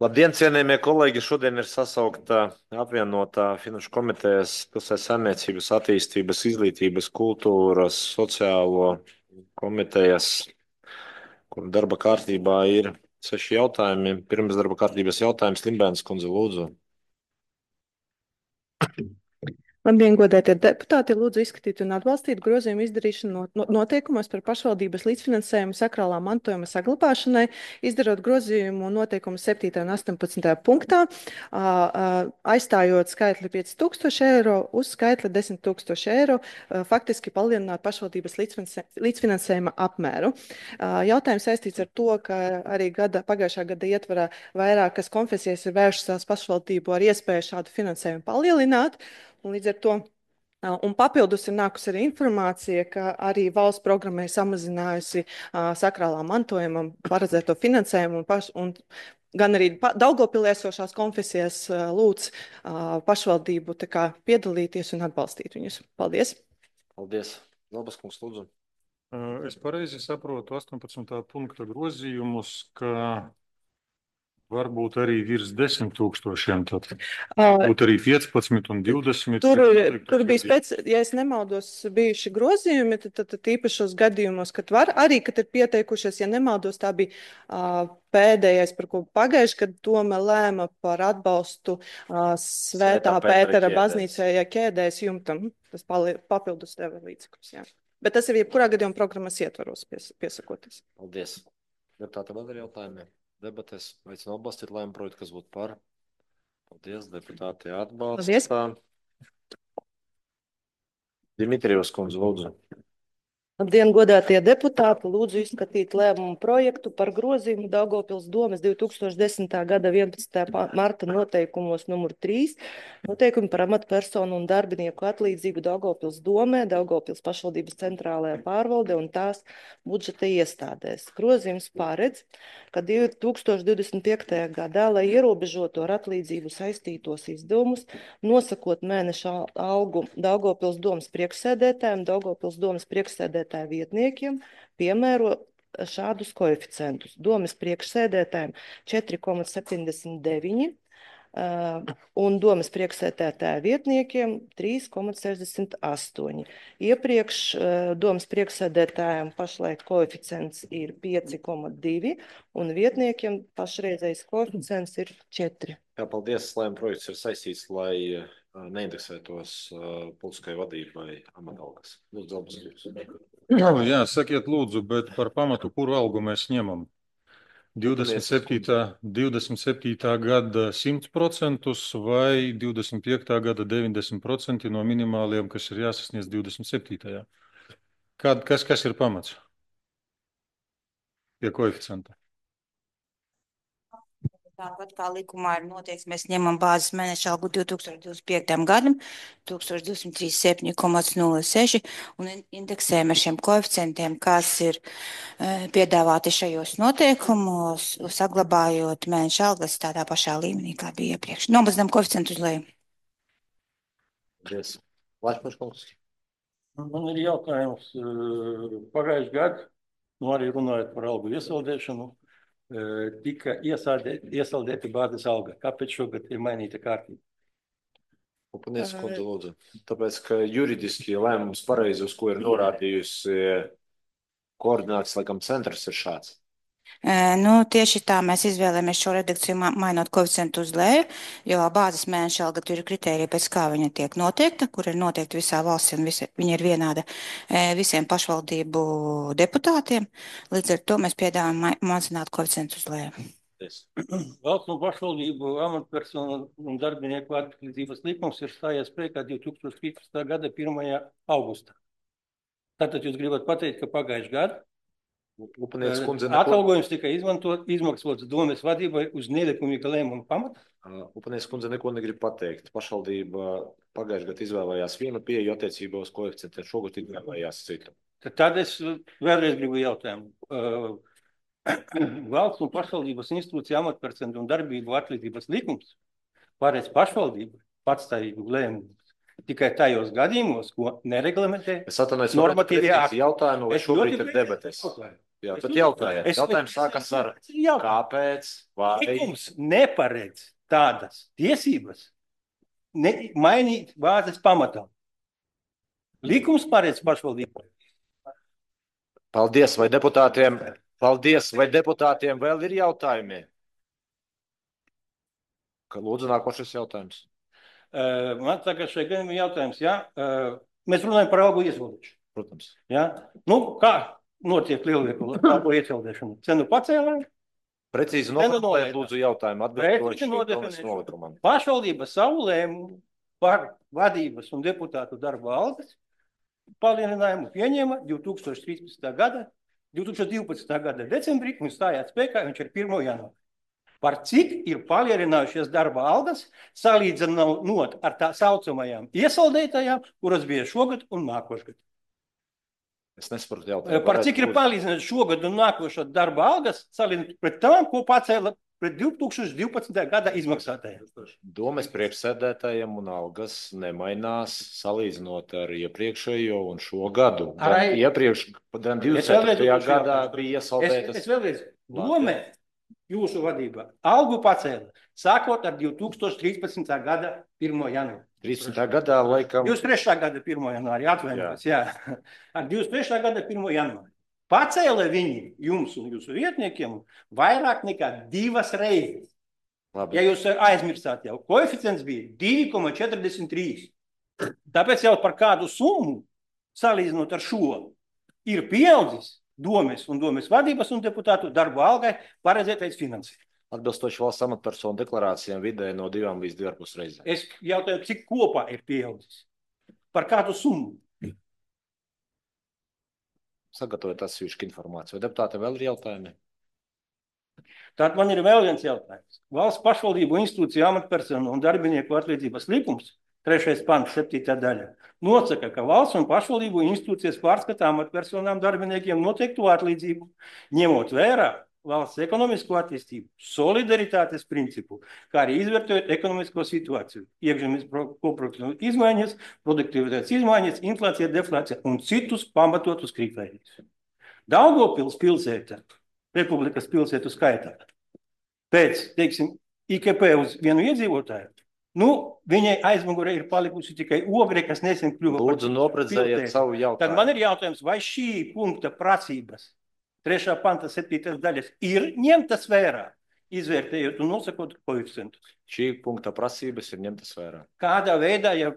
Labdien, cienījamie kolēģi! Šodien ir sasaukta apvienotā Finanšu komitejas pilsētas saimniecības, attīstības, izglītības, kultūras, sociālo komitejas, kur darba kārtībā ir 6 jautājumi. Pirms darba kārtības jautājums Limbēnas kundze lūdzu. Labdien, godētie deputāti! Lūdzu izskatīt un atbalstīt grozījumu izdarīšanu noteikumos par pašvaldības līdzfinansējumu sakrālā mantojuma saglabāšanai, izdarot grozījumu noteikumu 7. un 18. punktā, aizstājot skaitli 5000 eiro uz skaitli 10 000 eiro, faktiski palielināt pašvaldības līdzfinansējuma apmēru. Jautājums saistīts ar to, ka arī pagājušā gada ietvarā vairākas konfesijas ir vēršas pašvaldību ar iespēju šādu finansējumu palielināt. Un līdz ar to, un papildus ir nākusi arī informācija, ka arī valsts programma ir samazinājusi sakrālā mantojumam paredzēto finansējumu un gan arī Daugavpilī esošās konfesijas lūdz pašvaldību piedalīties un atbalstīt viņus. Paldies! Paldies! Labas kungs, lūdzu. Es pareizi saprotu 18. punkta grozījumus, ka varbūt arī virs 10 000, tad būtu arī 15 un 20. Tur bija, ja es nemaldos, bijuši grozījumi, tad īpašos gadījumos, kad var arī, kad ir pieteikušies, ja nemaldos, tā bija pēdējais, par ko pagājuši, kad Doma lēma par atbalstu Svētā Pētera baznīcai ķēdēs jumtam. Tas papildus deva līdzekļus, jā. Bet tas ir jebkurā gadījumā programmas ietvaros piesakoties. Paldies! Deputāti, vēl ir jautājumi? Debates, aicinu atbalstīt lēmumu projektu, kas būtu par. Paldies, deputāti atbalsta. Dimitrijevs kundze, lūdzu. Labdien, godātie deputāti! Lūdzu izskatīt lēmumu projektu par grozījumu Daugavpils domes 2010. gada 11. marta noteikumos numur 3, noteikumi par amatpersonu un darbinieku atlīdzību Daugavpils domē, Daugavpils pašvaldības centrālajā pārvalde un tās budžeta iestādēs. Grozījums paredz, ka 2025. gadā, lai ierobežotu ar atlīdzību saistītos izdevumus, nosakot mēneša algu Daugavpils domes priekšsēdētājiem, Daugavpils domes priekšsēdētājiem vietniekiem piemēro šādus koeficientus. Domes priekšsēdētājiem 4,79 un domes priekšsēdētāja vietniekiem 3,68. Iepriekš domes priekšsēdētājiem pašlaik koeficients ir 5,2 un vietniekiem pašreizējais koeficients ir 4. Jā, paldies. Lēmuma projekts ir saistīts, lai neindeksētos politiskai vadībai amatalgas. Lūdzu, Albas. Jā, sakiet lūdzu, bet par pamatu, kuru algu mēs ņemam? 27. gada 100% vai 25. gada 90% no minimāliem, kas ir jāsasniedz 27. Kas ir pamats? Pie koeficienta. Tāpat kā likumā ir noteikts, mēs ņemam bāzes mēneša algu 2025. gadam 1237,06 un indeksējam ar šiem koeficientiem, kas ir piedāvāti šajos noteikumos, saglabājot mēneša algas tādā pašā līmenī, kā bija iepriekš. Nomazinām koeficientu uz leju. Paldies. Lašmaškungs. Man ir jautājums pagājuši gadu, arī runājot par algu iesaldēšanu, tika iesaldēti bāzes alga. Kāpēc šogad ir mainīta kārtība? Upanies, kundze, lūdzu. Tāpēc, ka juridiski lēmums pareizi, uz ko ir norādījusi koordinācijas, laikam, centrs ir šāds. Tieši tā mēs izvēlējamies šo redakciju mainot koeficientu uz leju, jo bāzes mēneša alga tur ir kritērija, pēc kā viņa tiek noteikta, kur ir noteikta visā valstī un viņa ir vienāda visiem pašvaldību deputātiem. Līdz ar to mēs piedāvājam mazināt koeficientu uz leju. Valsts un pašvaldību amatpersonu un darbinieku atlīdzības likums ir stājies spēkā 2015. gada 1. augustā. Tātad jūs gribat pateikt, ka pagājuši gadu atalgojums tika izmaksots domes vadībai uz nelikumīga lēmuma pamata? Upanies kundze neko negrib pateikt. Pašvaldība pagājušajā gadā izvēlējās vienu pieeju attiecībā uz koeficientiem, šogad izvēlējās citu. Tad es vēlreiz gribu jautājumu. Valsts un pašvaldības institūcija amatpersonu un darbību atlīdzības likums paredz pašvaldību patstāvīgu lēmumu tikai tajos gadījumos, ko nereglamentē normatīvie akti. Jautājumu, vai šobrīd ir debates? Jā, tad jautājiet. Jautājums sākas ar kāpēc vai Likums neparedz tādas tiesības mainīt bāzes pamatā. Likums paredz pašvaldību. Paldies, vai deputātiem vēl ir jautājumi? Lūdzu, nākošais jautājums. Man tagad šeit gan ir jautājums, jā. Mēs runājam par algu izvaldīšanu. Protams. Jā. Nu, kā notiek lielveikalu algu ieceldēšana? Cenu pacēlē? Precīzi noformulēt, lūdzu, jautājumu atbilstoši nolikumam. Pašvaldība savu lēmumu par vadības un deputātu darba algas palielinājumu pieņēma 2012. gada decembrī un stājās spēkā viņš ir 1. janvāra. Par cik ir palielinājušies darba algas, salīdzinot ar tā saucamajām iesaldētajām, kuras bija šogad un nākošgad. Es nesaprotu jautājumu. Par cik ir palielinājušies šogad un nākošo darba algas, salīdzinot pret tām, ko pacēla pret 2012. gada izmaksātajiem. Domes priekšsēdētājiem un algas nemainās salīdzinot ar iepriekšējo un šo gadu. Iepriekš, 20. gadā bija iesaldētas. Es vēlreiz, dome jūsu vadībā algu pacēla, sākot ar 2013. gada 1. janvāru. 13. gadā, laikam... 23. gada 1. janvāri, atvainojos, jā. Ar 23. gada 1. janvāri. Pacēla viņi jums un jūsu vietniekiem vairāk nekā 2 reizes. Labi. Ja jūs aizmirstāt jau, koeficients bija 2,43. Tāpēc jau par kādu summu, salīdzinot ar šo, ir pieaudzis domes un domes vadības un deputātu darbu algai paredzētais finansējums. Atbilstoši valsts amatpersonu deklarācijām vidēji no 2 līdz 2,5 reizēm. Es jautāju, cik kopā ir pieaudzis? Par kādu summu? Sagatavot atsevišķu informāciju. Vai deputātiem vēl ir jautājumi? Tātad man ir vēl viens jautājums. Valsts pašvaldību institūciju amatpersonu un darbinieku atlīdzības likums, 3. pants, 7. daļa, nosaka, ka valsts un pašvaldību institūcijas pārskatā amatpersonām darbiniekiem noteiktu atlīdzību, ņemot vērā valsts ekonomisko attīstību, solidaritātes principu, kā arī izvērtējot ekonomisko situāciju, iekšzemes koproduktu izmaiņas, produktivitātes izmaiņas, inflācija, deflācija un citus pamatotus kritērijus. Daugavpils pilsēta, Republikas pilsētu skaitā, pēc, teiksim, IKP uz vienu iedzīvotāju, viņai aizmugurē ir palikusi tikai Ogre, kas nesen kļuva par Lūdzu, noprecējiet savu jautājumu. Tad man ir jautājums, vai šī punkta prasības 3. panta 7. daļas ir ņemtas vērā, izvērtējot un nosakot koeficientus? Šī punkta prasības ir ņemtas vērā. Kādā veidā, ja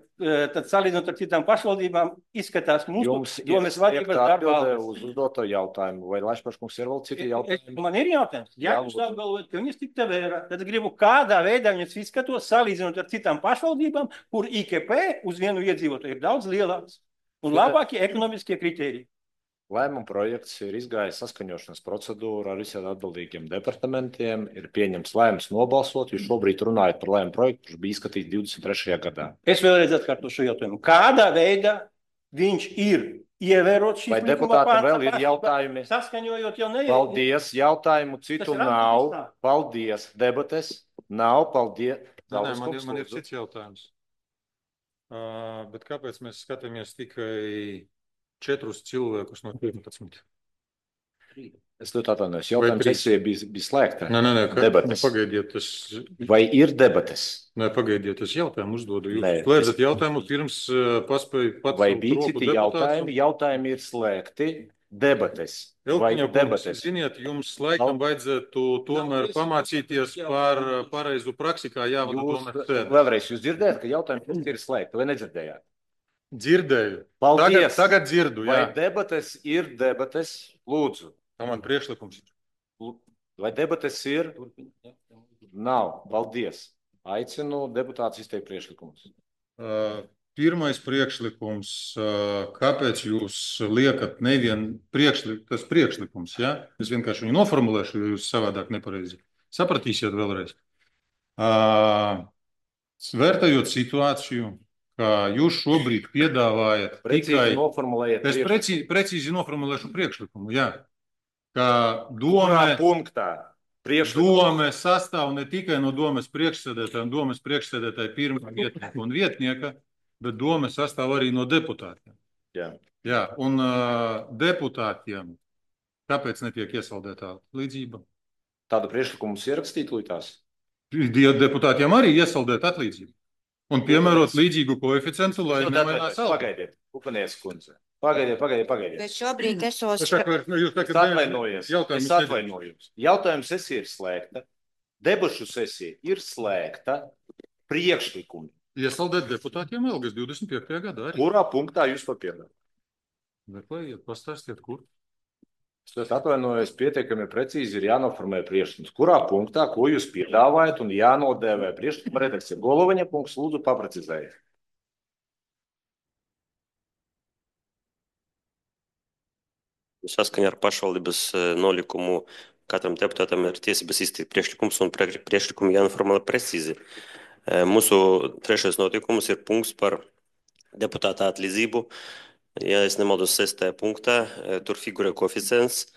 tad salīdzinot ar citām pašvaldībām, izskatās mūsu domes vadības darba algas? Uz uzdoto jautājumu, vai Laišpaškungs ir vēl citi jautājumi? Man ir jautājums. Ja jūs apgalvojat, ka viņas tikta vērā, tad gribu, kādā veidā viņas izskatos salīdzinot ar citām pašvaldībām, kur IKP uz vienu iedzīvotāju ir daudz lielāks un labākie ekonomiskie kritēriji. Lēmuma projekts ir izgājis saskaņošanas procedūru ar visiem atbildīgiem departamentiem, ir pieņemts lēmums nobalsot, jūs šobrīd runājat par lēmumu projektu, kurš bija izskatīts 23. gadā. Es vēlreiz atkārtošu jautājumu. Kādā veidā viņš ir ievērot šīs Vai deputātam vēl ir jautājumi? Saskaņojot jau ne. Paldies, jautājumu citu nav. Paldies, debates nav. Paldies. Man ir cits jautājums. Bet kāpēc mēs skatāmies tikai 4 cilvēkus no 15? Es ļoti atvainojos. Jautājums sesija bija slēgta. Nē, debates. Pagaidiet. Vai ir debates? Nē, pagaidiet, es jautājumu uzdodu. Jūs slēdzat jautājumu pirms paspēju pats. Vai bija citi jautājumi? Jautājumi ir slēgti. Debates. Vai debates? Ziniet, jums laikam vajadzētu tomēr pamācīties par pareizu praksi, kā jāvada domes sēdes. Vēlreiz, jūs dzirdējat, ka jautājumi ir slēgti, vai nedzirdējāt? Dzirdēju. Paldies. Tagad dzirdu, jā. Vai debates ir debates? Lūdzu. Tā man priekšlikums. Vai debates ir? Nav. Paldies. Aicinu deputātus izteikt priekšlikumus. Pirmais priekšlikums. Kāpēc jūs liekat nevienu tas priekšlikums, ja? Es vienkārši viņu noformulēšu, jo jūs savādāk nepareizi sapratīsiet vēlreiz. Vērtējot situāciju, ka jūs šobrīd piedāvājat precīzi noformulējiet. Es precīzi noformulēšu priekšlikumu, jā. Ka dome sastāv ne tikai no domes priekšsēdētāja un domes priekšsēdētāja pirmā vietnieka un vietnieka, bet dome sastāv arī no deputātiem. Jā. Jā, un deputātiem Kāpēc netiek iesaldēta atlīdzība? Tādu priekšlikumu mums ierakstīt līdās. Deputātiem arī iesaldēt atlīdzību un piemērot līdzīgu koeficientu, lai nemainās alga. Pagaidiet, Upanies kundze. Pagaidiet. Bet šobrīd esos... Es atvainojos. Jautājums sesija ir slēgta. Debašu sesija ir slēgta. Priekšlikumi. Iesaldēt deputātiem algas 25. gadā arī. Kurā punktā jūs to piedāvājat? Meklējiet, pastāstiet, kur. Es atvainojos, pietiekami precīzi ir jānoformē priekšlikums. Kurā punktā, ko jūs piedāvājat un jānodēvē priekšlikuma redakcija? Golovaņa punkts, lūdzu, paprecizējiet. Saskaņā ar pašvaldības nolikumu katram deputātam ir tiesības izteikt priekšlikums un priekšlikumi jānoformulē precīzi. Mūsu trešais notikums ir punkts par deputāta atlīdzību. Ja es nemaldos 6. punktā, tur figurē koeficients.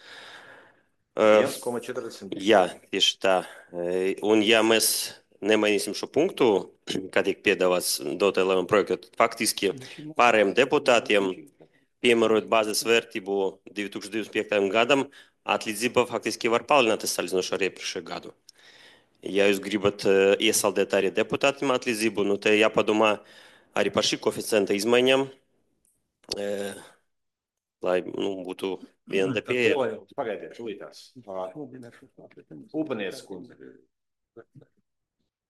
1,40. Jā, tieši tā. Un ja mēs nemainīsim šo punktu, kā tiek piedāvāts dotajā lēmuma projektā, tad faktiski pārējiem deputātiem, piemērojot bāzes vērtību 2025. gadam, atlīdzība faktiski var palielināties salīdzinoši ar iepriekšējo gadu. Ja jūs gribat iesaldēt arī deputātiem atlīdzību, nu te jāpadomā arī par šī koeficienta izmaiņām, lai būtu viena pieeja. Pagaidiet, līdās. Upanies kundze.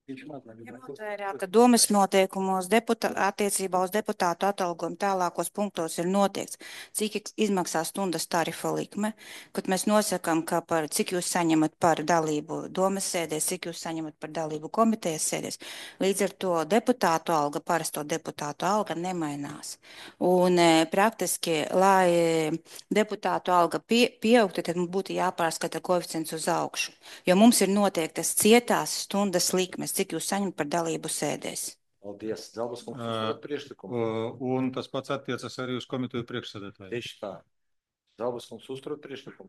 Ņemot vērā, ka domas noteikumos attiecībā uz deputātu atalgojumu tālākos punktos ir noteikts, cik izmaksā stundas tarifa likme, kad mēs nosakām, ka cik jūs saņemat par dalību domas sēdēs, cik jūs saņemat par dalību komitejas sēdēs. Līdz ar to deputātu alga, parasto deputātu alga nemainās. Un praktiski, lai deputātu alga pieaugtu, tad mums būtu jāpārskata koeficients uz augšu, jo mums ir noteiktas cietās stundas likmes, cik jūs saņemat par dalību sēdēs. Paldies, Zelbas kungs, uzturot priekšlikumu. Un tas pats attiecas arī uz komiteju priekšsēdētāju. Tieši tā. Zelbas kungs, uzturot priekšlikumu.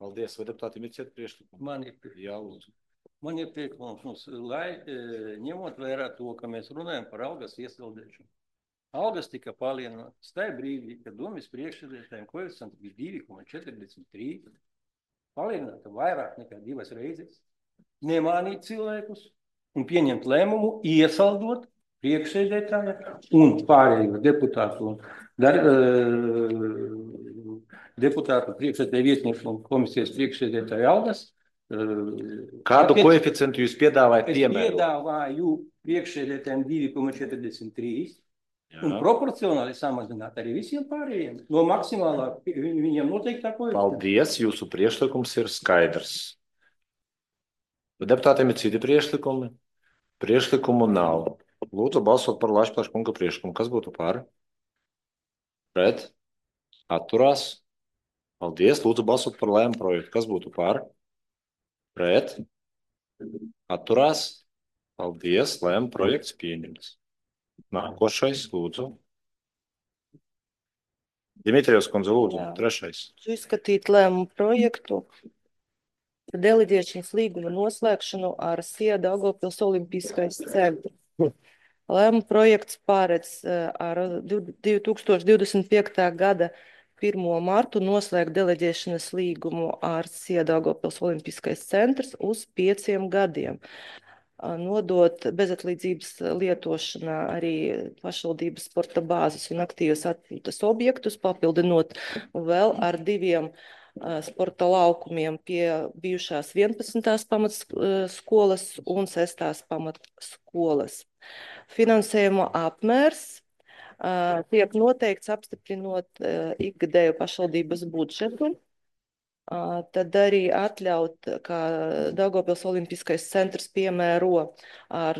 Paldies, vai deputātiem ir ciet priekšlikumu? Man ir Jā, lūdzu. Man ir priekšlikums, lai ņemot vērā to, ka mēs runājam par algas iesaldēšanu. Algas tika palielinātas tajā brīdī, kad domas priekšsēdētājiem koeficients bija 2,43, palielināta vairāk nekā 2 reizes. Nemānīt cilvēkus un pieņemt lēmumu, iesaldot priekšsēdētāju un pārējo deputātu priekšsēdētāju vietnieku un komisijas priekšsēdētāju algas. Kādu koeficientu jūs piedāvājat Es piemērot? piedāvāju priekšsēdētājiem 2,43 un proporcionāli samazināt arī visiem pārējiem no maksimālā viņiem noteiktā koeficienta. Paldies, jūsu priekšlikums ir skaidrs. Deputātiem ir citi priekšlikumi. Priekšlikumu nav. Lūdzu balsot par Lašplāša kunga priekšlikumu. Kas būtu par? Pret? Atturās? Paldies. Lūdzu balsot par lēmumu projektu. Kas būtu par? Pret? Atturās? Paldies. Lēmumu projekts pieņemts. Nākošais, lūdzu. Dimitrijos kundze, lūdzu. Trešais. Izskatīt lēmumu projektu. Deleģēšanas līguma noslēgšanu ar SIA Daugavpils Olimpiskais centrs. Lēmuma projekts pārēdz ar 2025. gada 1. martu noslēgt deleģēšanas līgumu ar SIA Daugavpils Olimpiskais centrs uz 5 gadiem. Nodot bezatlīdzības lietošanā arī pašvaldības sporta bāzes un aktīvas atpūtas objektus, papildinot vēl ar 2 sporta laukumiem pie bijušās 11. pamatskolas un 6. pamatskolas. Finansējuma apmērs tiek noteikts apstiprinot ikgadēju pašvaldības budžetu. Tad arī atļaut, ka Daugavpils Olimpiskais centrs piemēro ar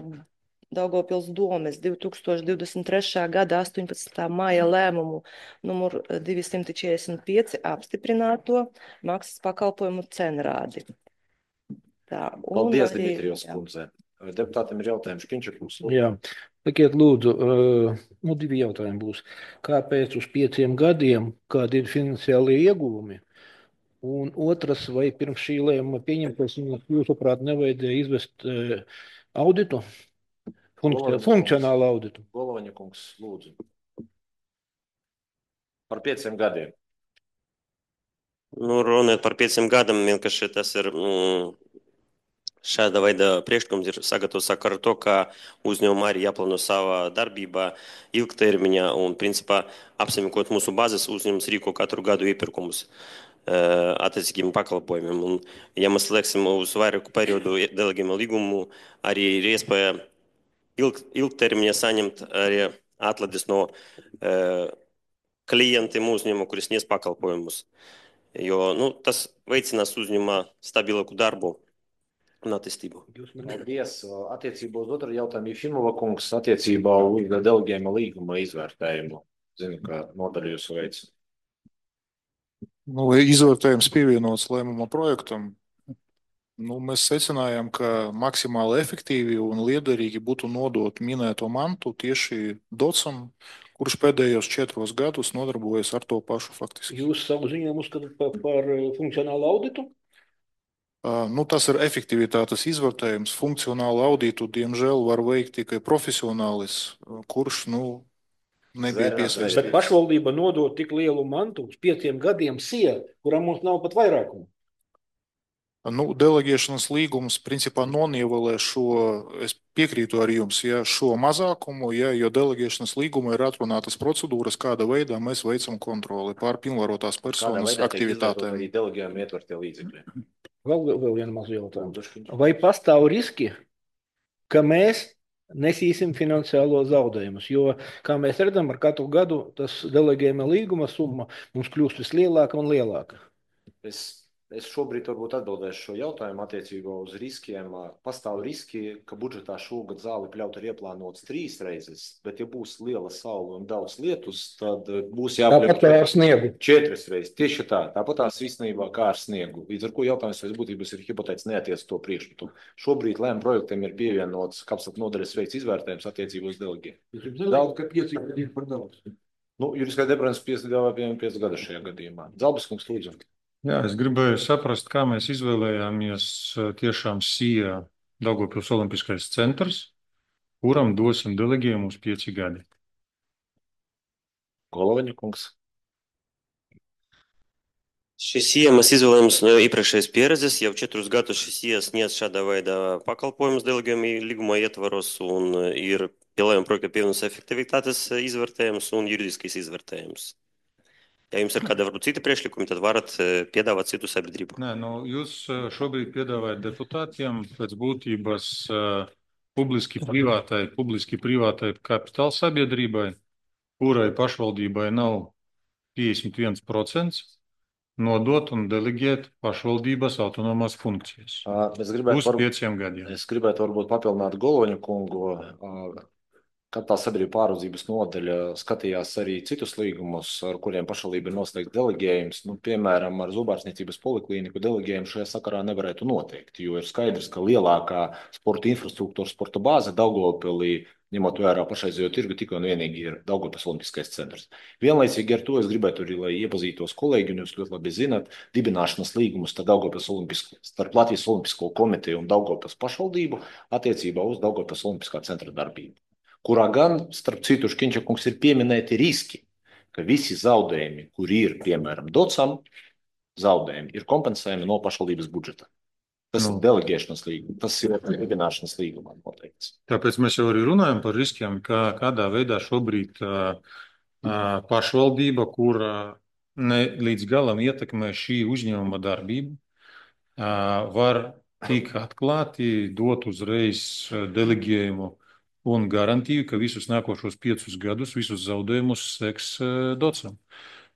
Daugavpils domes 2023. gada 18. maija lēmumu numur 245 apstiprināto maksas pakalpojumu cenrādi. Paldies, Dimitrijos kundze. Deputātiem ir jautājums. Škiņčakungs. Jā, sakiet lūdzu, 2 jautājumi būs. Kāpēc uz 5 gadiem, kādi ir finansiālie ieguvumi? Un otrs, vai pirms šī lēmuma pieņemšanas jūsuprāt nevajadzēja izvest auditu? Funkcionālu auditu. Golovaņa kungs, lūdzu. Par 5 gadiem. Nu, runājot par 5 gadiem, vienkārši tas ir šāda veida priekšlikums ir sagatavots ar to, ka uzņēmumā arī jāplāno savā darbībā ilgtermiņā un, principā, apsaimniekot mūsu bāzes uzņēmums rīko katru gadu iepirkumus attiecīgiem pakalpojumiem. Un, ja mēs lieksim uz vairāku periodu delegējumu līgumu, arī ir iespēja ilgtermiņā saņemt arī atlaides no klientiem uzņēmumu, kuris sniedz pakalpojumus. Jo tas veicinās uzņēmumā stabilāku darbu un attīstību. Paldies. Attiecībā uz otru jautājumu, Jefimova kungs, attiecībā uz delegējuma līguma izvērtējumu. Zinu, ka nodaļu jūs veic. Izvērtējums pievienots lēmuma projektam. Mēs secinājām, ka maksimāli efektīvi un liederīgi būtu nodot minēto mantu tieši docam, kurš pēdējos 4 gadus nodarbojas ar to pašu faktiski. Jūs savu ziņojumu uzskatāt par funkcionālu auditu? Tas ir efektivitātes izvērtējums. Funkcionālu auditu, diemžēl, var veikt tikai profesionālis, kurš nebija piesaistīts. Bet pašvaldība nodot tik lielu mantu uz 5 gadiem SIA, kuram mums nav pat vairākumu. Delegēšanas līgums principā nonievelē šo, es piekrītu ar jums, šo mazākumu, jo delegēšanas līguma ir atrunātas procedūras, kāda veidā mēs veicam kontroli pār pilnvarotās personas aktivitātēm. Kādā veidā delegējumi ietvertie līdzekļi? Vēl viena maza jautājuma. Vai pastāv riski, ka mēs nesīsim finansiālo zaudējumus? Jo, kā mēs redzam, ar katru gadu tas delegējuma līguma summa mums kļūst vislielāka un lielāka. Es šobrīd varbūt atbildēšu šo jautājumu attiecībā uz riskiem. Pastāv riski, ka budžetā šogad zāli pļaut ir ieplānots 3 reizes, bet ja būs liela saule un daudz lietus, tad būs jāpļaut Tāpat kā ar sniegu. 4 reizes. Tieši tā, tāpat tās īstenībā kā ar sniegu. Līdz ar ko jautājums pēc būtības ir hipotētiski neatiec to priekšmetu. Šobrīd lēma projektiem ir pievienots kapsat nodaļas veikts izvērtējums attiecībā uz delegiem. Daudz, ka 5 gadi ir par daudz. Juridiskā departaments piedāvā 5 gadus šajā gadījumā. Zalbis kungs, lūdzu. Jā, es gribēju saprast, kā mēs izvēlējāmies tiešām SIA Daugavpils Olimpiskais centrs, kuram dosim delegējumu uz 5 gadi. Golovaņa kungs. Šis SIA mēs izvēlējāmies no iepriekšējas pieredzes. Jau 4 gadus šis SIA sniedz šāda veida pakalpojumus delegējuma līguma ietvaros un ir pielējuma projekta pievienotas efektivitātes izvērtējums un juridiskais izvērtējums. Ja jums ir kāda varbūt cita priekšlikumi, tad varat piedāvāt citu sabiedrību. Nē, jūs šobrīd piedāvājat deputātiem pēc būtības publiski privātai kapitāla sabiedrībai, kurai pašvaldībai nav 51%, nodot un delegēt pašvaldības autonomās funkcijas. Uz 5 gadiem. Es gribētu varbūt papildināt Golovaņu kungu. Kapitāla sabiedrība pārvaldības nodaļa skatījās arī citus līgumus, ar kuriem pašvaldība ir noslēgts delegējums. Piemēram, ar zobārstniecības poliklīniku delegējumu šajā sakarā nevarētu noteikt, jo ir skaidrs, ka lielākā sporta infrastruktūra, sporta bāze Daugavpilī, ņemot vērā pašreizējo tirgu, tikai un vienīgi ir Daugavpils Olimpiskais centrs. Vienlaicīgi ar to es gribētu arī, lai iepazītos kolēģi, un jūs ļoti labi zināt, dibināšanas līgumus starp Latvijas Olimpisko komiteju un Daugavpils pašvaldību attiecībā uz Daugavpils Olimpiskā centra darbību, kurā gan, starp citu, Škiņčakungs ir pieminēti riski, ka visi zaudējumi, kuri ir, piemēram, docam, zaudējumi ir kompensējami no pašvaldības budžeta. Tas ir delegēšanas līgums, tas ir dibināšanas līgumā noteikts. Tāpēc mēs jau arī runājam par riskiem, kādā veidā šobrīd pašvaldība, kura ne līdz galam ietekmē šī uzņēmuma darbību, var tik atklāti dot uzreiz delegējumu un garantiju, ka visus nākošos 5 gadus, visus zaudējumus seks docam.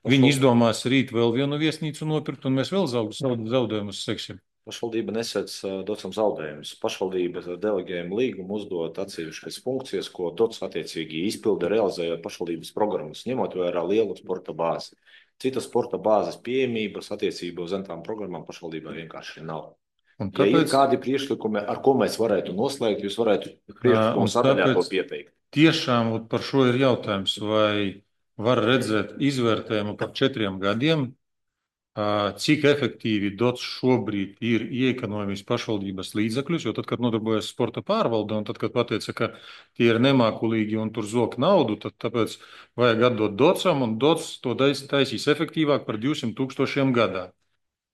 Viņi izdomās rīt vēl vienu viesnīcu nopirkt, un mēs vēl zaudējumus seksim. Pašvaldība nesēc docam zaudējumus. Pašvaldība delegējuma līgumu uzdod atsevišķas funkcijas, ko dots attiecīgi izpilda, realizējot pašvaldības programmas, ņemot vērā lielu sporta bāzi. Citas sporta bāzes pieejamības attiecībā uz tām programmām pašvaldībā vienkārši nav. Ja ir kādi priekšlikumi, ar ko mēs varētu noslēgt, jūs varētu priekšlikumu sadaļā to pieteikt. Tiešām par šo ir jautājums, vai var redzēt izvērtējumu par 4 gadiem, cik efektīvi dots šobrīd ir ieekonomijas pašvaldības līdzekļus, jo tad, kad nodarbojas sporta pārvalde, un tad, kad pateica, ka tie ir nemākulīgi un tur zok naudu, tad tāpēc vajag atdot docam, un dots to taisīs efektīvāk par 200 000 gadā.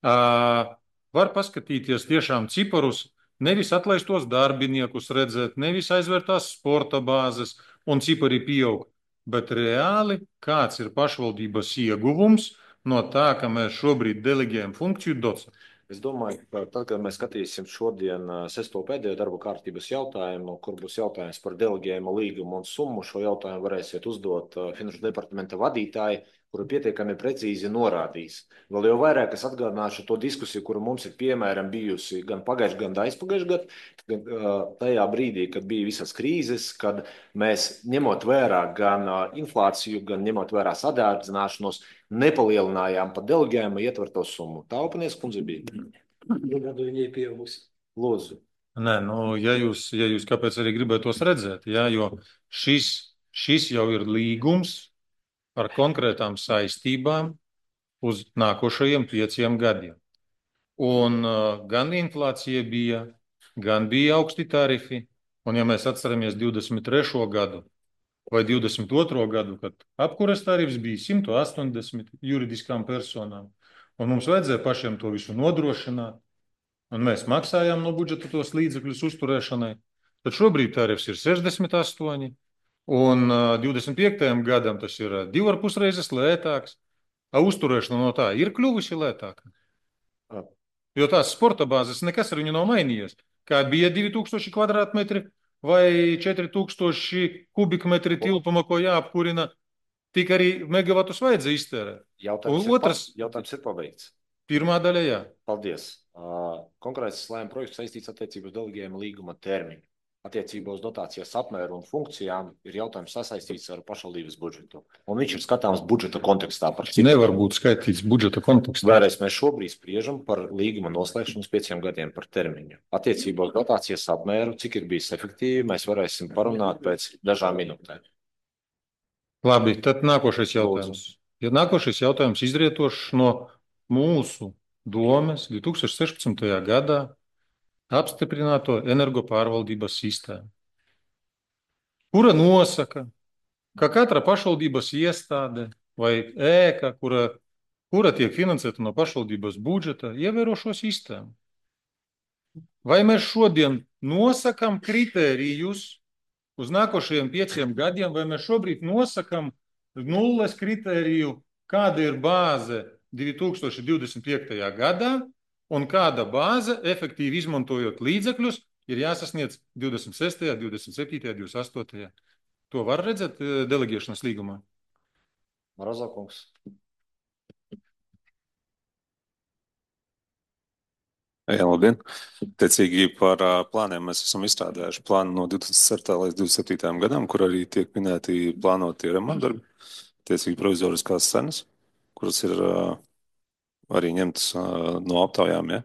Var paskatīties tiešām ciparus, nevis atlaistos darbiniekus redzēt, nevis aizvērtās sporta bāzes un cipari pieaug, bet reāli kāds ir pašvaldības ieguvums no tā, ka mēs šobrīd deleģējam funkciju docam. Es domāju, ka tad, kad mēs skatīsim šodien sesto pēdējo darba kārtības jautājumu, kur būs jautājums par deleģējumu līgumu un summu, šo jautājumu varēsiet uzdot Finanšu departamenta vadītāji, kuru pietiekami precīzi norādīs. Vēl jau vairāk es atgādināšu to diskusiju, kuru mums ir piemēram bijusi gan pagājušajā, gan aizpagājušajā gadā, tajā brīdī, kad bija visas krīzes, kad mēs ņemot vērā gan inflāciju, gan ņemot vērā sadārdzināšanos, nepalielinājām pa deleģējumu ietverto summu. Tā Openies kundze bija. Gadu viņai pieaugusi. Lūdzu. Nē, nu, ja jūs kāpēc arī gribētu tos redzēt, jā, jo šis jau ir līgums ar konkrētām saistībām uz nākošajiem 5 gadiem. Un gan inflācija bija, gan bija augsti tarifi, un ja mēs atceramies 23. gadu vai 22. gadu, kad apkures tarifs bija 180 juridiskām personām, un mums vajadzēja pašiem to visu nodrošināt, un mēs maksājām no budžeta tos līdzekļus uzturēšanai, tad šobrīd tarifs ir 68, un 25. gadam tas ir 2,5 reizes lētāks, a uzturēšana no tā ir kļuvusi lētāka. Jo tās sporta bāzes nekas ar viņu nav mainījies. Kā bija 2000 kvadrātmetri vai 4000 kubikmetri tilpuma, ko jāapkurina, tik arī megavatus vajadzēja iztērēt. Jautājums ir pabeigts. Pirmā daļa, jā. Paldies. Konkrēts lēmuma projekts saistīts attiecībā uz deleģējuma līguma termiņu. Attiecībā uz dotācijas apmēru un funkcijām ir jautājums sasaistīts ar pašvaldības budžetu. Un viņš ir skatāms budžeta kontekstā. Nevar būt skaitīts budžeta kontekstā. Vēlreiz mēs šobrīd spriežam par līguma noslēgšanu uz 5 gadiem par termiņu. Attiecībā uz dotācijas apmēru, cik ir bijis efektīvi, mēs varēsim parunāt pēc dažām minūtēm. Labi, tad nākošais jautājums. Ja nākošais jautājums izrietošs no mūsu domes 2016. gadā apstiprināto energopārvaldības sistēmu, kura nosaka, ka katra pašvaldības iestāde vai ēka, kura tiek finansēta no pašvaldības budžeta, ievēro šo sistēmu. Vai mēs šodien nosakam kritērijus uz nākošajiem 5 gadiem, vai mēs šobrīd nosakam nulles kritēriju, kāda ir bāze 2025. gadā, un kāda bāze, efektīvi izmantojot līdzekļus, ir jāsasniedz 26., 27., 28. To var redzēt deleģēšanas līgumā? Marazokungs. Jā, labdien. Tiecīgi par plāniem mēs esam izstrādājuši plānu no 2007. līdz 2027. gadam, kur arī tiek minēti plānoti remontdarbi, tiecīgi provizoriskās cenas, kuras ir arī ņemtas no aptaujām, ja?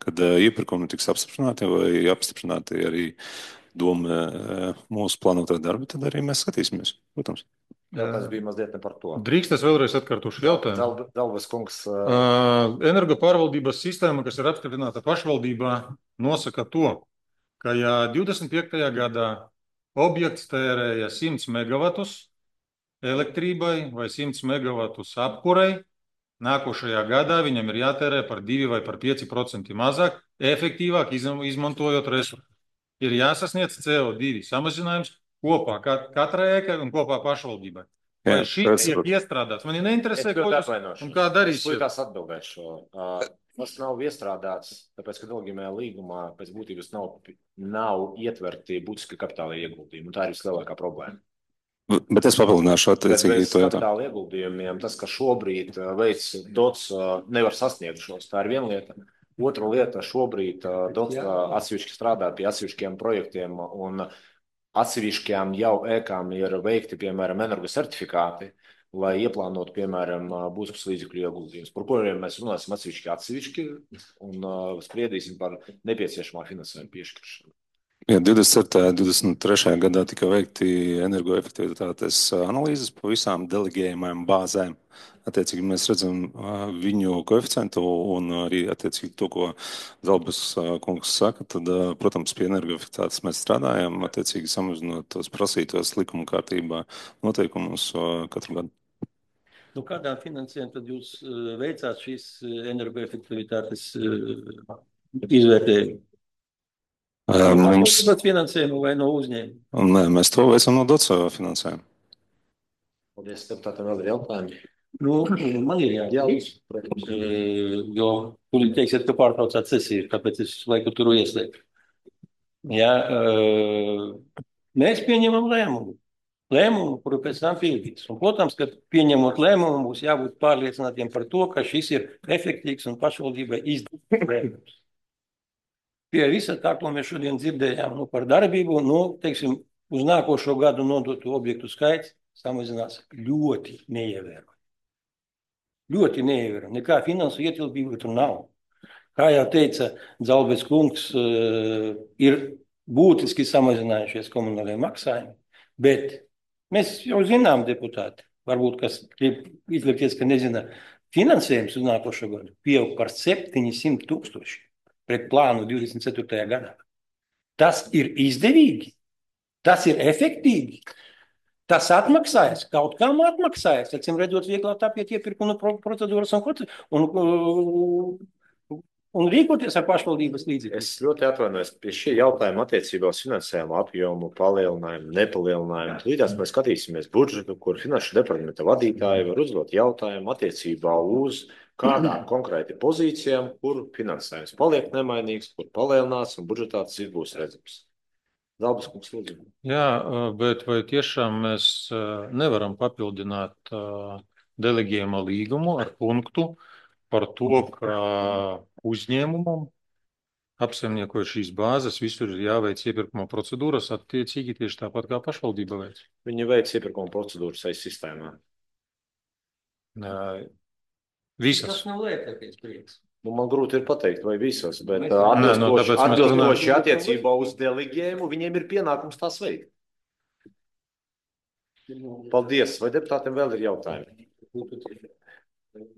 Kad iepirkumi tiks apstiprināti vai apstiprināti arī doma mūsu plānotā darba, tad arī mēs skatīsimies, protams. Tas bija mazliet ne par to. Drīkst es vēlreiz atkārtošu jautājumu. Dalvas kungs. Energopārvaldības sistēma, kas ir apstiprināta pašvaldībā, nosaka to, ka ja 25. gadā objekts tērēja 100 megavatus elektrībai vai 100 megavatus apkurei, nākošajā gadā viņam ir jātērē par 2 vai par 5% mazāk, efektīvāk izmantojot resursus. Ir jāsasniedz CO2 samazinājums kopā katrai ēkai un kopā pašvaldībai. Vai šis tiek iestrādāts? Mani neinteresē, ko jūs un kā darīsiet. Es atbildēšu. Tas nav iestrādāts, tāpēc, ka deleģējumā līgumā pēc būtības nav ietverti būtiski kapitāla ieguldījumi. Tā ir vislielākā problēma. Bet es papildināšu attiecīgi to jautājumu. Kapitāla ieguldījumiem tas, ka šobrīd veids DOTS nevar sasniegt šos, tā ir viena lieta. Otra lieta, šobrīd DOTS atsevišķi strādā pie atsevišķiem projektiem un atsevišķām jau ēkām ir veikti, piemēram, energosertifikāti, lai ieplānotu, piemēram, būtiskus līdzekļu ieguldījumus, par kuriem mēs runāsim atsevišķi un spriedīsim par nepieciešamā finansējuma piešķiršanu. Jā, 27. un 23. gadā tika veikti energoefektivitātes analīzes pa visām deleģējumām bāzēm. Attiecīgi mēs redzam viņu koeficientu un arī attiecīgi to, ko Zalbas kungs saka, tad, protams, pie energoefektivitātes mēs strādājam, attiecīgi samazinot tos prasītos likuma kārtībā noteikumus katru gadu. Nu, kādām finansēm tad jūs veicāt šīs energoefektivitātes izvērtējumu? Mums, Pašvaldības finansējumu vai no uzņēmuma? nē, mēs to veicam no DOTS finansējuma. Paldies, deputātam, vēl ir jautājumi. Nu, man ir jāatzīst, jo tūlīt teiksiet, ka pārtraucāt sesiju, tāpēc es laiku turu ieslēgtu. Jā, mēs pieņemam lēmumu, kuru pēc tam pildīs. Un, protams, ka pieņemot lēmumu, būs jābūt pārliecinātiem par to, ka šis ir efektīvs un pašvaldībai izdevīgs lēmums. Pie visa tā, ko mēs šodien dzirdējām par darbību, teiksim, uz nākošo gadu nodotu objektu skaits samazinās ļoti neievērojami. Ļoti neievērojami. Nekā finansu ietilpība tur nav. Kā jau teica Dzalbes kungs, ir būtiski samazinājušies komunālie maksājumi, bet mēs jau zinām, deputāti, varbūt kas grib izlikties, ka nezina, finansējums uz nākošo gadu pieaug par 700 000 pret plānu 24. gadā. Tas ir izdevīgi, tas ir efektīvi. Tas atmaksājas, kaut kam atmaksājas, acīm redzot, vieglāk apiet iepirkuma procedūras un rīkoties ar pašvaldības līdzekļiem. Es ļoti atvainojos pie šī jautājuma attiecībā uz finansējumu apjomu, palielinājumu, nepalielinājumu. Līdzās mēs skatīsimies budžetu, kur finanšu departamenta vadītāji var uzdot jautājumu attiecībā uz kādām konkrēti pozīcijām, kur finansējums paliek nemainīgs, kur palielināts un budžetā tas būs redzams. Zalbes kungs, lūdzu. Jā, bet vai tiešām mēs nevaram papildināt delegējuma līgumu ar punktu par to, ka uzņēmumam apsaimniekojot šīs bāzes, visur ir jāveic iepirkuma procedūras, attiecīgi tieši tāpat kā pašvaldība veic. Viņi veic iepirkuma procedūras aiz sistēmā. Visas. Tas nav lielākais prieks. Man grūti ir pateikt, vai visas, bet tāpēc atbilstoši attiecībā uz delegējumu, viņiem ir pienākums tās veikt. Paldies. Vai deputātiem vēl ir jautājumi?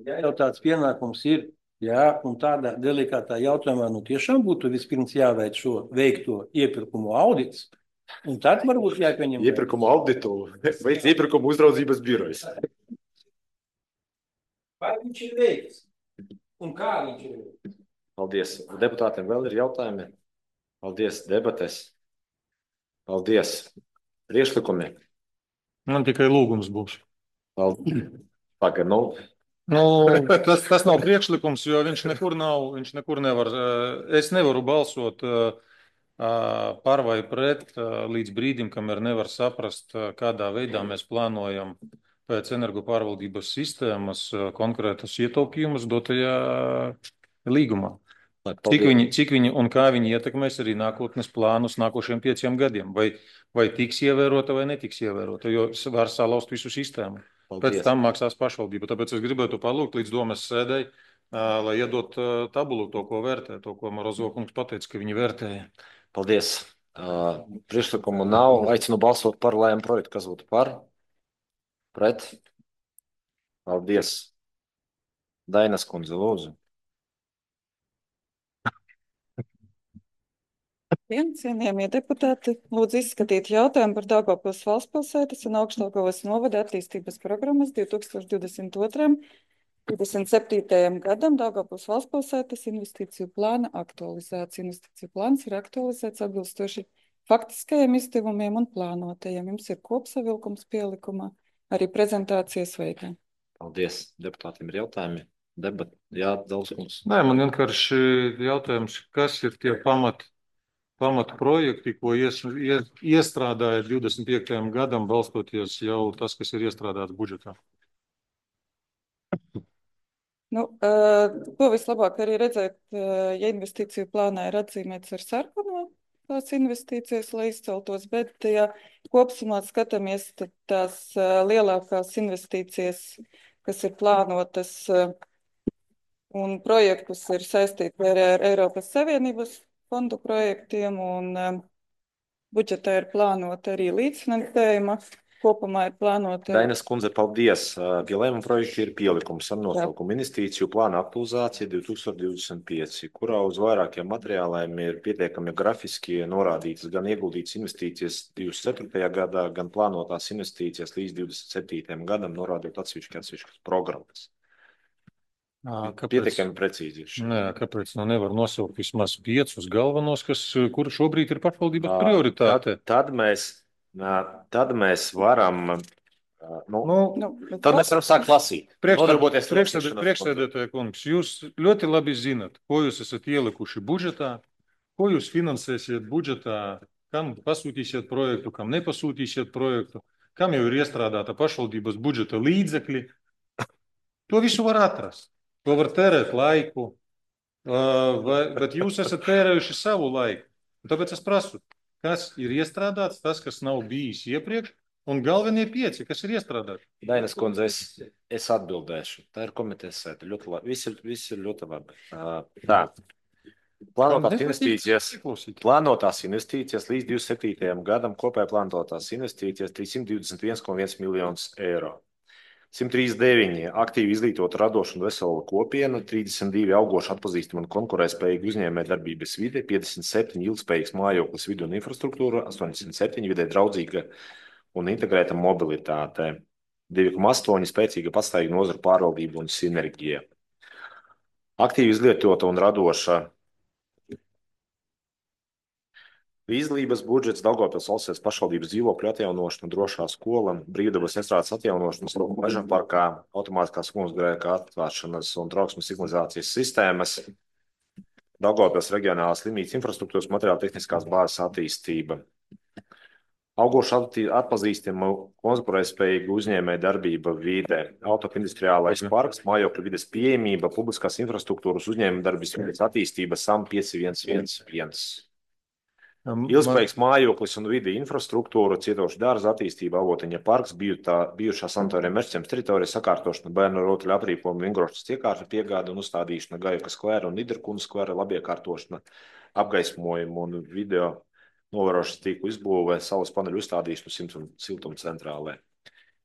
Ja jau tāds pienākums ir, jā, un tādā delikātā jautājumā, tiešām būtu vispirms jāveic šo veikto iepirkumu audits, un tad varbūt jāpieņem. Iepirkumu auditu veic iepirkumu uzraudzības birojas. Vai viņš ir veikts? Un kā viņš ir? Paldies. Deputātiem vēl ir jautājumi? Paldies. Debates. Paldies. Priekšlikumi. Man tikai lūgums būs. Pagaid, Tas nav priekšlikums, jo viņš nekur nevar. Es nevaru balsot par vai pret līdz brīdim, kamēr nevar saprast, kādā veidā mēs plānojam pēc energopārvaldības sistēmas konkrētus ietaupījumus dotajā līgumā. Cik viņi un kā viņi ietekmēs arī nākotnes plānus nākošiem 5 gadiem. Vai tiks ievērota vai netiks ievērota, jo var salauzt visu sistēmu. Pēc tam maksās pašvaldība. Tāpēc es gribētu palūgt līdz domes sēdei, lai iedot tabulu to, ko vērtē, to, ko Morozo kungs pateica, ka viņi vērtēja. Paldies. Priekšlikumu nav. Aicinu balsot par lēmumu projektu. Kas būtu par? Pret? Paldies. Dainas kundze, lūdzu. Cienījamie deputāti, lūdzu izskatīt jautājumu par Daugavpils valstspilsētas un Augšdaugavas novada attīstības programmas 2022. 27. gadam Daugavpils valstspilsētas investīciju plāna aktualizācija. Investīciju plāns ir aktualizēts atbilstoši faktiskajiem izdevumiem un plānotajiem. Jums ir kopsavilkums pielikumā, arī prezentācijas veidā. Paldies. Deputātiem ir jautājumi? Jā, Dzalbes. Nē, man vienkārši jautājums, kas ir tie pamatu projekti, ko iestrādāja 25. gadam, balstoties jau tas, kas ir iestrādāts budžetā? To vislabāk arī redzēt, ja investīciju plānā ir atzīmēts ar sarkano tās investīcijas, lai izceltos, bet ja kopsumā skatāmies, tad tās lielākās investīcijas, kas ir plānotas un projektus ir saistīti ar Eiropas Savienības fondu projektiem un budžetā ir plānota arī līdzfinansējuma kopumā ir plānota? Dainas kundze, paldies. Pie lēmuma projekta ir pielikums ar nosaukumu investīciju plāna aktualizācija 2025, kurā uz vairākiem materiāliem ir pietiekami grafiski norādītas gan ieguldītas investīcijas 24. gadā, gan plānotās investīcijas līdz 27. gadam, norādot atsevišķas programmas. Pietiekami precīzi ir šeit. Nē, kāpēc nevar nosaukt vismaz 5 galvenos, kur šobrīd ir pašvaldības prioritāte? Tad mēs varam, tad mēs varam sākt lasīt. Priekšsēdētāja kungs, jūs ļoti labi zinat, ko jūs esat ielikuši budžetā, ko jūs finansēsiet budžetā, kam pasūtīsiet projektu, kam nepasūtīsiet projektu, kam jau ir iestrādāta pašvaldības budžeta līdzekļi. To visu var atrast. To var tērēt laiku, bet jūs esat tērējuši savu laiku. Tāpēc es prasu, kas ir iestrādāts, tas, kas nav bijis iepriekš, un galvenie 5, kas ir iestrādāti. Dainas kundze, es atbildēšu. Tā ir komitejas sēde. Ļoti labi. Viss ir ļoti labi. Tā. Plānotās investīcijas līdz 27. gadam kopēji plānotās investīcijas 321,1 miljonus eiro. 139 aktīvi izglītota radoša un vesela kopiena, 32 augoši atpazīstama un konkurētspējīga uzņēmējdarbības vide, 57 ilgspējīgs mājoklis, vide un infrastruktūra, 87 vidē draudzīga un integrēta mobilitāte, 2,8 spēcīga pastāvīga nozaru pārvaldība un sinerģija. Aktīvi izglītota un radoša izglītības budžets, Daugavpils valsts pašvaldības dzīvokļu atjaunošana, drošā skola, brīvdabas estrādes atjaunošana, meža parkā, automātiskās ugunsgrēka atvēršanas un trauksmes signalizācijas sistēmas, Daugavpils reģionālās slimnīcas infrastruktūras materiāla tehniskās bāzes attīstība. Augoši atpazīstama konkurētspējīga uzņēmēja darbība vide, autoindustriālais parks, mājokļu vides pieejamība, publiskās infrastruktūras uzņēmēja darbības vides attīstība, SAM 5111. Ilgspējīgs mājoklis un vide infrastruktūra, cietošu dārza attīstība, Avotiņa parks, bijušā sanatorija Mežciems teritorija, sakārtošana, bērnu rotaļu aprīkojuma, vingrošas iekārtu piegāde un uzstādīšana, Gajaka skvēra un Niderkundas skvēra, labiekārtošana, apgaismojumu un video novērošanas tīklu izbūvē, saules paneļu uzstādīšanu siltumcentrālē.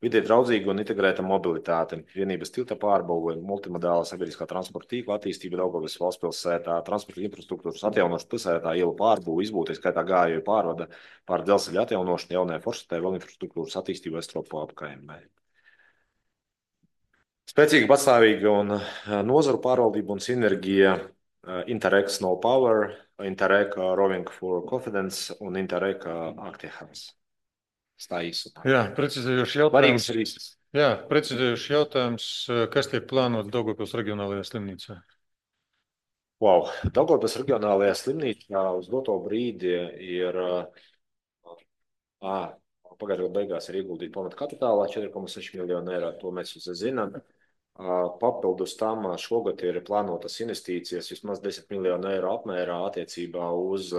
Vidē draudzīga un integrēta mobilitāte, vienības tilta pārbūve, multimodāla sabiedriskā transporta tīkla attīstība Daugavpils valsts pilsētā, transporta infrastruktūras atjaunošana pilsētā, ielu pārbūve, izbūve, skaitā gājēju pārvada, pār dzelzceļa atjaunošana, jaunajā forštatē, vēl infrastruktūras attīstība Estropo apkaimē. Spēcīga, pastāvīga un nozaru pārvaldība un sinerģija, Interreg Snow Power, Interreg Roving for Confidence un Interreg Actihans. Jā, precizējošs jautājums, kas tiek plānots Daugavpils reģionālajā slimnīcā? Daugavpils reģionālajā slimnīcā uz doto brīdi ir pagājušā gada beigās ir ieguldīta pamata kapitālā 4,6 miljonu eiro, to mēs visi zinām. Papildus tam šogad ir plānotas investīcijas vismaz 10 miljonu eiro apmērā attiecībā uz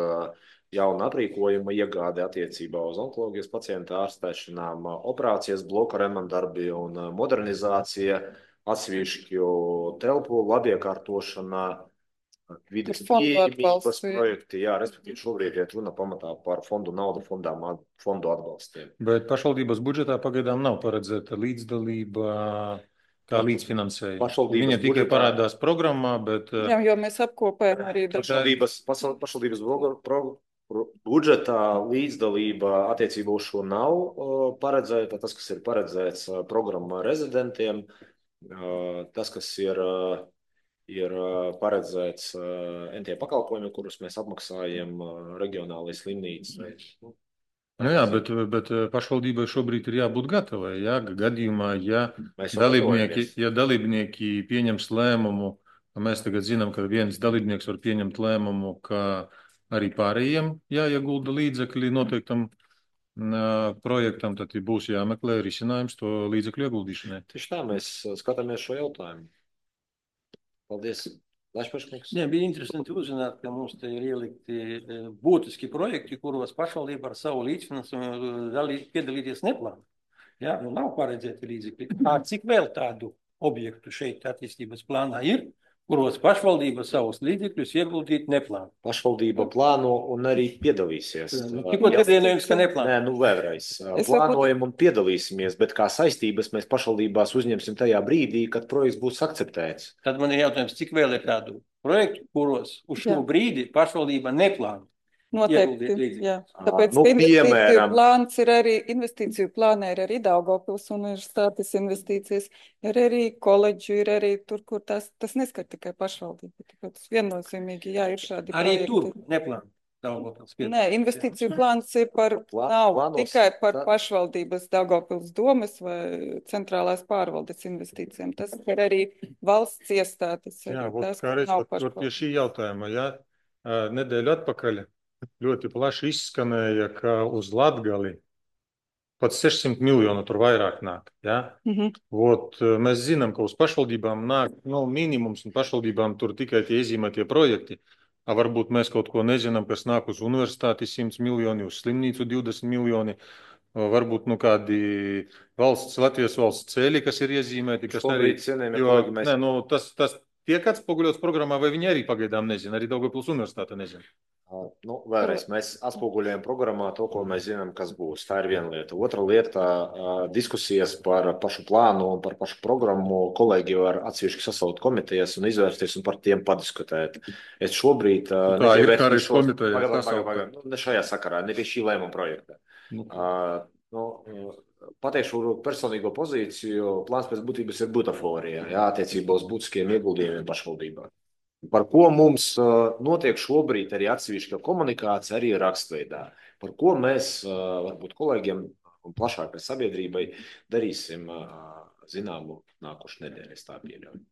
jauna aprīkojuma iegāde attiecībā uz onkoloģijas pacientu ārstēšanām, operācijas bloku remontdarbi un modernizācija, atsevišķu telpu labiekārtošana, vides pieejamības projekti, respektīvi šobrīd iet runa pamatā par fondu naudu, fondu atbalstiem. Bet pašvaldības budžetā pagaidām nav paredzēta līdzdalība kā līdzfinansējuma. Viņa tikai parādās programmā, bet... Jā, jo mēs apkopējam arī pašvaldības budžetā līdzdalība attiecībā uz šo nav paredzēta. Tas, kas ir paredzēts programmā rezidentiem, tas, kas ir paredzēts NT pakalpojumi, kurus mēs apmaksājam reģionālajai slimnīcai. Jā, bet pašvaldībai šobrīd ir jābūt gatavai. Gadījumā, ja dalībnieki pieņems lēmumu, mēs tagad zinām, ka viens dalībnieks var pieņemt lēmumu, ka arī pārējiem jāiegulda līdzekļi noteiktam projektam, tad būs jāmeklē risinājums to līdzekļu ieguldīšanai. Tieši tā, mēs skatāmies šo jautājumu. Paldies. Bija interesanti uzzināt, ka mums te ir ielikti būtiski projekti, kuros pašvaldība ar savu līdzfinansējumu piedalīties neplāno. Nav paredzēti līdzekļi. Cik vēl tādu objektu šeit attīstības plānā ir, kuros pašvaldība savus līdzekļus ieguldīt neplāno. Pašvaldība plāno un arī piedalīsies. Tikko dzirdējums, ka neplāno. Nē, nu vēlreiz. Plānojam un piedalīsimies, bet kā saistības mēs pašvaldībās uzņemsim tajā brīdī, kad projekts būs akceptēts. Tad man ir jautājums, cik vēl ir tādu projektu, kuros uz šo brīdi pašvaldība neplāno? Noteikti, jā. Tāpēc investīciju plānā ir arī Daugavpils universitātes investīcijas, ir arī koledžu, ir arī tur, kur tas neskar tikai pašvaldību. Tāpēc viennozīmīgi, jā, ir šādi arī projekti. Tur neplāno Daugavpils. Nē, investīciju plāns ir tikai par pašvaldības Daugavpils domes vai centrālās pārvaldes investīcijām. Tas ir arī valsts iestādes. Jā, pie šī jautājuma, jā, nedēļu atpakaļ ļoti plaši izskanēja, ka uz Latgali pat 600 miljonu tur vairāk nāk. Ja? Mēs zinām, ka uz pašvaldībām nāk minimums, un pašvaldībām tur tikai tie iezīmētie projekti. Varbūt mēs kaut ko nezinām, kas nāk uz universitāti 100 miljoni, uz slimnīcu 20 miljoni, varbūt kādi Latvijas valsts ceļi, kas ir iezīmēti. Kas arī, tas tiek atspoguļots programmā, vai viņi arī pagaidām nezina, arī Daugavpils universitāte nezina. Vēlreiz mēs atspoguļojam programmā to, ko mēs zinām, kas būs. Tā ir viena lieta. Otra lieta - diskusijas par pašu plānu un par pašu programmu. Kolēģi var atsevišķi sasaukt komitejas un izvērsties un par tiem padiskutēt. Es šobrīd ne šajā sakarā, ne pie šī lēmuma projekta. Pateikšu personīgo pozīciju. Plāns pēc būtības ir butaforija, attiecībā uz būtiskiem ieguldījumiem pašvaldībā. Par ko mums notiek šobrīd arī atsevišķa komunikācija, arī rakstveidā. Par ko mēs, varbūt kolēģiem un plašākai sabiedrībai, darīsim zināmu nākošu nedēļu, es tā pieļauju.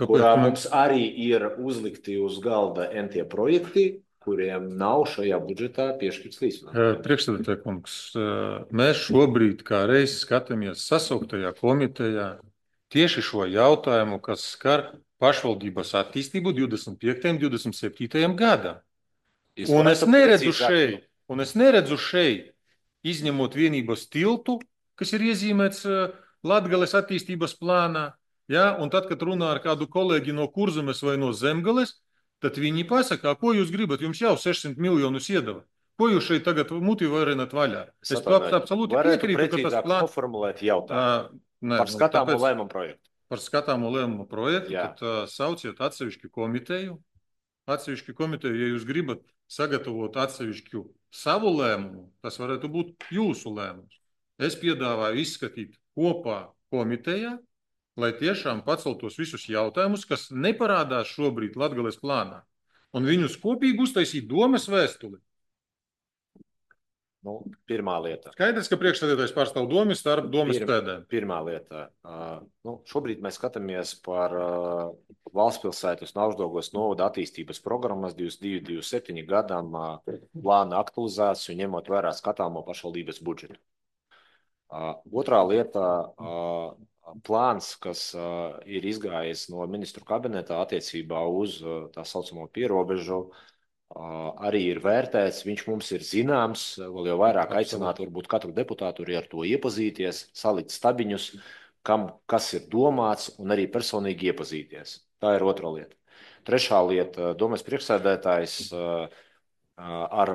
Kurā mums arī ir uzlikti uz galda NT projekti, kuriem nav šajā budžetā piešķirts līdzfinansējums. Priekšsēdētāj kungs, mēs šobrīd kā reiz skatāmies sasauktajā komitejā tieši šo jautājumu, kas skar pašvaldības attīstību 25. un 27. gadam. Un es neredzu šeit, izņemot vienības tiltu, kas ir iezīmēts Latgales attīstības plānā, un tad, kad runā ar kādu kolēģi no Kurzemes vai no Zemgales, tad viņi pasaka, ko jūs gribat, jums jau 600 miljonus iedeva. Ko jūs šeit tagad muti varinat vaļā? Es absolūti piekrītu, ka tas plāns... Noformulēt jautājumu par skatāmo lēmumu projektu. Par skatāmo lēmumu projektu, tad sauciet atsevišķu komiteju. Atsevišķu komiteju, ja jūs gribat sagatavot atsevišķu savu lēmumu, tas varētu būt jūsu lēmums. Es piedāvāju izskatīt kopā komitejā, lai tiešām paceltos visus jautājumus, kas neparādās šobrīd Latgales plānā, un viņus kopīgi uztaisīt domas vēstuli. Pirmā lieta. Skaidrs, ka priekšsēdētājs pārstāv domas starp domas pēdēm. Pirmā lieta. Šobrīd mēs skatāmies par Valstspilsētas un Augšdaugavas novada attīstības programmas 22-27 gadam plāna aktualizāciju, ņemot vērā skatāmo pašvaldības budžetu. Otrā lieta - plāns, kas ir izgājis no ministru kabinetā attiecībā uz tā saucamo pierobežu, arī ir vērtēts, viņš mums ir zināms, vēl jau vairāk aicināt varbūt katru deputātu arī ar to iepazīties, salikt stabiņus, kas ir domāts, un arī personīgi iepazīties. Tā ir otra lieta. Trešā lieta - domas priekšsēdētājs ar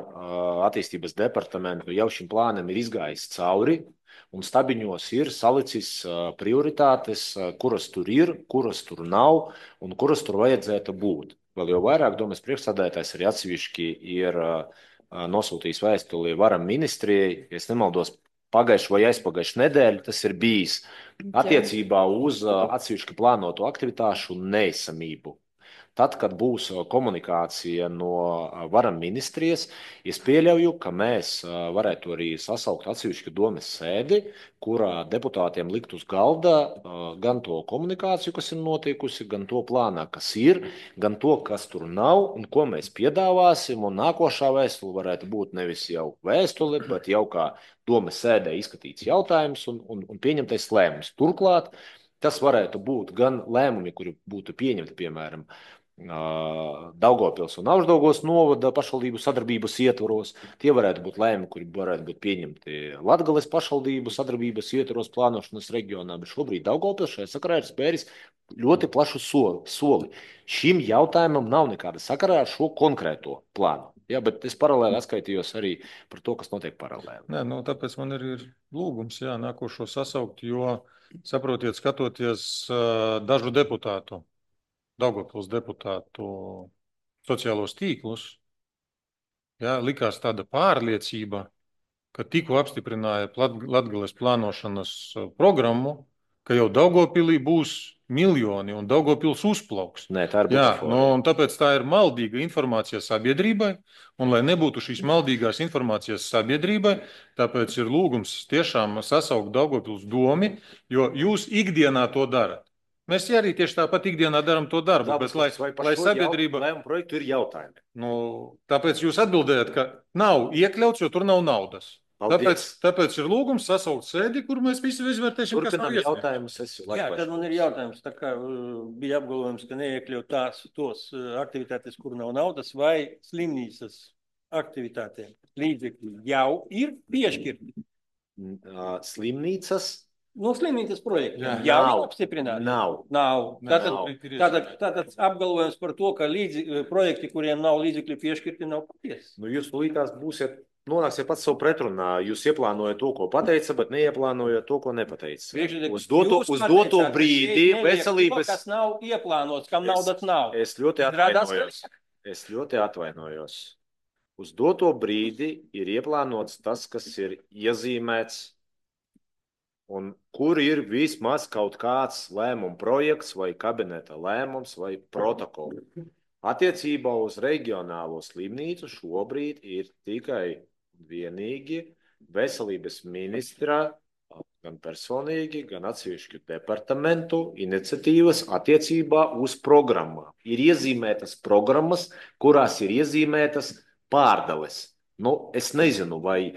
attīstības departamentu jau šim plānam ir izgājis cauri, un stabiņos ir salicis prioritātes, kuras tur ir, kuras tur nav, un kuras tur vajadzētu būt. Vēl jau vairāk domas priekšsēdētājs arī atsevišķi ir nosūtījis vēstuli varam ministrijai, ja es nemaldos, pagājušu vai aizpagājušu nedēļu tas ir bijis attiecībā uz atsevišķi plānoto aktivitāšu neesamību. Tad, kad būs komunikācija no varam ministrijas, es pieļauju, ka mēs varētu arī sasaukt atsevišķu domas sēdi, kurā deputātiem likt uz galda gan to komunikāciju, kas ir notikusi, gan to plānā, kas ir, gan to, kas tur nav un ko mēs piedāvāsim. Un nākošā vēstule varētu būt nevis jau vēstule, bet jau kā domas sēdē izskatīts jautājums un pieņemtais lēmums. Turklāt tas varētu būt gan lēmumi, kuri būtu pieņemti, piemēram, Daugavpils un Augšdaugavas novada pašvaldību sadarbības ietvaros. Tie varētu būt lēmumi, kuri varētu būt pieņemti Latgales pašvaldību sadarbības ietvaros plānošanas reģionā, bet šobrīd Daugavpils šajā sakarā ir spēris ļoti plašu soli. Šim jautājumam nav nekāda sakarā ar šo konkrēto plānu. Jā, bet es paralēli atskaitījos arī par to, kas notiek paralēli. Nē, tāpēc man ir lūgums, nākošo sasaukt, jo, saprotiet, skatoties dažu deputātu, Daugavpils deputātu sociālos tīklus, likās tāda pārliecība, ka tikko apstiprināja Latgales plānošanas programmu, ka jau Daugavpilī būs miljoni un Daugavpils uzplauks. Nē, tā ir butafora. Un tāpēc tā ir maldīga informācija sabiedrībai, un lai nebūtu šīs maldīgās informācijas sabiedrībai, tāpēc ir lūgums tiešām sasaukt Daugavpils domi, jo jūs ikdienā to darat. Mēs arī tieši tāpat ikdienā darām to darbu, bet lai sabiedrība... Lēmumu projektu ir jautājumi. Tāpēc jūs atbildējat, ka nav iekļauts, jo tur nav naudas. Tāpēc ir lūgums sasaukt sēdi, kur mēs visi izvērtēsim, kas nav iesniegts. Tad man ir jautājums, tā kā bija apgalvojums, ka neiekļaut tos aktivitātes, kur nav naudas, vai slimnīcas aktivitātēm līdzekļi jau ir piešķirti? Slimnīcas? Slimnīcas projektiem jau ir apstiprināti? Nav. Tātad apgalvojums par to, ka projekti, kuriem nav līdzekļi piešķirti, nav patiesi. Jūs līdās nonāksiet pats savu pretrunā. Jūs ieplānojat to, ko pateica, bet neieplānojat to, ko nepateica. Uz doto brīdi veselības... Kas nav ieplānots, kam naudas nav. Es ļoti atvainojos. Uz doto brīdi ir ieplānots tas, kas ir iezīmēts, un kur ir vismaz kaut kāds lēmuma projekts vai kabineta lēmums vai protokols. Attiecībā uz reģionālo slimnīcu šobrīd ir tikai vienīgi veselības ministra, gan personīgi, gan atsevišķu departamentu iniciatīvas attiecībā uz programmām. Ir iezīmētas programmas, kurās ir iezīmētas pārdales. Es nezinu, vai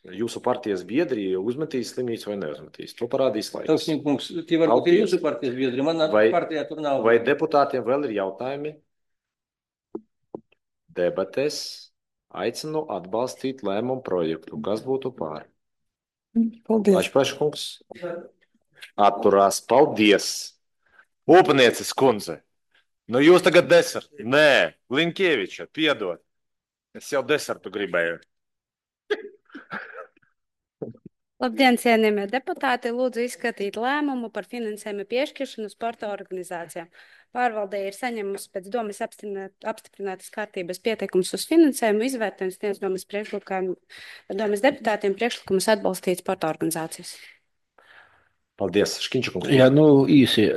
jūsu partijas biedri uzmetīs slimnīcu vai neuzmetīs. To parādīs laiks. Tie varbūt ir jūsu partijas biedri, manā partijā tur nav. Vai deputātiem vēl ir jautājumi? Debatēs aicinu atbalstīt lēmumu projektu. Kas būtu pār? Paldies. Lašpaškungs. Atturās. Paldies. Upnieces kundze. Jūs tagad desertu. Nē, Linkieviča, piedod. Es jau desertu gribēju. Labdien, cienījamie deputāti! Lūdzu izskatīt lēmumu par finansējumu piešķiršanu sporta organizācijām. Pārvaldē ir saņemusi pēc domas apstiprinātas kārtības pieteikums uz finansējumu, izvērtējums sniedz domas deputātiem priekšlikumus atbalstīt sporta organizācijas. Paldies, Škiņčakungs. Jā, īsi.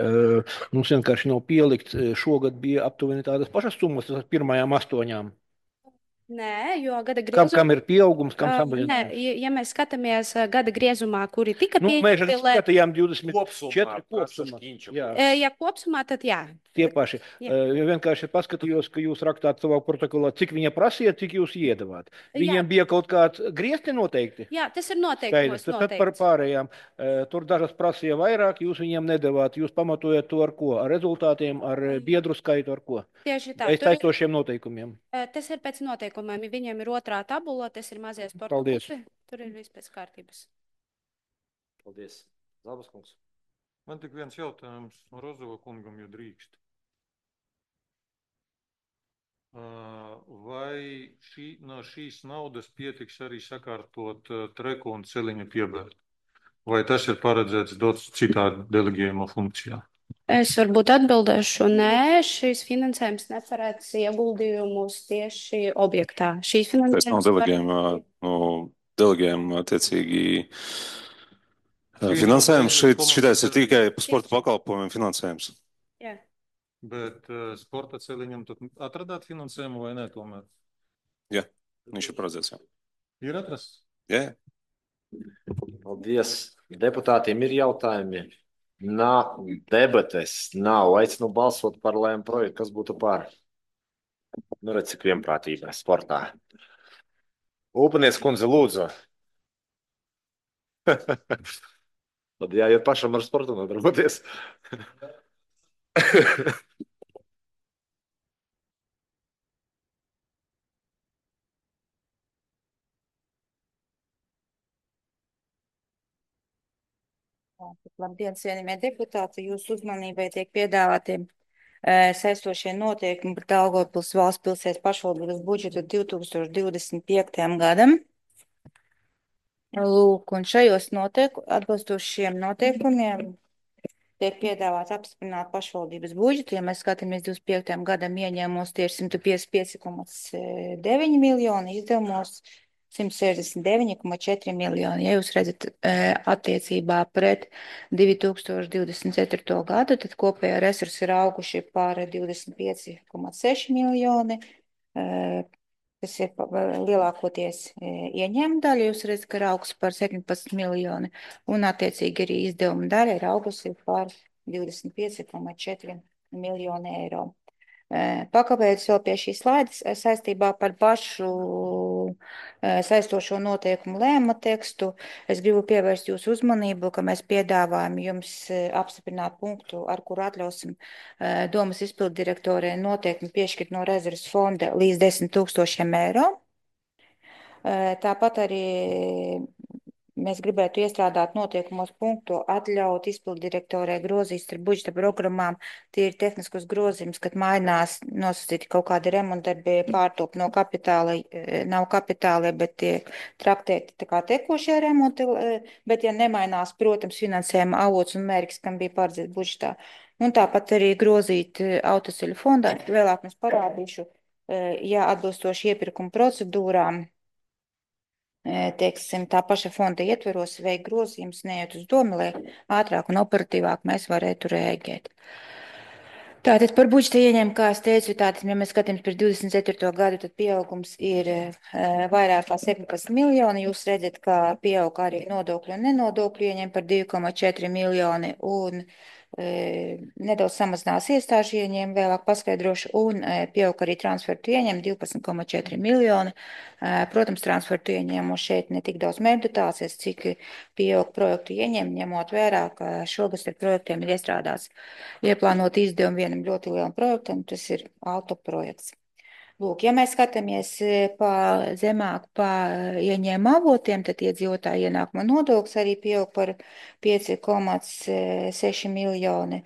Mums vienkārši nav pielikt. Šogad bija aptuveni tādas pašas summas ar pirmajām 8. Nē, jo gada griezumā... Kam ir pieaugums, kam samazinājums? Nē, ja mēs skatāmies gada griezumā, kuri tika pieņemti... Mēs arī skatījām 24 kopsumā. Ja kopsumā, tad jā. Tie paši. Vienkārši paskatījos, ka jūs rakstāt savā protokolā, cik viņa prasīja, cik jūs iedavāt. Viņiem bija kaut kāds griezti noteikti? Jā, tas ir noteikti. Tad par pārējām. Tur dažas prasīja vairāk, jūs viņiem nedavāt. Jūs pamatojat to ar ko? Ar rezultātiem, ar biedru skaitu, ar ko? Tieši tā. Aiztaistošiem noteikumiem. Tas ir pēc noteikumiem. Viņiem ir otrā tabula, tas ir mazie sporta klubi. Tur ir viss pēc kārtības. Paldies. Zābaskungs. Man tik viens jautājums Rozova kungam, jo drīkst. Vai no šīs naudas pietiks arī sakārtot treku un celiņu piebērt? Vai tas ir paredzēts dots citā deleģējuma funkcijā? Es varbūt atbildēšu, nē, šīs finansējums neparēc ieguldījumus tieši objektā. Šīs finansējums delegējuma attiecīgi finansējums. Šitais ir tikai sporta pakalpojumiem finansējums. Jā. Bet sporta celiņam tad atradāt finansējumu vai nē tomēr? Jā, viņš ir paredzēts, jā. Ir atrasts? Jā. Paldies. Deputātiem ir jautājumi. Nav debates, nav. Aicinu balsot par lēmumu projektu, kas būtu par. Redz, cik vienprātībā sportā. Upniece kundze, lūdzu. Tad jāiet pašam ar sportu nodarboties. Labdien, cienījamie deputāti, jūsu uzmanībai tiek piedāvāti saistošie noteikumi par Daugavpils valsts pilsētas pašvaldības budžetu 2025. gadam. Lūk, un šajos atbilstoši šiem noteikumiem tiek piedāvāts apstiprināt pašvaldības budžetu. Ja mēs skatāmies 25. gadam ieņēmumos tieši 155,9 miljoni, izdevumos 169,4 miljoni. Ja jūs redzat attiecībā pret 2024. gadu, tad kopējā resursi ir auguši par 25,6 miljoni. Tas ir lielākoties ieņēmuma daļa, jūs redzat, ka ir augsts par 17 miljoni, un attiecīgi arī izdevuma daļa ir augusi par 25,4 miljoni eiro. Pakavējoties vēl pie šīs slaidas saistībā par pašu saistošo noteikumu lēmuma tekstu, es gribu pievērst jūsu uzmanību, ka mēs piedāvājam jums apstiprināt punktu, ar kuru atļausim domas izpilddirektorei noteikumi piešķirt no rezerves fonda līdz 10 000 eiro. Tāpat arī mēs gribētu iestrādāt noteikumos punktu atļaut izpilddirektorē grozīt starp budžeta programmām tīri tehniskus grozījumus, kad mainās nosacīti kaut kādi remontdarbi pārtop no kapitāla, nav kapitāli, bet tiek traktēti tā kā tekošie remonti, bet ja nemainās, protams, finansējuma avots un mērķis, kam bija paredzēts budžetā. Un tāpat arī grozīt autoceļu fondā, vēlāk mēs parādīšu, ja atbilstoši iepirkuma procedūrām, teiksim, tā paša fonda ietveros veikt grozījums, neiet uz domu, lai ātrāk un operatīvāk mēs varētu rēģēt. Tātad par budžeta ieņēmumu, kā es teicu, tātad, ja mēs skatāmies par 24. gadu, tad pieaugums ir vairāk kā 17 miljoni. Jūs redzat, ka pieaug arī nodokļu un nenodokļu ieņēmumi par 2,4 miljoni un nedaudz samazinās iestāžu ieņēmumi, vēlāk paskaidrošu, un pieaug arī transfertu ieņēmumi 12,4 miljoni. Protams, transfertu ieņēmumu šeit ne tik daudz meditācijas, cik pieaug projektu ieņēmumi, ņemot vērā, ka šogad ar projektiem ir iestrādāts ieplānot izdevumu vienam ļoti lielam projektam, tas ir autoprojekts. Lūk, ja mēs skatāmies zemāk pa ieņēmuma avotiem, tad iedzīvotāju ienākuma nodoklis arī pieaug par 5,6 miljoni.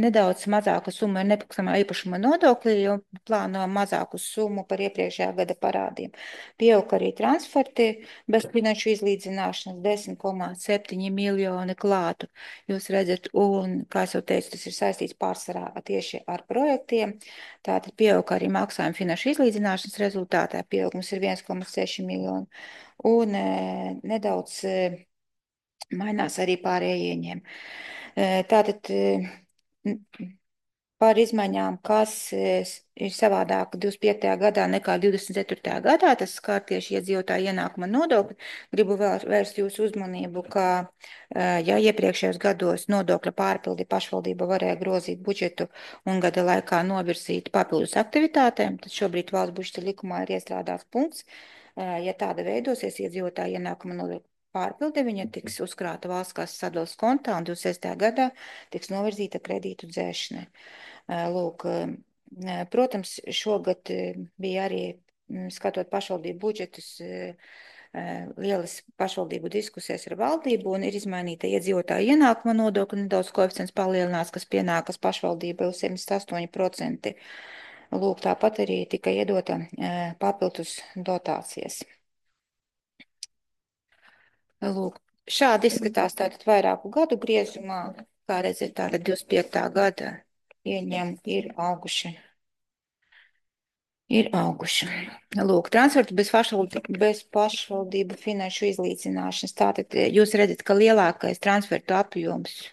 Nedaudz mazāka summa ir nepakustamā īpašuma nodokļi, jo plāno mazāku summu par iepriekšējā gada parādiem. Pieaug arī transferti bez finanšu izlīdzināšanas 10,7 miljoni klātu. Jūs redzat, un, kā es jau teicu, tas ir saistīts pārsvarā tieši ar projektiem. Tātad pieaug arī maksājuma finanšu izlīdzināšanas rezultātā. Pieaugums ir 1,6 miljoni. Un nedaudz mainās arī pārējie ieņēmumi. Tātad par izmaiņām, kas ir savādāk 25. gadā nekā 24. gadā, tas skar tieši iedzīvotāju ienākuma nodokli. Gribu vēl vērst jūsu uzmanību, ka ja iepriekšējos gados nodokļa pārpildi pašvaldība varēja grozīt budžetu un gada laikā novirzīt papildus aktivitātēm, tad šobrīd valsts budžeta likumā ir iestrādāts punkts, ja tāda veidosies iedzīvotāju ienākuma nodokļa pārpilde, viņa tiks uzkrāta valsts kases sadales kontā un 26. gadā tiks novirzīta kredītu dzēšanai. Lūk, protams, šogad bija arī, skatot pašvaldību budžetus, lielas pašvaldību diskusijas ar valdību un ir izmainīta iedzīvotāju ienākuma nodokļa nedaudz koeficients palielinās, kas pienākas pašvaldībai uz 78%. Lūk, tāpat arī tika iedota papildus dotācijas. Lūk, šādi izskatās tātad vairāku gadu griezumā, kā redzēt, tātad 25. gada ieņēmumi ir auguši. Lūk, transfertu bez pašvaldību finanšu izlīdzināšanas. Tātad jūs redzat, ka lielākais transfertu apjoms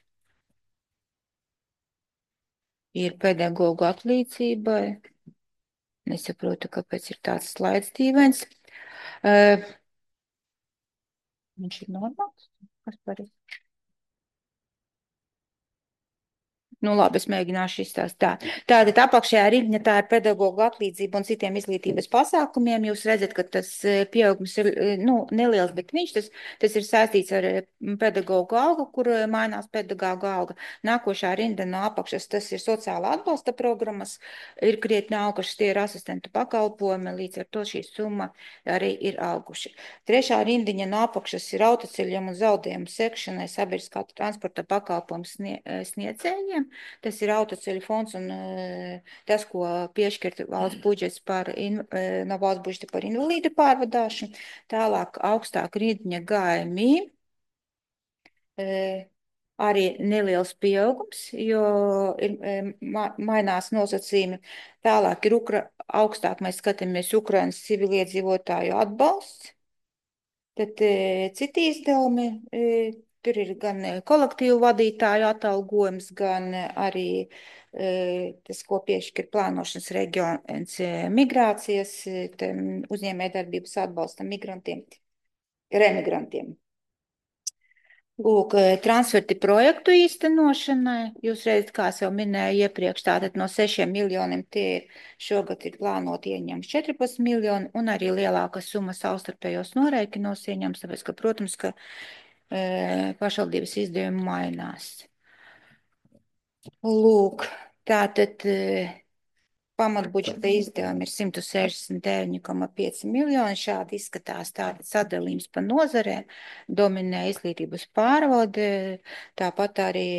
ir pedagogu atlīdzībai. Nesaprotu, kāpēc ir tāds slaids dīvains. Viņš ir normāls? Kas par? Nu, labi, es mēģināšu izstāstīt tā. Tātad apakšējā rindiņa tā ir pedagoģa atlīdzība un citiem izglītības pasākumiem. Jūs redzat, ka tas pieaugums ir neliels, bet tas ir saistīts ar pedagoģu algu, kur mainās pedagoģa alga. Nākošā rinda no apakšas tas ir sociāla atbalsta programmas, ir krietni augušas, tie ir asistentu pakalpojumi, līdz ar to šī summa arī ir auguši. Trešā rindiņa no apakšas ir autoceļiem un zaudējumu sekšanai sabiedriskā transporta pakalpojumu sniedzējiem. Tas ir autoceļu fonds un tas, ko piešķirt valsts budžets no valsts budžeta par invalīdu pārvadāšanu. Tālāk augstāk rindiņa GMI. Arī neliels pieaugums, jo ir mainās nosacījumi. Tālāk ir augstāk mēs skatāmies Ukrainas civiliedzīvotāju atbalsts. Tad citi izdevumi, tur ir gan kolektīvu vadītāju atalgojums, gan arī tas, ko piešķir plānošanas reģions migrācijas, uzņēmējdarbības atbalsta migrantiem, remigrantiem. Lūk, transferti projektu īstenošanai. Jūs redzat, kā es jau minēju iepriekš, tātad no 6 miljoniem tie šogad ir plānoti ieņems 14 miljoni un arī lielāka summa savstarpējos noreikinos ieņems, tāpēc, ka, protams, ka pašvaldības izdevumi mainās. Lūk, tātad pamatbudžeta izdevumi ir 169,5 miljoni. Šādi izskatās tātad sadalījums pa nozarēm, dominē izglītības pārvalde, tāpat arī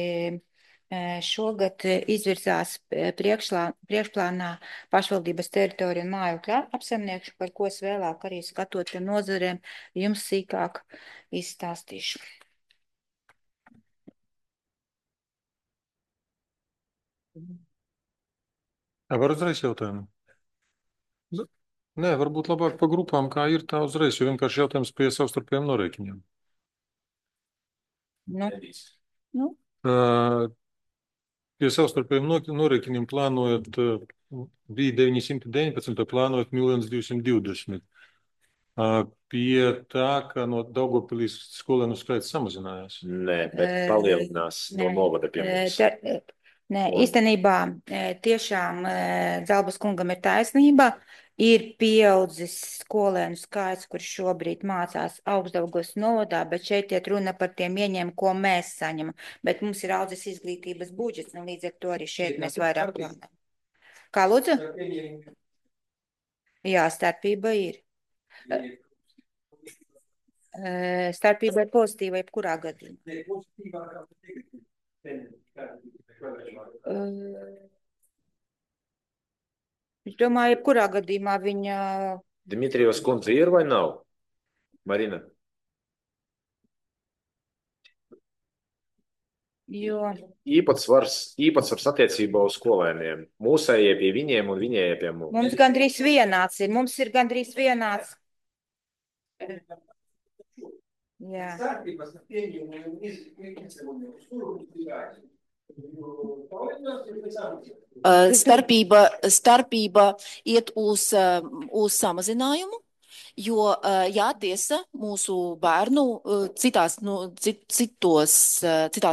šogad izvirzās priekšplānā pašvaldības teritoriju un mājokļu apsaimniekšanu, par ko es vēlāk arī skatot pie nozarēm jums sīkāk izstāstīšu. Var uzreiz jautājumu? Nē, varbūt labāk pa grupām, kā ir tā uzreiz, jo vienkārši jautājums pie savstarpējiem norēķiniem. Pie savstarpējiem norēķiniem plānojot, bija 919, plānojot 1 220 000. Pie tā, ka no Daugavpilīs skolēnu skaits samazinājās. Nē, bet palielinās no novada pie mums. Nē, īstenībā tiešām Zalbas kungam ir taisnība. Ir pieaudzis skolēnu skaits, kurš šobrīd mācās Augstdaugavas novadā, bet šeit iet runa par tiem ieņēmumiem, ko mēs saņemam. Bet mums ir audzis izglītības budžets, un līdz ar to arī šeit mēs vairāk plānojam. Kā lūdzu? Jā, starpība ir. Starpība ir pozitīva jebkurā gadījumā. Es domāju, jebkurā gadījumā viņa... Dimitrijevas kundze ir vai nav? Marina? Jo... Īpatsvars attiecībā uz skolēniem. Mūsējie pie viņiem un viņējie pie mums. Mums gandrīz vienāds ir. Mums ir gandrīz vienāds. Jā. Starpība iet uz samazinājumu, jo, jā, tiesa, mūsu bērnu citās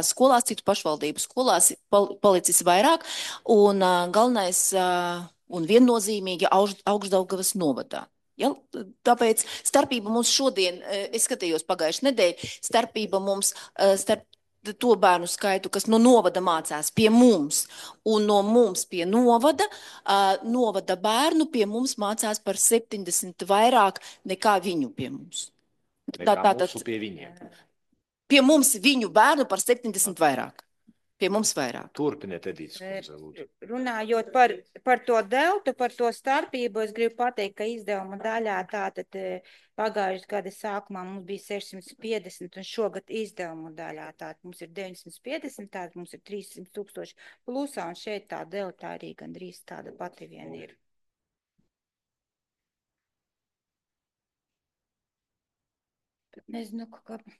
skolās, citu pašvaldību skolās palicis vairāk, un galvenais un viennozīmīgi Augstdaugavas novadā. Ja, tāpēc starpība mums šodien, es skatījos pagājušajā nedēļā, starpība mums starp to bērnu skaitu, kas no novada mācās pie mums, un no mums pie novada, novada bērnu pie mums mācās par 70 vairāk nekā viņu pie mums. Tātad pie viņiem. Pie mums viņu bērnu par 70 vairāk. Pie mums vairāk. Turpiniet, Edītes kundze, lūdzu. Runājot par to deltu, par to starpību, es gribu pateikt, ka izdevuma daļā tātad pagājušajā gada sākumā mums bija 650 un šogad izdevuma daļā tātad mums ir 950, tātad mums ir 300 000 plusā un šeit tā delta arī gandrīz tāda pati vien ir. Nezinu,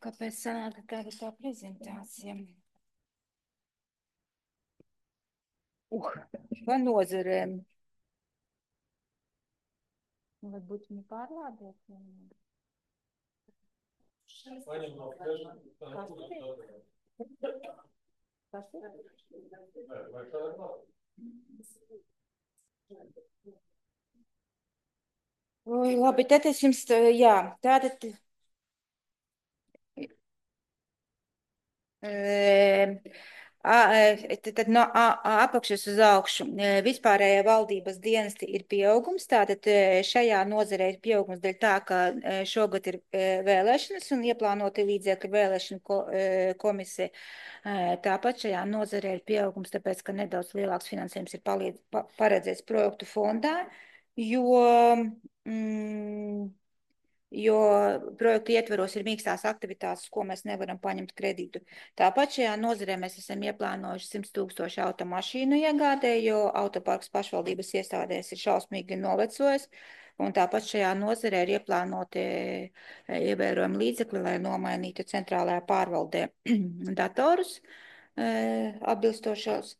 kāpēc sanāk tāda tā prezentācija. Pa nozarēm. Varbūt viņi pārlādēt. Oi, labi, tad es jums, jā, tātad. Tad no apakšas uz augšu vispārējā valdības dienesti ir pieaugums. Tātad šajā nozarē ir pieaugums dēļ tā, ka šogad ir vēlēšanas un ieplānoti līdzekļu vēlēšanu komisija. Tāpat šajā nozarē ir pieaugums, tāpēc, ka nedaudz lielāks finansējums ir paredzēts projektu fondā, jo projektu ietveros ir mīkstās aktivitātes, ko mēs nevaram paņemt kredītu. Tāpat šajā nozarē mēs esam ieplānojuši 100 000 automašīnu iegādē, jo autoparks pašvaldības iestādēs ir šausmīgi novecojis. Un tāpat šajā nozarē ir ieplānoti ievērojami līdzekļi, lai nomainītu centrālajā pārvaldē datorus atbilstošos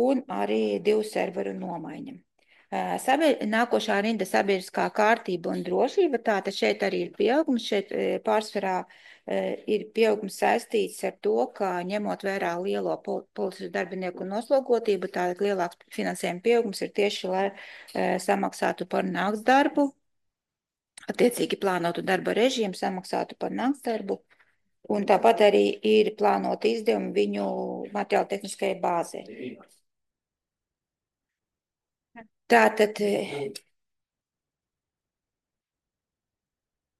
un arī 2 serveru nomaiņa. Nākošā rinda sabiedriskā kārtība un drošība, tātad šeit arī ir pieaugums, šeit pārsvarā ir pieaugums saistīts ar to, ka ņemot vērā lielo policijas darbinieku noslogotību, tātad lielāks finansējuma pieaugums ir tieši, lai samaksātu par nakts darbu, attiecīgi plānotu darba režīmu, samaksātu par nakts darbu, un tāpat arī ir plānoti izdevumi viņu materiāla tehniskajai bāzē. Tātad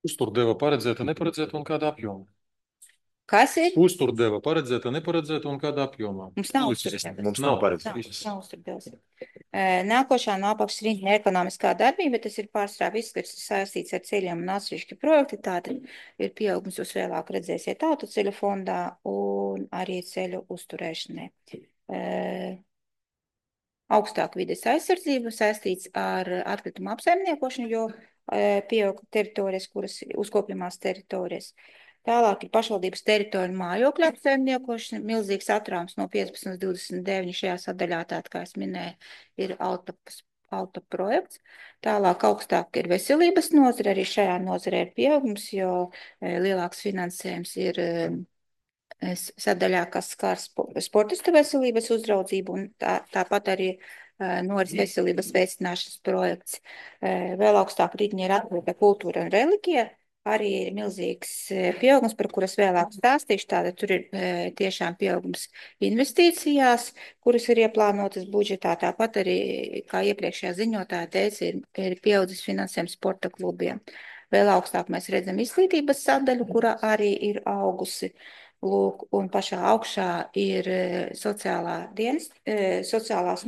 Uzturdeva paredzēta, neparedzēta un kādā apjomā? Kas ir? Uzturdeva paredzēta, neparedzēta un kādā apjomā? Mums nav uzturdeva. Mums nav paredzēta. Nav uzturdevas. Nākošā no apakšas rinda ekonomiskā darbība, tas ir pārsvarā viss, kas ir saistīts ar ceļiem un atsevišķi projekti. Tātad ir pieaugums, jūs vēlāk redzēsiet autoceļu fondā un arī ceļu uzturēšanai. Augstāk vides aizsardzība saistīts ar atkritumu apsaimniekošanu, jo pieauga teritorijas, kuras uzkopjamās teritorijas. Tālāk ir pašvaldības teritorija mājokļu apsaimniekošana, milzīgs atrāms no 15 līdz 29 šajā sadaļā, tātad, kā es minēju, ir auto projekts. Tālāk augstāk ir veselības nozare, arī šajā nozarē ir pieaugums, jo lielāks finansējums ir sadaļā, kas skar sportistu veselības uzraudzību, un tāpat arī noris veselības veicināšanas projekts. Vēl augstāk rītņi ir atpūta kultūra un reliģija, arī ir milzīgs pieaugums, par kuras vēlāk stāstīšu. Tātad tur ir tiešām pieaugums investīcijās, kuras ir ieplānotas budžetā. Tāpat arī, kā iepriekšējā ziņotāja teica, ir pieaudzis finansējums sporta klubiem. Vēl augstāk mēs redzam izglītības sadaļu, kura arī ir augusi. Lūk, un pašā augšā ir sociālās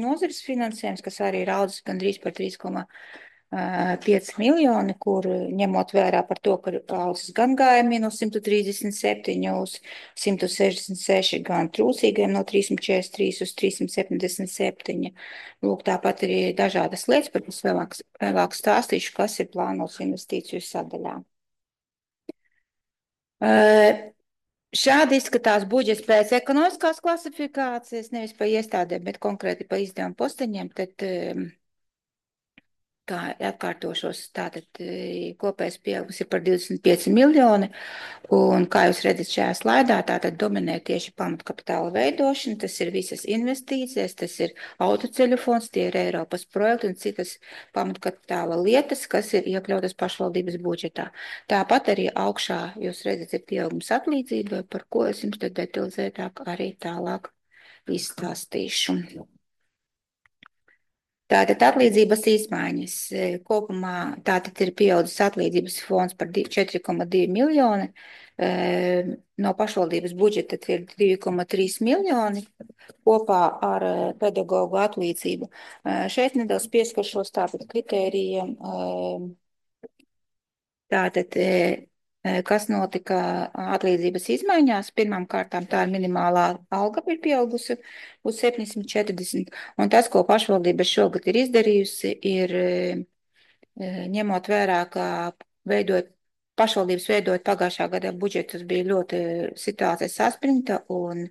nozares finansējums, kas arī ir audzis gandrīz par 3,5 miljoni, kur ņemot vērā par to, ka ir audzis gan gājumi no 137 uz 166, gan trūcīgiem no 343 uz 377. Lūk, tāpat arī dažādas lietas, par kas vēlāk stāstīšu, kas ir plānots investīciju sadaļā. Šādi izskatās budžets pēc ekonomiskās klasifikācijas, nevis pa iestādēm, bet konkrēti pa izdevumu posteņiem, tad, kā atkārtošos, tātad kopējais pieaugums ir par 25 miljoni, un kā jūs redzat šajā slaidā, tātad dominē tieši pamatkapitāla veidošana, tas ir visas investīcijas, tas ir autoceļu fonds, tie ir Eiropas projekti un citas pamatkapitāla lietas, kas ir iekļautas pašvaldības budžetā. Tāpat arī augšā jūs redzat ir pieaugums atlīdzībai, par ko es jums tad detalizētāk arī tālāk izstāstīšu. Tātad atlīdzības izmaiņas kopumā tātad ir pieaudzis atlīdzības fonds par 4,2 miljoni, no pašvaldības budžeta ir 2,3 miljoni kopā ar pedagogu atlīdzību. Šeit nedaudz pieskaršos tātad kritērijiem, tātad, kas notika atlīdzības izmaiņās. Pirmām kārtām tā ir minimālā alga ir pieaugusi uz 740, un tas, ko pašvaldība šogad ir izdarījusi, ir ņemot vērā, ka pašvaldības veidot pagājušā gada budžetus bija ļoti situācija saspringta un,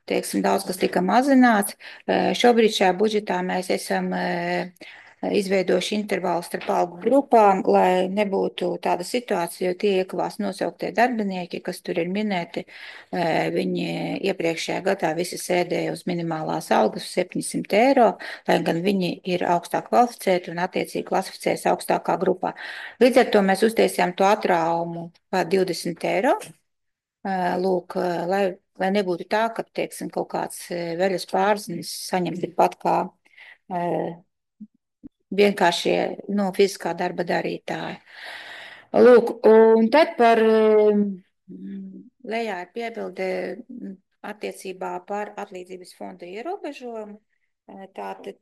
teiksim, daudz, kas tika mazināts. Šobrīd šajā budžetā mēs esam izveidojuši intervālu starp algu grupām, lai nebūtu tāda situācija, jo tie iekavās nosauktie darbinieki, kas tur ir minēti, viņi iepriekšējā gadā visi sēdēja uz minimālās algas 700 eiro, lai gan viņi ir augstāk kvalificēti un attiecīgi klasificējas augstākā grupā. Līdz ar to mēs uztaisījām to atraumu par 20 eiro. Lūk, lai nebūtu tā, ka, teiksim, kaut kāds veļas pārzinis saņem tikpat kā vienkāršie fiziskā darba darītāji. Lūk, un tad par lejā ir piebilde attiecībā par atlīdzības fonda ierobežojumu. Tātad,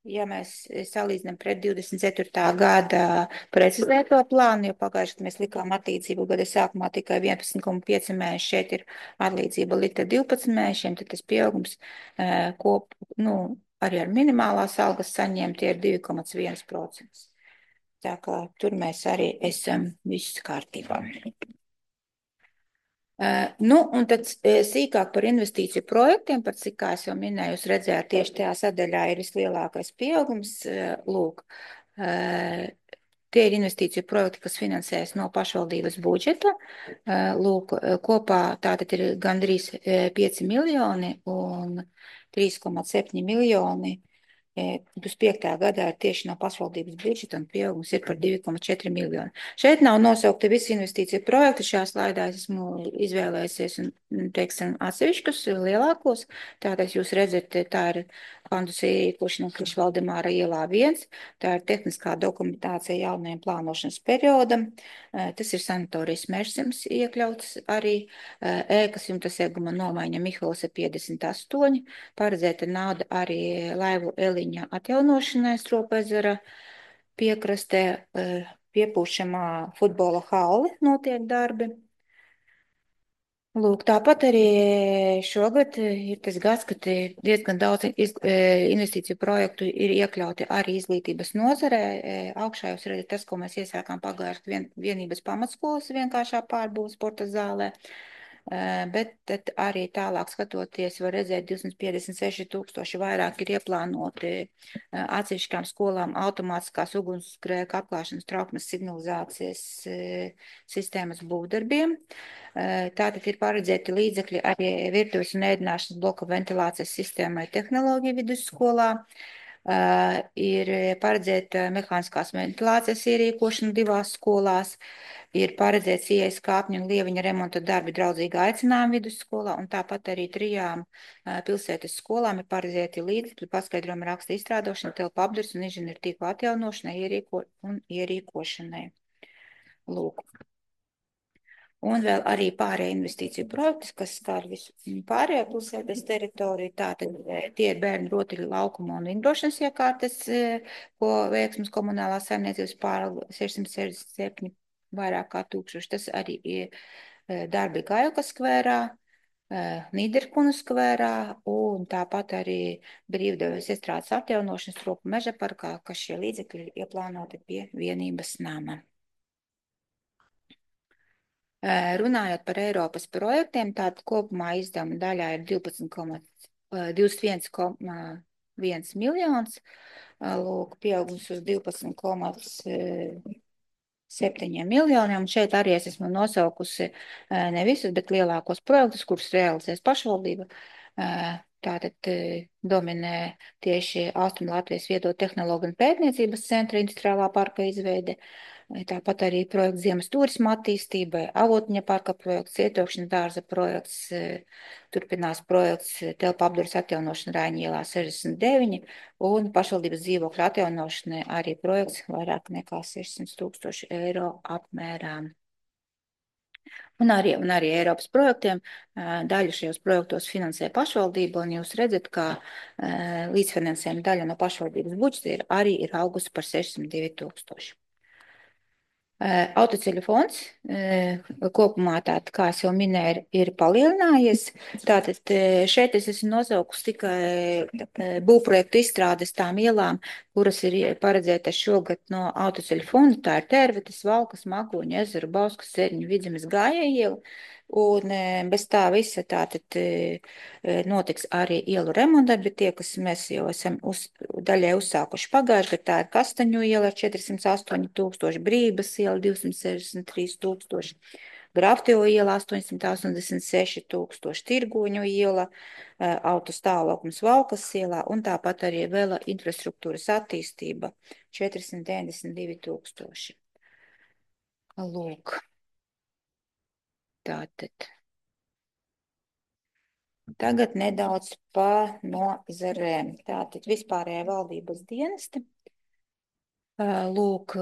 ja mēs salīdzinām pret 24. gada precizēto plānu, jo pagājuši, kad mēs likām atlīdzību gada sākumā tikai 11,5 mēneši, šeit ir atlīdzība likta 12 mēnešiem, tad tas pieaugums arī ar minimālās algas saņēma tie ir 2,1%. Tā kā tur mēs arī esam viss kārtībā. Un tad sīkāk par investīciju projektiem, par cik, kā es jau minēju, jūs redzējāt, tieši tajā sadaļā ir vislielākais pieaugums. Lūk, tie ir investīciju projekti, kas finansējas no pašvaldības budžeta. Lūk, kopā tātad ir gandrīz 5 miljoni un 3,7 miljoni. 25. gadā ir tieši no pašvaldības budžeta un pieaugums ir par 2,4 miljoni. Šeit nav nosaukti visi investīciju projekti. Šajā slaidā es esmu izvēlējusies un teiksim atsevišķus lielākos. Tātad jūs redzat, tā ir Pandus ierīkošana Krišs Valdemāra ielā 1. Tā ir tehniskā dokumentācija jaunajam plānošanas periodam. Tas ir sanatorijas Mežzems iekļauts arī. Ēkas jumtas ieguma nomaiņa Miholas 58. Paredzēta nauda arī laivu Eliņa atjaunošanai Stropezera piekrastē, piepūšamā futbola halli notiek darbi. Lūk, tāpat arī šogad ir tas gads, kad diezgan daudz investīciju projektu ir iekļauti arī izglītības nozarē. Augšā jūs redzat tas, ko mēs iesākām pagājušajā vienības pamatskolas vienkāršā pārbūves sporta zālē. Bet tad arī tālāk skatoties, var redzēt 256 000 vairāk ir ieplānoti atsevišķām skolām automātiskās ugunsgrēka apklāšanas trauksmes signalizācijas sistēmas būvdarbiem. Tātad ir paredzēti līdzekļi arī virtuves un ēdināšanas bloka ventilācijas sistēmai tehnoloģiju vidusskolā. Ir paredzēta mehāniskās ventilācijas ierīkošana 2 skolās. Ir paredzēts ieejas kāpņu un lieviņa remonta darbi draudzīgā aicinājuma vidusskolā, un tāpat arī 3 pilsētas skolām ir paredzēti līdzekļi paskaidrojuma raksta izstrādošana, telpu apdars un inženieru tīklu atjaunošanai un ierīkošanai. Lūk. Un vēl arī pārējie investīciju projekti, kas skar visu pārējo pilsētas teritoriju. Tātad tie ir bērnu rotaļu laukuma un vingrošanas iekārtas, ko Veiksmes komunālā saimniecības pārvalde 667 vairāk kā 1000. Tas arī ir darbi Gajukas skvērā, Nīderkunu skvērā un tāpat arī brīvdevības iestrādes atjaunošanas Stropu meža parkā, kas šie līdzekļi ir ieplānoti pie vienības nama. Runājot par Eiropas projektiem, tātad kopumā izdevuma daļā ir 21,1 miljons, lūk, pieaugums uz 12,7 miljoniem. Šeit arī es esmu nosaukusi ne visus, bet lielākos projektus, kurus realizēs pašvaldība. Tātad dominē tieši Austrumlatvijas viedo tehnoloģiju un pētniecības centra industriālā parka izveide. Tāpat arī projekts Ziemas turisma attīstībai, Avotņa parka projekts, Cietokšņa dārza projekts, turpinās projekts telpu apdars atjaunošana Raiņa ielā 69 un pašvaldības dzīvokļa atjaunošanai arī projekts vairāk nekā 600 000 eiro apmērā. Un arī Eiropas projektiem daļu šajos projektos finansē pašvaldība, un jūs redzat, ka līdzfinansējuma daļa no pašvaldības budžeta arī ir augusi par 602 000. Autoceļu fonds kopumā, tātad, kā es jau minēju, ir palielinājies. Tātad šeit es esmu nosaukusi tikai būvprojektu izstrādes tām ielām, kuras ir paredzētas šogad no autoceļu fonda. Tā ir Tērvetes, Valkas, Mākoņu ezeru, Bauskas, Seriņu, Vidzemes, Gājēja iela. Un bez tā visa tātad notiks arī ielu remontdarbi, tie, kas mēs jau esam daļai uzsākuši pagājuši, bet tā ir Kastaņu iela ar 408 000, Brības iela 263 000, Graftevo iela 886 000, Tirgoņu iela, autostāvoklis Valkas ielā un tāpat arī vēl infrastruktūras attīstība 492 000. Lūk. Tātad. Tagad nedaudz pa nozarēm. Tātad vispārējā valdības dienesti. Lūk,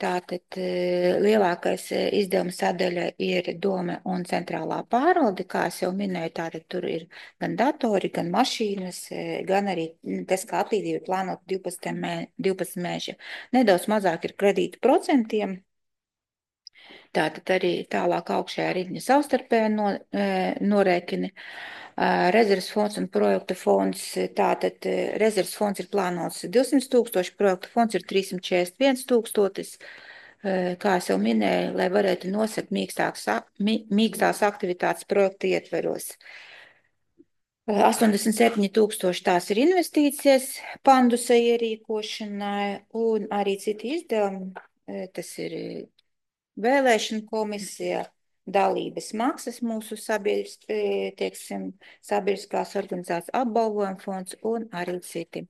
tātad lielākais izdevuma sadaļa ir doma un centrālā pārvalde, kā es jau minēju, tātad tur ir gan datori, gan mašīnas, gan arī tas, kā atlīdzība plānot 12 mēneši. Nedaudz mazāk ir kredītu procentiem. Tātad arī tālāk augšējā riņa savstarpēji norēķini. Rezerves fonds un projekta fonds, tātad rezerves fonds ir plānots 200 000, projekta fonds ir 341 000. Kā es jau minēju, lai varētu nosakt mīkstās aktivitātes projekta ietveros. 87 000 tās ir investīcijas pandusa ierīkošanai un arī citi izdevumi. Tas ir vēlēšana komisija, dalības maksas mūsu sabiedriskās organizācijas apbalvojuma fonds un arī citi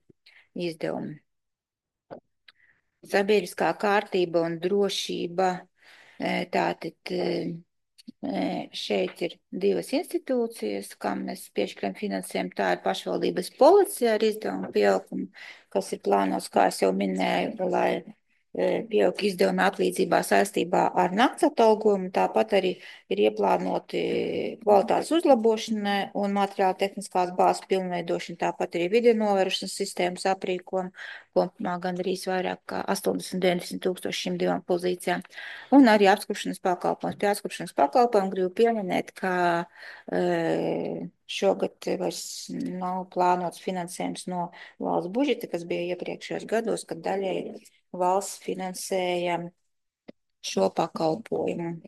izdevumi. Sabiedriskā kārtība un drošība, tātad šeit ir divas institūcijas, kam mēs piešķiram finansējumu. Tā ir pašvaldības policija ar izdevumu pieaugumu, kas ir plānots, kā es jau minēju, lai pieaug izdevumi atlīdzībā saistībā ar nakts atalgojumu, tāpat arī ir ieplānoti kvalitātes uzlabošanai un materiāla tehniskās bāzes pilnveidošana, tāpat arī video novērošanas sistēmas aprīkojumu, kopumā gandrīz vairāk kā 80–90 000 šīm divām pozīcijām, un arī apskrupšanas pakalpojums. Pie apskrupšanas pakalpojumu gribu pieminēt, ka šogad vairs nav plānots finansējums no valsts budžeta, kas bija iepriekšējos gados, kad daļai valsts finansēja šo pakalpojumu.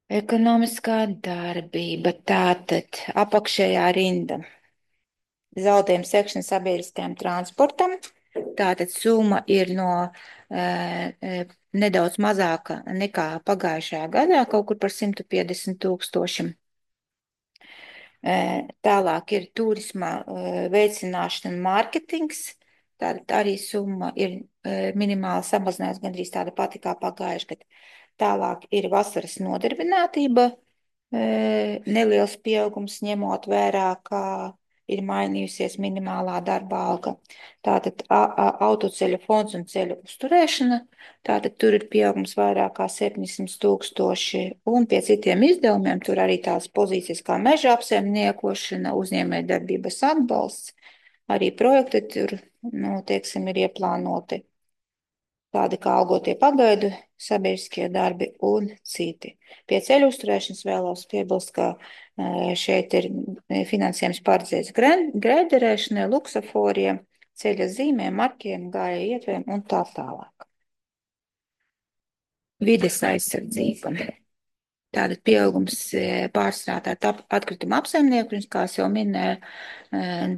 Ekonomiskā darbība, tātad apakšējā rinda. Zaudējuma sekšana sabiedriskajam transportam. Tātad summa ir nedaudz mazāka nekā pagājušajā gadā, kaut kur par 150 000. Tālāk ir turisma veicināšana un mārketings. Tātad arī summa ir minimāli samazinājusi, gandrīz tāda pati kā pagājuši gadu. Tālāk ir vasaras nodarbinātība, neliels pieaugums ņemot vērā, kā ir mainījusies minimālā darba alga. Tātad autoceļu fonds un ceļu uzturēšana, tātad tur ir pieaugums vairāk kā 700 000, un pie citiem izdevumiem tur arī tās pozīcijas kā meža apsaimniekošana, uzņēmējdarbības atbalsts, arī projekti tur, ir ieplānoti. Tādi kā algotie pagaidu, sabiedriskie darbi un citi. Pie ceļu uzturēšanas vēlos piebilst, ka šeit ir finansējums paredzēts grēderēšanai, luksaforiem, ceļa zīmēm, markiem, gājēju ietvēriem un tā tālāk. Vides aizsardzība. Tātad pieaugums pārstrādāt atkrituma apsaimniekošanas, kā es jau minēju,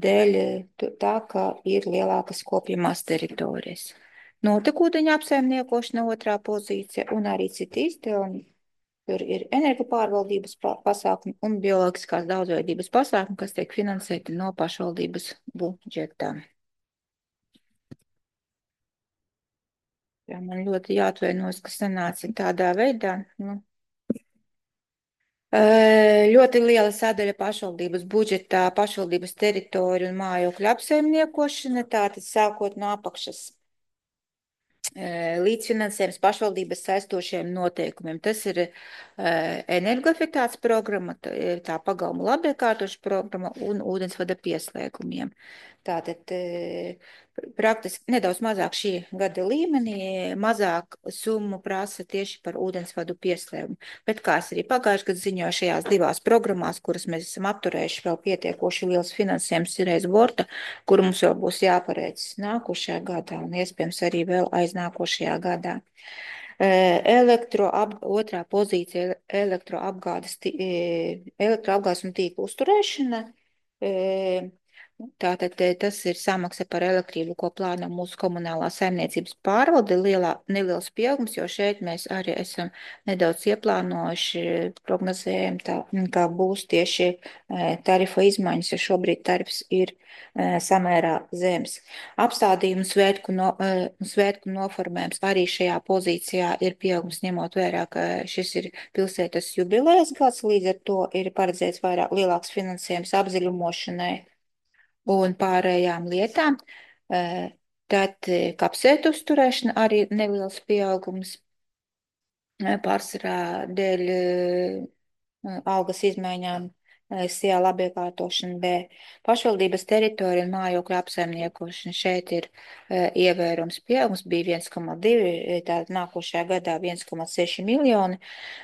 dēļ tā, ka ir lielākas kopjamās teritorijas. Notekūdeņa apsaimniekošana otrā pozīcija un arī citi izdevumi. Tur ir energopārvaldības pasākumi un bioloģiskās daudzveidības pasākumi, kas tiek finansēti no pašvaldības budžetā. Jā, man ļoti jāatvainojas, ka sanāca tādā veidā. Ļoti liela sadaļa pašvaldības budžetā, pašvaldības teritoriju un mājokļu apsaimniekošana, tātad sākot no apakšas. Līdzfinansējums pašvaldības saistošiem noteikumiem. Tas ir energoefektivitātes programma, tā pagalma labiekārtošana programma un ūdensvada pieslēgumiem. Tātad praktiski nedaudz mazāk šī gada līmenī, mazāk summu prasa tieši par ūdensvadu pieslēgumu. Bet kā es arī pagājuši gadu ziņoju šajās divās programmās, kuras mēs esam apturējuši, vēl pietiekoši liels finansējums ir aiz borta, kur mums vēl būs jāpareic nākošajā gadā un iespējams arī vēl aiznākošajā gadā. Otrā pozīcija elektroapgādes un tīklu uzturēšana. Tātad tas ir samaksa par elektrību, ko plāno mūsu komunālā saimniecības pārvalde, neliels pieaugums, jo šeit mēs arī esam nedaudz ieplānojuši, prognozējam tā, kā būs tieši tarifa izmaiņas, jo šobrīd tarifs ir samērā zems. Apstādījumu svētku noformējums arī šajā pozīcijā ir pieaugums, ņemot vērā, ka šis ir pilsētas jubilejas gads, līdz ar to ir paredzēts lielāks finansējums apdziļumošanai un pārējām lietām. Tad kapsētu uzturēšana arī neliels pieaugums pārsvarā dēļ algas izmaiņām, SIA labiekārtošana, B. Pašvaldības teritorija un mājokļu apsaimniekošana. Šeit ir ievērums pieaugums, bija 1,2, tātad nākošajā gadā 1,6 miljoni.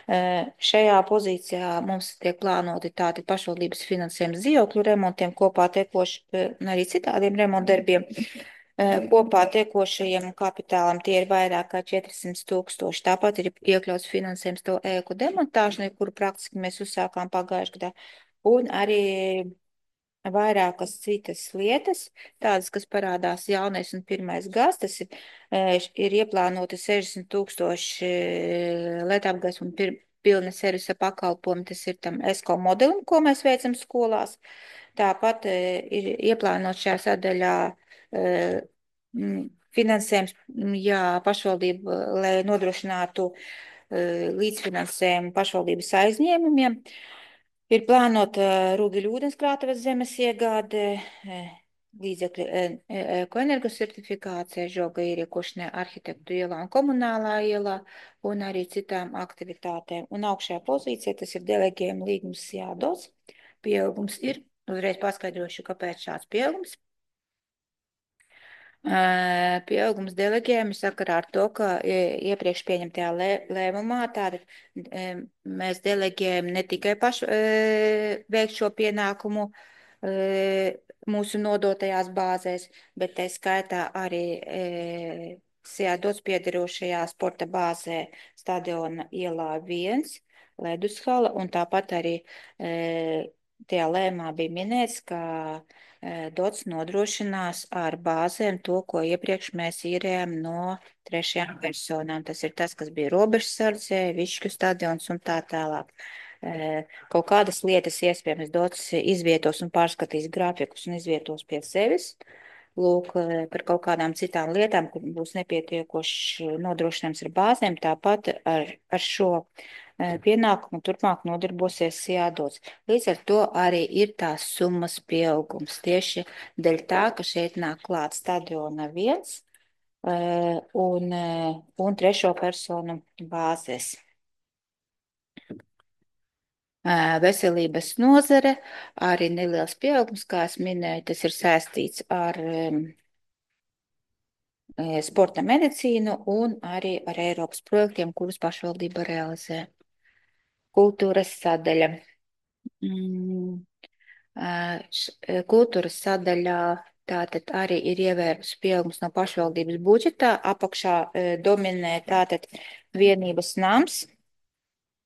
Šajā pozīcijā mums tiek plānoti tātad pašvaldības finansējums dzīvokļu remontiem, kopā tekoši arī citādiem remontdarbiem. Kopā tiekošajiem kapitālam tie ir vairāk kā 400 000. Tāpat ir iekļauts finansējums to ēku demontāšanai, kuru praktiski mēs uzsākām pagājušajā gadā. Un arī vairākas citas lietas, tādas, kas parādās jaunais un pirmais gads, tas ir ieplānoti 60 000 LED un pilna servisa pakalpojumi, tas ir tam ESCO modelim, ko mēs veicam skolās. Tāpat ir ieplānot šajā sadaļā finansējums, pašvaldība, lai nodrošinātu līdzfinansējumu pašvaldības aizņēmumiem. Ir plānota Rūgiļu ūdenskrātuves zemes iegāde, līdzekļi ekoenergo certifikācija, žoga ieriekošanai arhitektu ielā un komunālā ielā un arī citām aktivitātēm. Un augšējā pozīcija, tas ir delegējuma līgums jādos. Pieaugums ir, uzreiz paskaidrošu, kāpēc šāds pieaugums. Pieaugums delegējumi sakarā ar to, ka iepriekš pieņemtajā lēmumā tātad mēs delegējam ne tikai pašu veikt šo pienākumu mūsu nodotajās bāzēs, bet tā skaitā arī SIA-DOTS piederošajā sporta bāzē Stadiona ielā 1, ledushala, un tāpat arī tajā lēmumā bija minēts, ka DOTS nodrošinās ar bāzēm to, ko iepriekš mēs īrējām no trešajām personām. Tas ir tas, kas bija robežsardzē, Višķu stadions un tā tālāk. Kaut kādas lietas iespējams DOTS izvietos un pārskatīs grafikus un izvietos pie sevis. Lūk, par kaut kādām citām lietām, kur būs nepietiekoši nodrošinājums ar bāzēm, tāpat ar šo pienākumu turpmāk nodarbosies SIA-DOTS. Līdz ar to arī ir tās summas pieaugums tieši dēļ tā, ka šeit nāk klāt Stadiona 1 un trešo personu bāzes. Veselības nozare, arī neliels pieaugums, kā es minēju, tas ir saistīts ar sporta medicīnu un arī ar Eiropas projektiem, kurus pašvaldība realizē. Kultūras sadaļa. Kultūras sadaļā tātad arī ir ievērts pieaugums no pašvaldības budžetā. Apakšā dominē tātad vienības nams,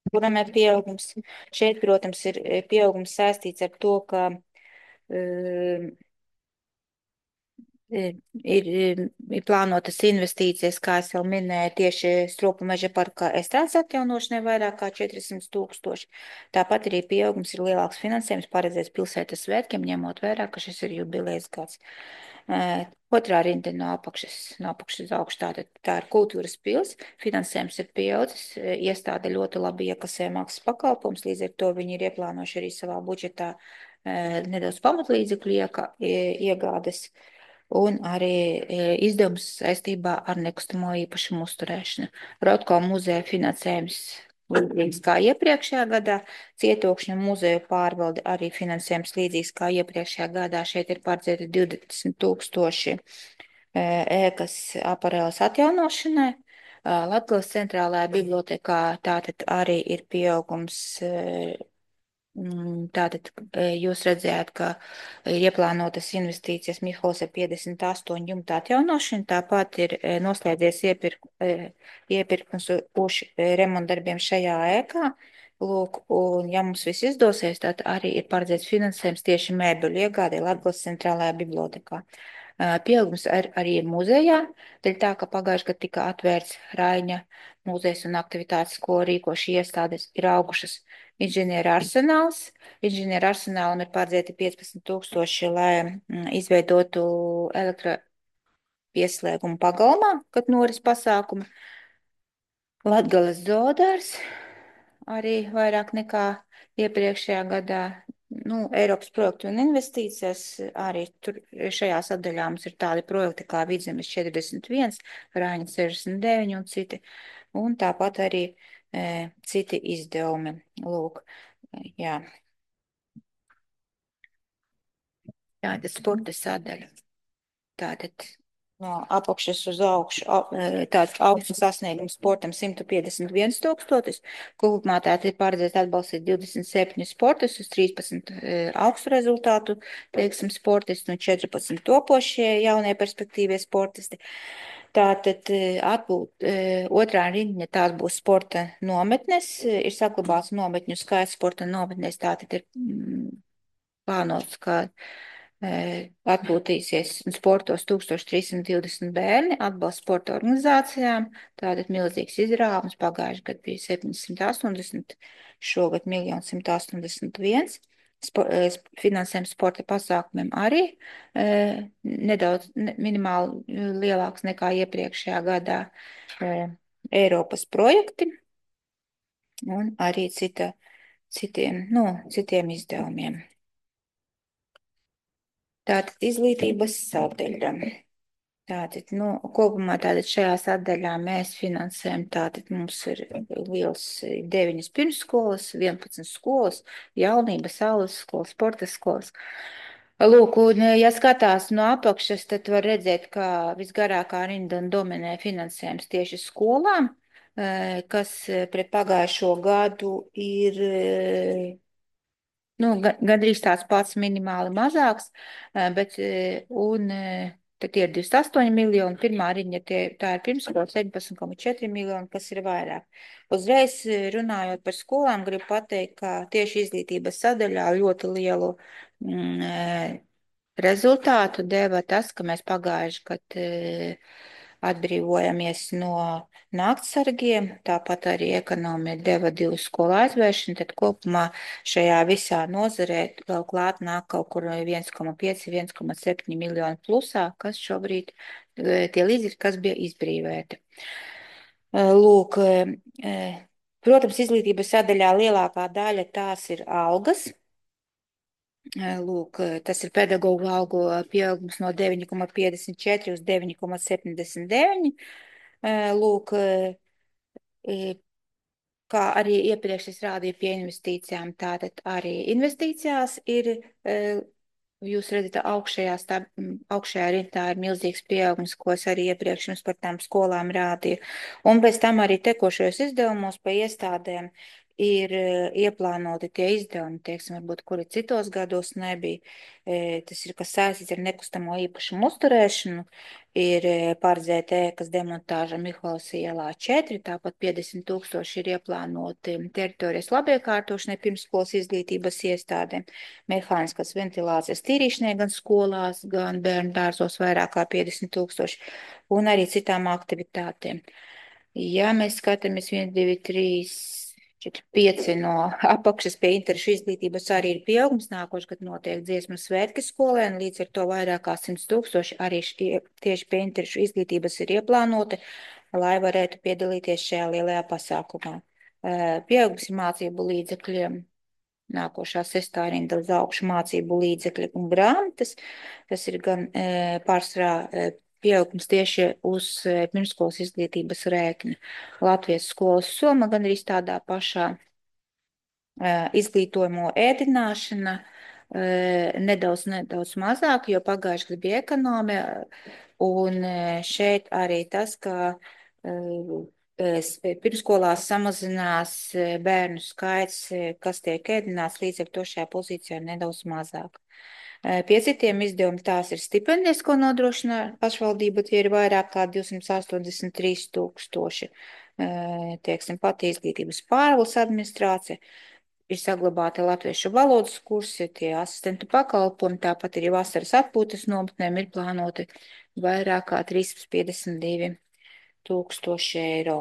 kuram ir pieaugums. Šeit, protams, ir pieaugums saistīts ar to, ka ir plānotas investīcijas, kā es jau minēju, tieši Stropu meža parkā estrādes atjaunošanai vairāk kā 400 000. Tāpat arī pieaugums ir lielāks finansējums paredzēts pilsētas svētkiem, ņemot vērā, ka šis ir jubilejas gads. Otrā rinda no apakšas uz augšu, tā ir kultūras pils, finansējums ir pieaudzis, iestāde ļoti labi iekasē maksas pakalpojums, līdz ar to viņi ir ieplānojuši arī savā budžetā nedaudz pamatlīdzekļu iegādes un arī izdevums saistībā ar nekustamo īpašumu uzturēšanu. Rotko muzeja finansējums līdzīgs kā iepriekšējā gadā. Cietokšņu muzeju pārvalde arī finansējums līdzīgs kā iepriekšējā gadā. Šeit ir paredzēti 20 000 ēkas aparēlas atjaunošanai. Latgales centrālajā bibliotekā tātad arī ir pieaugums. Tātad jūs redzējāt, ka ir ieplānotas investīcijas Mihols ar 58 jumtu atjaunošanu, tāpat ir noslēdzies iepirkums uz remontdarbiem šajā ēkā. Lūk, un ja mums viss izdosies, tad arī ir paredzēts finansējums tieši mēbeļu iegādē Latgales centrālajā bibliotekā. Pieaugums arī ir muzejā, dēļ tā, ka pagājuši, kad tika atvērts Raiņa muzejs un aktivitātes, ko rīko šī iestādes, ir augušas inženieru arsenāls. Inženieru arsenālam ir paredzēti 15 000, lai izveidotu elektropieslēgumu pagalmā, kad noris pasākumi. Latgales zoodārs arī vairāk nekā iepriekšējā gadā. Eiropas projektu un investīcijas arī tur šajā sadaļā mums ir tādi projekti kā Vidzemes 41, Rāņa 69 un citi. Un tāpat arī citi izdevumi. Lūk, jā. Tātad sporta sadaļa. Tātad no apakšas uz augšu, tāds augsts sasniegums sportam 151 000. Kopumā tātad ir paredzēts atbalstīt 27 sportistus, 13 augstu rezultātu, teiksim, sportisti un 14 topošie jaunie perspektīvie sportisti. Tātad atbūt otrā rindiņa tās būs sporta nometnes, ir saglabāts nometņu skaits sporta nometnēs, tātad ir plānots, ka atpūtīsies sportos 1320 bērni, atbalsts sporta organizācijām, tātad milzīgs izrāvums, pagājuši gadu bija 780, šogad 1 181 000, finansējums sporta pasākumiem arī nedaudz minimāli lielāks nekā iepriekšējā gadā, Eiropas projekti un arī citiem izdevumiem. Tātad izglītības sadaļa. Tātad, kopumā tātad šajā sadaļā mēs finansējam, tātad mums ir liels 9 pirmsskolas, 11 skolas, jaunības, saules skolas, sporta skolas. Lūk, un ja skatās no apakšas, tad var redzēt, ka visgarākā rinda dominē finansējums tieši skolām, kas pret pagājušo gadu ir gandrīz tāds pats minimāli mazāks, bet tad ir 28 miljoni, pirmā riņa tā ir pirmskola 17,4 miljoni, kas ir vairāk. Uzreiz runājot par skolām, gribu pateikt, ka tieši izglītības sadaļā ļoti lielu rezultātu deva tas, ka mēs pagājuši, kad atbrīvojamies no naktsargiem, tāpat arī ekonomija deva 2 skolu aizvēršanu, tad kopumā šajā visā nozarē vēl klāt nāk kaut kur 1,5, 1,7 miljonu plusā, kas šobrīd tie līdzekļi, kas bija izbrīvēti. Lūk, protams, izglītības sadaļā lielākā daļa tās ir algas. Lūk, tas ir pedagoģu algu pieaugums no 9,54 uz 9,79. Lūk, kā arī iepriekš es rādīju pie investīcijām, tātad arī investīcijās ir, jūs redzat, augšējā rintā ir milzīgs pieaugums, ko es arī iepriekš jums par tām skolām rādīju. Un pēc tam arī tekošajos izdevumos pa iestādēm ir ieplānoti tie izdevumi, teiksim, varbūt, kuri citos gados nebija. Tas ir, kas saistīts ar nekustamo īpašumu uzturēšanu, ir paredzēta ēkas demontāža Miholas ielā 4, tāpat 50 000 ir ieplānoti teritorijas labiekārtošanai pirmsskolas izglītības iestādēm, mehāniskas ventilācijas tīrīšanai gan skolās, gan bērnu dārzos vairāk kā 50 000 un arī citām aktivitātēm. Ja mēs skatāmies 1, 2, 3, 4, 5 no apakšas pie interešu izglītības arī ir pieaugums, nākošais, kad notiek dziesmu svētki skolēn, līdz ar to vairāk kā 100 000 arī tieši pie interešu izglītības ir ieplānoti, lai varētu piedalīties šajā lielajā pasākumā. Pieaugums ir mācību līdzekļiem, nākošā 6. rinda uz augšu mācību līdzekļi un grāmatas, tas ir gan pārsvarā pieaugums tieši uz pirmskolas izglītības rēķina. Latvijas skolas summa gan arī tādā pašā izglītojumu ēdināšana nedaudz mazāk, jo pagājuši gadu bija ekonomija, un šeit arī tas, ka pirmskolās samazinās bērnu skaits, kas tiek ēdināts, līdz ar to šajā pozīcijā ir nedaudz mazāk. Pie citiem izdevumiem tās ir stipendijas, ko nodrošina pašvaldība, tie ir vairāk kā 283 000. Teiksim, pati izglītības pārvaldes administrācija, ir saglabāti latviešu valodas kursi, tie asistentu pakalpojumi, tāpat arī vasaras atpūtas nometnēm ir plānoti vairāk kā 352 000 eiro.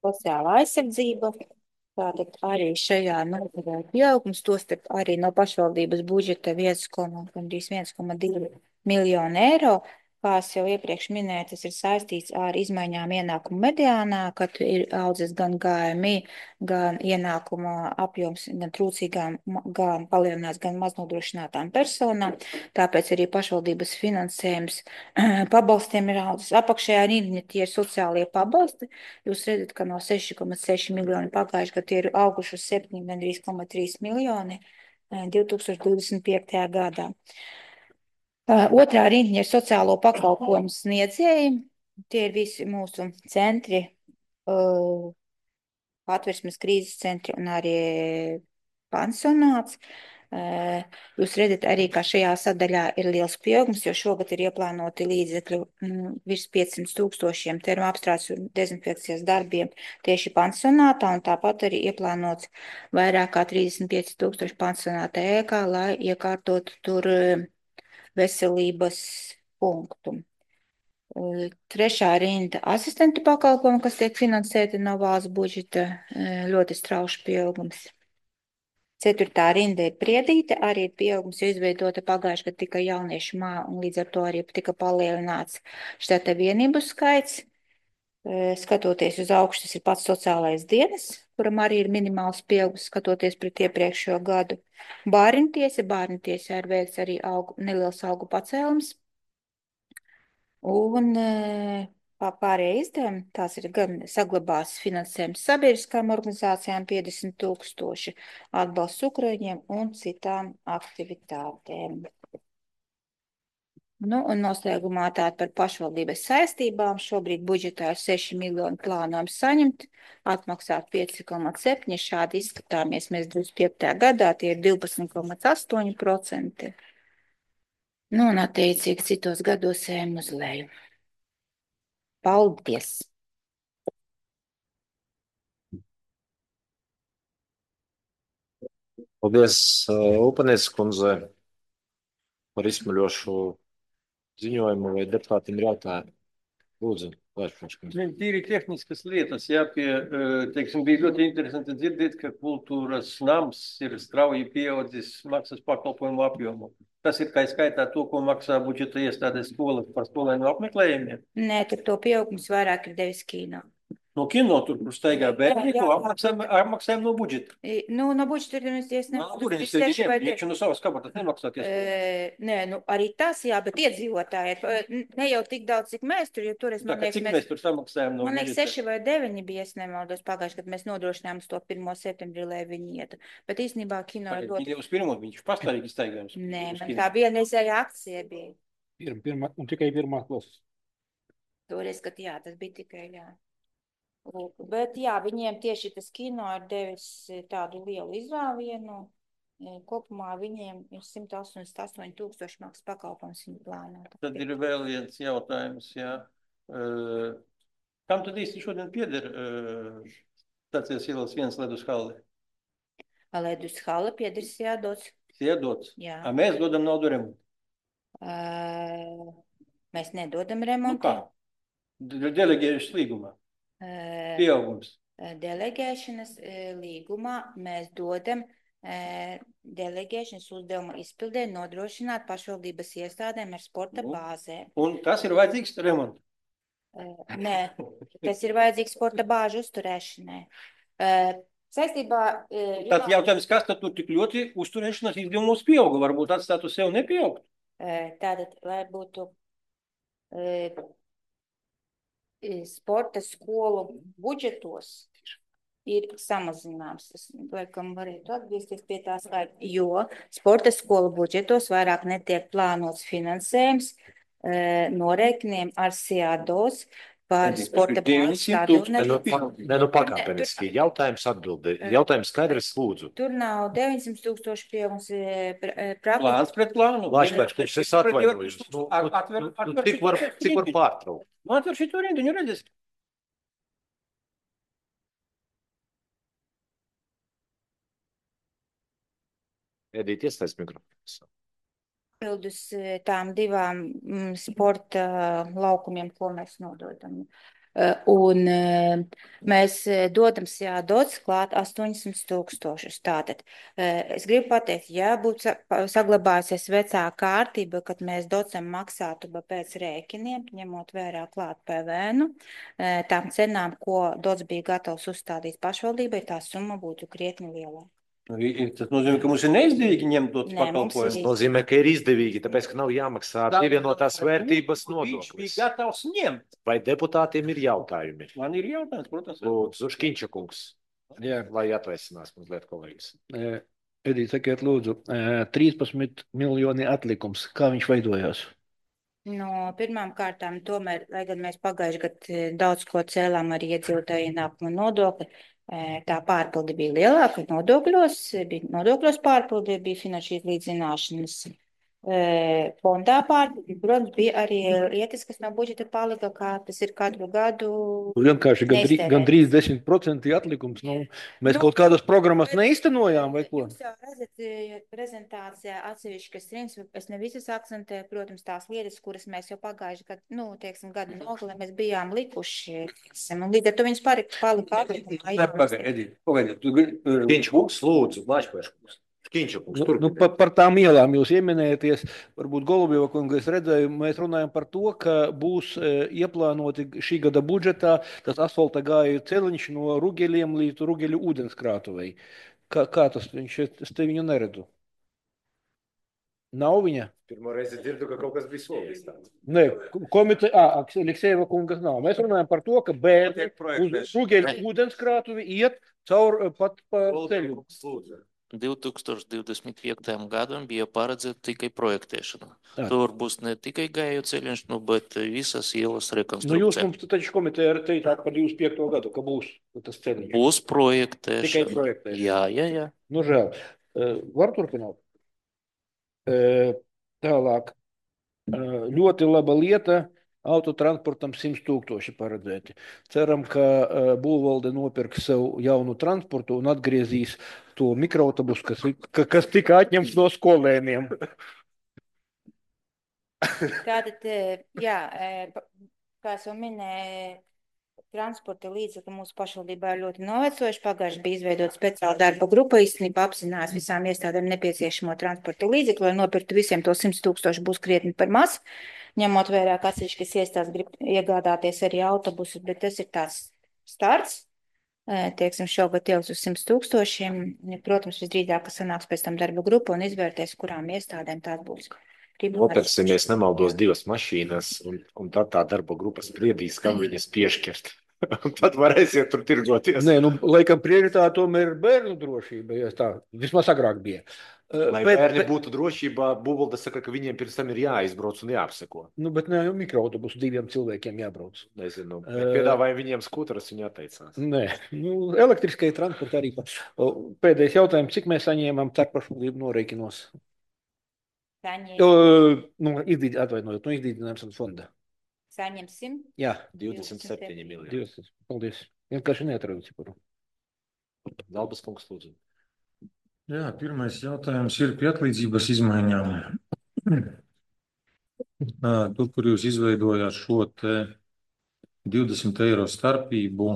Sociālā aizsardzība, tātad arī šajā nodaļā pieaugums, tostarp arī no pašvaldības budžeta 1,2 miljonu eiro. Kā es jau iepriekš minēju, tas ir saistīts ar izmaiņām ienākumu mediānā, kad ir audzis gan GMI, gan ienākuma apjoms, gan trūcīgām, gan palielinās, gan maznodrošinātām personām. Tāpēc arī pašvaldības finansējums pabalstiem ir audzis. Apakšējā rindiņa tie ir sociālie pabalsti. Jūs redzat, ka no 6,6 miljoni pagājuši, ka tie ir auguši uz 7,3 miljoni 2025. gadā. Otrā rindiņa ir sociālo pakalpojumu sniedzēji. Tie ir visi mūsu centri, Patversmes krīzes centri un arī pansionāts. Jūs redzat arī, ka šajā sadaļā ir liels pieaugums, jo šogad ir ieplānoti līdzekļi virs 500 000 termoapstrādes un dezinfekcijas darbiem tieši pansionātā, un tāpat arī ieplānots vairāk kā 35 000 pansionāta ēkā, lai iekārtotu tur veselības punktu. Trešā rinda asistentu pakalpojumu, kas tiek finansēti no valsts budžeta, ļoti strauši pieaugums. Ceturtā rinda ir priedīte, arī ir pieaugums, jo izveidota pagājuši, kad tika jauniešu māja, un līdz ar to arī tika palielināts štata vienību skaits. Skatoties uz augšu, tas ir pats sociālais dienas, kuram arī ir minimāls pieaugums, skatoties pret iepriekšējo gadu. Bārņtiesā ir veikts arī neliels algu pacēlums. Un pārējie izdevumi, tās ir gan saglabās finansējums sabiedriskām organizācijām 50 000, atbalsts Ukraiņiem un citām aktivitātēm. Nu, un noslēgumā tātad par pašvaldības saistībām. Šobrīd budžetā ir 6 miljoni plānojums saņemt, atmaksāt 5,7. Šādi izskatāmies mēs 25. gadā, tie ir 12,8%. Nu, un attiecīgi citos gados ejam uz leju. Paldies! Paldies, Upanieces kundze, par izsmaļošu ziņojumu, vai deputātiem ir jautājumi. Lūdzu, Tīri tehniskas lietas, jā, teiksim, bija ļoti interesanti dzirdēt, ka kultūras nams ir strauji pieaudzis maksas pakalpojumu apjomu. Tas ir kā skaitā to, ko maksā budžeta iestādes skolas par skolēnu apmeklējumiem? Nē, tur to pieaugums vairāk ir devis kino. No kino tur staigā bērni, ko apmaksājam no budžeta. Nu, no budžeta tur es Iekšķi no savas kabatas nemaksāties. Nē, nu arī tas, jā, bet iedzīvotāji, ne jau tik daudz, cik mēs tur, jo toreiz, man liekas, cik mēs tur samaksājam no budžeta? Man liekas, 6 vai 9 bija, es nemaldos pagājuši, kad mēs nodrošinājām to 1. septembrī, lai viņi ietu. Bet īstenībā kino ir ļoti... Viņi uz pirmo, viņš pastāvīgi staigājums. Nē, man tā vienreizēja akcija bija. Un tikai pirmā klases. Toreiz, kad jā, tas bija tikai, jā. Bet jā, viņiem tieši tas kino ir devis tādu lielu izrāvienu. Kopumā viņiem ir 188 000 maksas pakalpojums viņu plānā. Tad ir vēl viens jautājums, jā. Kam tad īsti šodien pieder Stācijas ielas 1 ledus halli? Ledus halli pieder Siedots. Siedots? Jā. A mēs dodam naudu remontu? Mēs nedodam remontu. Nu kā? Delegējušas līgumā. Pieaugums. Delegēšanas līgumā mēs dodam delegēšanas uzdevuma izpildē nodrošināt pašvaldības iestādēm ar sporta bāzēm. Un tas ir vajadzīgs remontu? Nē, tas ir vajadzīgs sporta bāžu uzturēšanai. Saistībā, Tad jautājums, kas tad tur tik ļoti uzturēšanās izdevumos pieauga? Varbūt atstātu sev nepieaugt? tātad, lai būtu sporta skolu budžetos, ir samazināms. Es laikam varētu atgriezties pie tā skaita, jo sporta skolu budžetos vairāk netiek plānots finansējums norēķiniem ar SIADOS par sporta plānu stadionu. Pakāpeniski. Jautājums atbildi. Jautājums skaidrs, lūdzu. Tur nav 900 000 pieaugums Plāns pret plānu. Lāčpēc, es atvainojos. Cik var pārtraukt? Atver šito rindiņu, redzēs. Edīt, iesaist mikrofons. Pildus tām divām sporta laukumiem, ko mēs nododam. Un mēs dodam SIADOS klāt 800 000. Tātad es gribu pateikt, ja būtu saglabājusies vecā kārtība, kad mēs docam maksātu pēc rēķiniem, ņemot vērā klāt PVN, tām cenām, ko dots bija gatavs uzstādīt pašvaldībai, tā summa būtu krietni lielāka. Tas nozīmē, ka mums ir neizdevīgi ņemt dots pakalpojumus. Tas nozīmē, ka ir izdevīgi, tāpēc, ka nav jāmaksā pievienotās vērtības nodoklis. Viņš bija gatavs ņemt. Vai deputātiem ir jautājumi? Man ir jautājums, protams. Lūdzu, Škiņša kungs, Jā. lai atveicinās mazliet kolēģis. Edīt, sakiet, lūdzu, 13 miljoni atlikums. Kā viņš veidojās? No pirmām kārtām, tomēr, lai gan mēs pagājuši gadu daudz ko cēlām arī iedzīvotāju ienākumu nodokli, tā pārpildi bija lielāka nodokļos pārpildi, bija finanšu izlīdzināšanas fondā pārpildi. Protams, bija arī lietas, kas no budžeta palika, kā tas ir katru gadu. Vienkārši gandrīz 10% atlikums. Mēs kaut kādas programmas neiztenojām vai ko? Jūs jau redzat prezentācijā atsevišķas rindas, es ne visas akcentēju, protams, tās lietas, kuras mēs jau pagājuši gadu, gadu nogalē mēs bijām likuši. Un līdz ar to viņas palika atlikumā. Pagaidiet. Škiņša kungs, lūdzu, Lāčpēc kungs. Par tām ielām jūs ieminēties, varbūt Golubieva kunga es redzēju, mēs runājam par to, ka būs ieplānoti šī gada budžetā tas asfalta gāju celiņš no Rugeļiem līdz Rugeļu ūdenskrātuvei. Kā tas viņš, es te viņu neredzu. Nav viņa? Pirmo reizi dzirdu, ka kaut kas bija solījis tāds. Nē, Aleksejeva kungas nav. Mēs runājam par to, ka bērni uz Rugeļu ūdenskrātuvi iet caur pat pa ceļu. 2025. gadam bija paredzēta tikai projektēšana. Tur būs ne tikai gāju ceļš, bet visas ielas rekonstrukcija. Jūs mums taču komiteja teicāt par 25. gadu, ka būs tas ceļš. Būs projektēšana. Tikai projektēšana. Jā. Nu, žēl. Var turpināt? Tālāk. Ļoti laba lieta. Autotransportam 100 000 paredzēti. Ceram, ka būvvalde nopirks sev jaunu transportu un atgriezīs to mikroautobusu, kas tika atņemts no skolēniem. Tātad, jā, kā es jau minēju, transporta līdzekļi mūsu pašvaldībā ir ļoti novecojuši. Pagājuši bija izveidota speciāla darba grupa, īstenībā apzinās visām iestādēm nepieciešamo transporta līdzekļu, lai nopirktu visiem to 100 000 būs krietni par maz. Ņemot vērā, ka atsevišķas iestādes grib iegādāties arī autobusus, bet tas ir tāds starts. Teiksim, šogad ieliks uz 100 000. Protams, visdrīzāk, ka sanāks pēc tam darba grupa un izvērtēs, kurām iestādēm tās būs. Nopirksimies, nemaldos, 2 mašīnas, un tad tā darba grupa spriedīs, kam viņas piešķirt. Tad varēsiet tur tirgoties. Nē, laikam prioritāte tomēr ir bērnu drošība, ja tā vismaz agrāk bija. Lai bērni būtu drošībā, būvvalde saka, ka viņiem pirms tam ir jāizbrauc un jāapseko. Bet ne jau mikroautobusu 2 cilvēkiem jābrauc. Nezinu, piedāvāja viņiem skuteras, viņi atteicās. Nē, elektriskai transporta arī. Pēdējais jautājums, cik mēs saņēmām starppašvaldību norēķinos? Atvainojot, no izdīdinājums fonda. Saņemsim? Jā. 27 miljoni. Paldies. Vienkārši neatradu ciparu. Dalbas kungs, lūdzu. Jā, pirmais jautājums ir pie atlīdzības izmaiņām. Tur, kur jūs izveidojāt šo te 20 eiro starpību,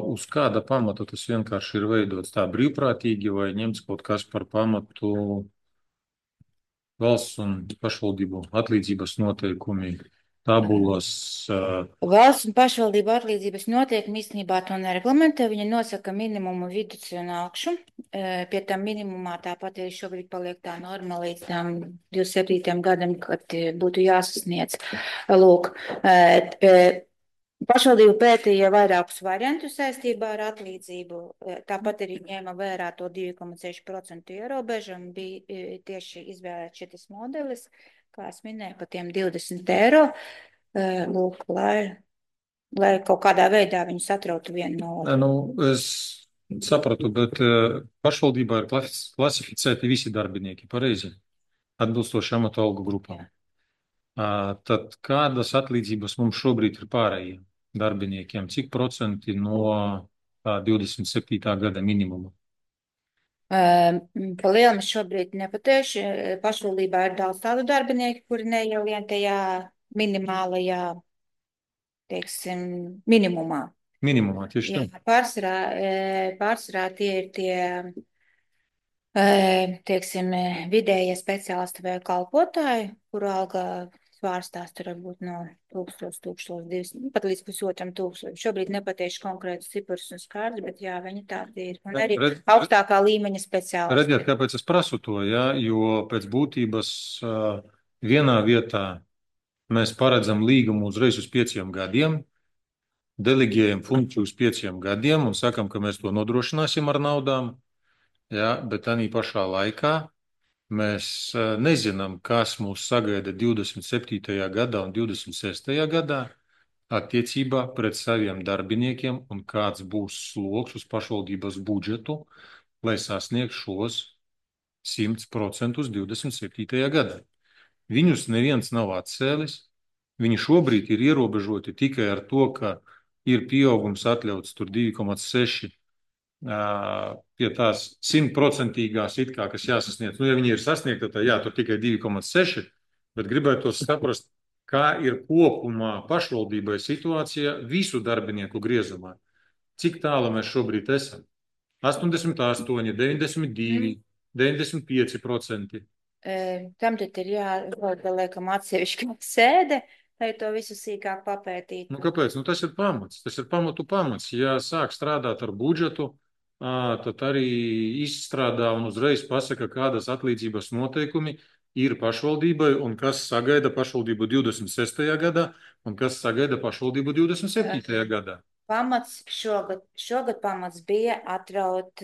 uz kāda pamata tas vienkārši ir veidots tā brīvprātīgi vai ņemts kaut kas par pamatu valsts un pašvaldību atlīdzības noteikumi tabulas. Valsts un pašvaldību atlīdzības noteikumi īstenībā to nereglamentē. Viņi nosaka minimumu vidus un augšu. Pie tam minimumā tāpat arī šobrīd paliek tā norma līdz tam 27. gadam, kad būtu jāsasniedz. Lūk, pašvaldība pētīja vairākus variantus saistībā ar atlīdzību. Tāpat arī ņēma vērā to 2,6% ierobežumu. Bija tieši izvēlēts šis modelis, kā es minēju, par tiem 20 eiro. Lūk, lai kaut kādā veidā viņus atrautu vienu no otru. Nu, es sapratu, bet pašvaldībā ir klasificēti visi darbinieki, pareizi, atbilstoši amatu algu grupām. Tad kādas atlīdzības mums šobrīd ir pārējiem darbiniekiem? Cik procenti no 27. gada minimuma? Pa lielam es šobrīd nepateikšu. Pašvaldībā ir daudz tādu darbinieku, kuri neielien tajā minimālajā, teiksim, minimumā. Minimumā, tieši tā. Pārsvarā tie ir tie, teiksim, vidējie speciālisti vai kalpotāji, kuru alga svārstās tur varbūt no 1000, 1200, pat līdz 1500. Šobrīd nepateikšu konkrētus ciprus un skaidrs, bet jā, viņi tādi ir. Un arī augstākā līmeņa speciālisti. Redziet, kāpēc es prasu to, ja? Jo pēc būtības vienā vietā mēs paredzam līgumu uzreiz uz 5 gadiem, deleģējam funkciju uz 5 gadiem un sakam, ka mēs to nodrošināsim ar naudām, ja? Bet arī pašā laikā mēs nezinām, kas mūs sagaida 27. gadā un 26. gadā attiecībā pret saviem darbiniekiem un kāds būs sloks uz pašvaldības budžetu, lai sasniegtu šos 100% 27. gadā. Viņus neviens nav atcēlis. Viņi šobrīd ir ierobežoti tikai ar to, ka ir pieaugums atļauts tur 2,6 pie tās 100%-īgās it kā, kas jāsasniedz. Nu, ja viņi ir sasniegta, tad jā, tur tikai 2,6, bet gribētu saprast, kā ir kopumā pašvaldībai situācija visu darbinieku griezumā. Cik tālu mēs šobrīd esam? 88, 92, 95%. Tam tad ir jāliekam atsevišķi sēde, lai to visu sīkāk papētītu. Nu, kāpēc? Nu, tas ir pamats. Tas ir pamats. Ja sāk strādāt ar budžetu, tad arī izstrādā un uzreiz pasaka, kādas atlīdzības noteikumi ir pašvaldībai un kas sagaida pašvaldību 26. gadā un kas sagaida pašvaldību 27. gadā. Šogad pamats bija atraut,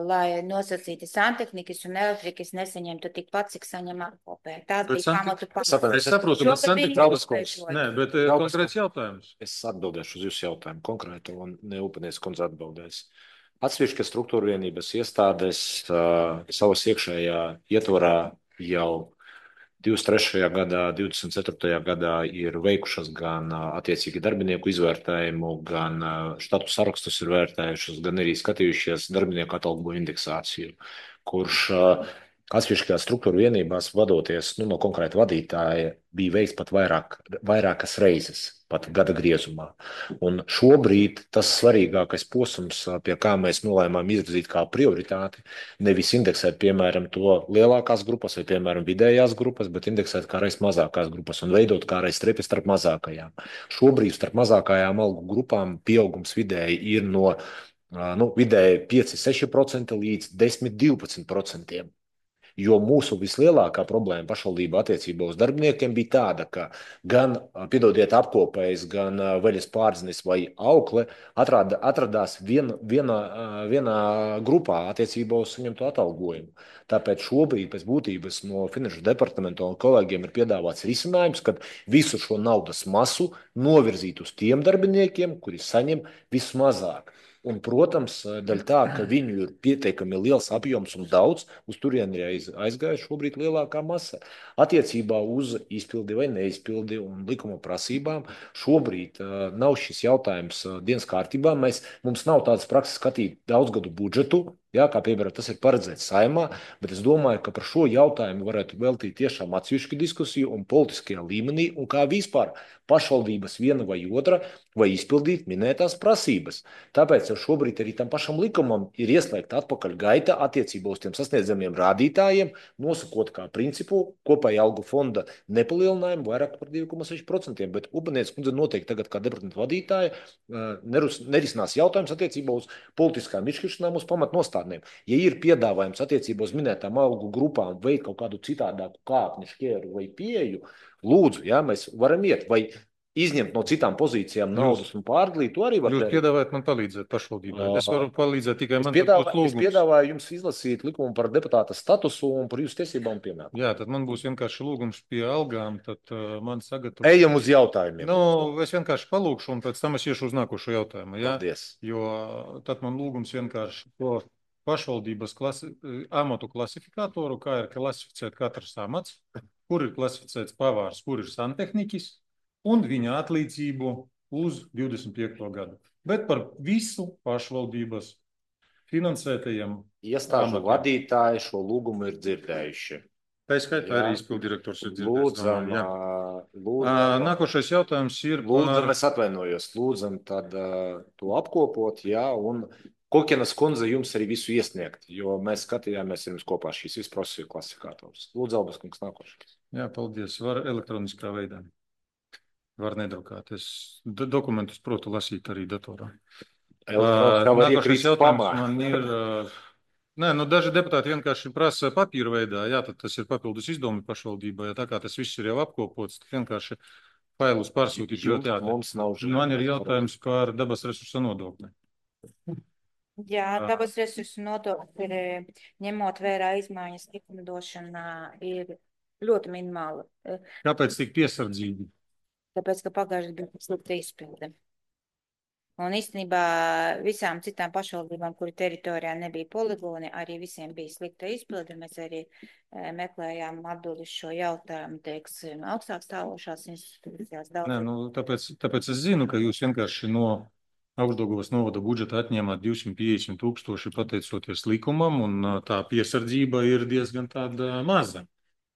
lai nosacīti santehnikas un elektrikas nesaņemtu tikpat, cik saņem apkopē. Tās bija pamatu pamats. Es saprotu, bet santehnikas. Nē, bet konkrēts jautājums. Es atbildēšu uz jūsu jautājumu konkrētu un Upenies kundze atbildēs. Atsevišķas struktūra vienības iestādes savas iekšējā ietvarā jau 23. gadā, 24. gadā ir veikušas gan attiecīgi darbinieku izvērtējumu, gan štatu sarakstus ir vērtējušas, gan arī skatījušies darbinieku atalgojumu indeksāciju, kurš atsevišķās struktūra vienībās vadoties no konkrēta vadītāja bija veikts pat vairākas reizes, pat gada griezumā. Un šobrīd tas svarīgākais posms, pie kā mēs nolēmām izvirzīt kā prioritāti, nevis indeksēt, piemēram, to lielākās grupas vai, piemēram, vidējās grupas, bet indeksēt kā reiz mazākās grupas un veidot kā reiz strepi starp mazākajām. Šobrīd starp mazākajām algu grupām pieaugums vidēji ir no vidēji 5-6% līdz 10-12%. Jo mūsu vislielākā problēma pašvaldība attiecībā uz darbiniekiem bija tāda, ka gan, piedodiet, apkopējs, gan veļas pārznis vai aukle atradās vienā grupā attiecībā uz saņemto atalgojumu. Tāpēc šobrīd pēc būtības no Finanšu departamenta un kolēģiem ir piedāvāts risinājums, kad visu šo naudas masu novirzīt uz tiem darbiniekiem, kuri saņem vismazāk. Un, protams, daļ tā, ka viņu ir pietiekami liels apjoms un daudz, uz turieni ir aizgājuši šobrīd lielākā masa. Attiecībā uz izpildi vai neizpildi un likuma prasībām šobrīd nav šis jautājums dienas kārtībā. Mums nav tādas prakses skatīt daudzgadu budžetu Jā, kā piemēram, tas ir paredzēts Saeimā, bet es domāju, ka par šo jautājumu varētu veltīt tiešām atsevišķu diskusiju un politiskajā līmenī, un kā vispār pašvaldības viena vai otra, vai izpildīt minētās prasības. Tāpēc jau šobrīd arī tam pašam likumam ir ieslēgta atpakaļ gaita attiecībā uz tiem sasniedzamiem rādītājiem, nosakot kā principu kopēja algu fonda nepalielinājumu vairāk par 2,6%, bet Ubanietes kundze noteikti tagad kā departamenta vadītāja nerisinās jautājums attiecībā uz politiskām izšķiršanām uz pamatnostādnēm. Ja ir piedāvājums attiecībā uz minētām algu grupām veikt kaut kādu citādāku kāpņu, šķēru vai pieeju, lūdzu, jā, mēs varam iet, vai izņemt no citām pozīcijām naudas un pārdalīt, to arī var Jūs darīt. piedāvājat man palīdzēt pašvaldībai. Es varu palīdzēt tikai man Es piedāvāju jums izlasīt likumu par deputāta statusu un par jūsu tiesībām un pienākumiem. Jā, tad man būs vienkārši lūgums pie algām, tad man sagatavo. Ejam uz jautājumiem. Nu, es vienkārši palūkšu un pēc tam es iešu uz nākošo jautājumu. Jā? Paldies. Jo tad man lūgums vienkārši to pašvaldības amatu klasifikātoru, kā ir klasificēt katrs amats, kur ir klasificēts pavārs, kur ir santehniķis, un viņa atlīdzību uz 25. gadu. Bet par visu pašvaldības finansētajiem iestāžu vadītāji šo lūgumu ir dzirdējuši. Tā skaitā arī izpildirektors ir dzirdējis. Lūdzam, nākošais jautājums ir lūdzam, es atvainojos, lūdzam tad to apkopot, jā, un Kokienas kundze jums arī visu iesniegt, jo mēs skatījāmies jums kopā šīs visprofesiju klasifikātors. Lūdzu, Albas kungs, nākošais. Jā, paldies. Var elektroniskā veidā. Var nedrukāt. Es dokumentus protu lasīt arī datorā. Nākošais jautājums man ir... Nē, nu daži deputāti vienkārši prasa papīra veidā. Jā, tad tas ir papildus izdevumi pašvaldībai. Tā kā tas viss ir jau apkopots, tad vienkārši failus pārsūtīt. Man ir jautājums par dabas resursa nodokli. Jā, dabas resursu nodokļi ir, ņemot vērā izmaiņas likumdošanā, ir ļoti minimāli. Kāpēc tik piesardzīgi? Tāpēc, ka pagājušajā bija slikta izpilde. Un īstenībā visām citām pašvaldībām, kuri teritorijā nebija poligoni, arī visiem bija slikta izpilde. Mēs arī meklējām atbildi uz šo jautājumu, teiksim, augstāk stāvošās institūcijās. Nē, nu, tāpēc es zinu, ka jūs vienkārši no Augšdaugavas novada budžeta atņēmāt 250 000 pateicoties likumam, un tā piesardzība ir diezgan tāda maza.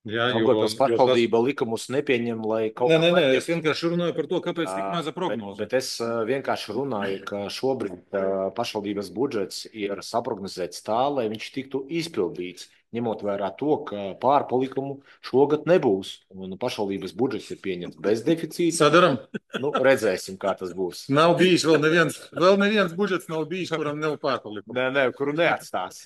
Jā, Daugavpils pašvaldība likumus nepieņem, lai kaut kā... Nē, es vienkārši runāju par to, kāpēc tik maza prognoze. Bet es vienkārši runāju, ka šobrīd pašvaldības budžets ir saprognozēts tā, lai viņš tiktu izpildīts, ņemot vērā to, ka pārpalikumu šogad nebūs. Un pašvaldības budžets ir pieņemts bez deficīta. Sadaram? Nu, redzēsim, kā tas būs. Nav bijis vēl neviens budžets nav bijis, kuram nav pārpalikumu. Nē, kuru neatstās.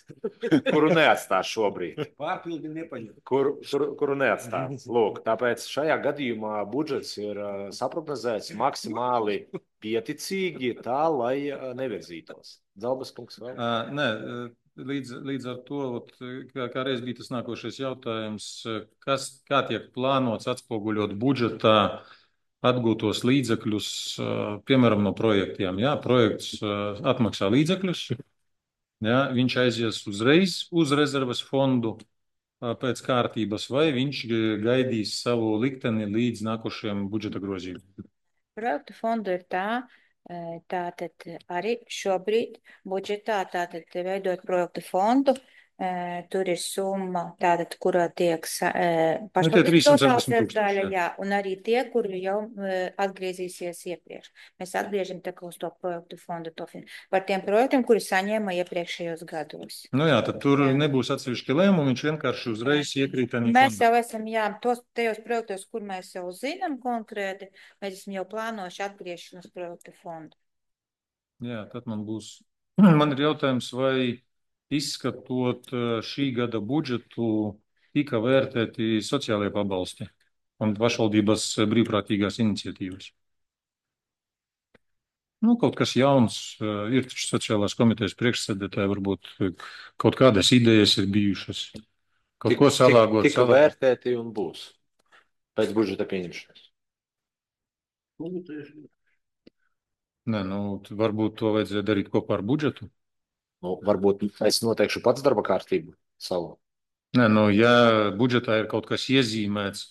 Kuru neatstās šobrīd. Pārpildi nepaņem. Kuru neatstās. Lūk, tāpēc šajā gadījumā budžets ir saprognozēts maksimāli pieticīgi tā, lai nevirzītos. Dzalbas kungs vēl? Nē, līdz ar to, kā reiz bija tas nākošais jautājums, kā tiek plānots atspoguļot budžetā atgūtos līdzekļus, piemēram, no projektiem. Jā, projekts atmaksā līdzekļus, jā, viņš aizies uzreiz uz rezerves fondu pēc kārtības, vai viņš gaidīs savu likteni līdz nākošajam budžeta grozījumam? Projektu fondu ir tā, tātad arī šobrīd budžetā, tātad veidot projektu fondu, tur ir summa, tātad, kurā tiek pašvaldības daļa, jā, un arī tie, kuri jau atgriezīsies iepriekš. Mēs atgriežam tā kā uz to projektu fondu par tiem projektiem, kuri saņēma iepriekšējos gados. Nu jā, tad tur nebūs atsevišķi lēmumi, viņš vienkārši uzreiz iekrīt. Mēs jau esam, jā, tajos projektos, kur mēs jau zinām konkrēti, mēs esam jau plānojuši atgriešanu uz projektu fondu. Jā, tad man ir jautājums, vai izskatot šī gada budžetu, tika vērtēti sociālajie pabalsti un pašvaldības brīvprātīgās iniciatīvas. Nu, kaut kas jauns, ir taču sociālās komitejas priekšsēdētāji, varbūt kaut kādas idejas ir bijušas. Kaut ko salāgot. Tika vērtēti un būs pēc budžeta pieņemšanas. Nē, nu, varbūt to vajadzēja darīt kopā ar budžetu. Nu, varbūt es noteikšu pats darba kārtību savu. Nē, nu, ja budžetā ir kaut kas iezīmēts,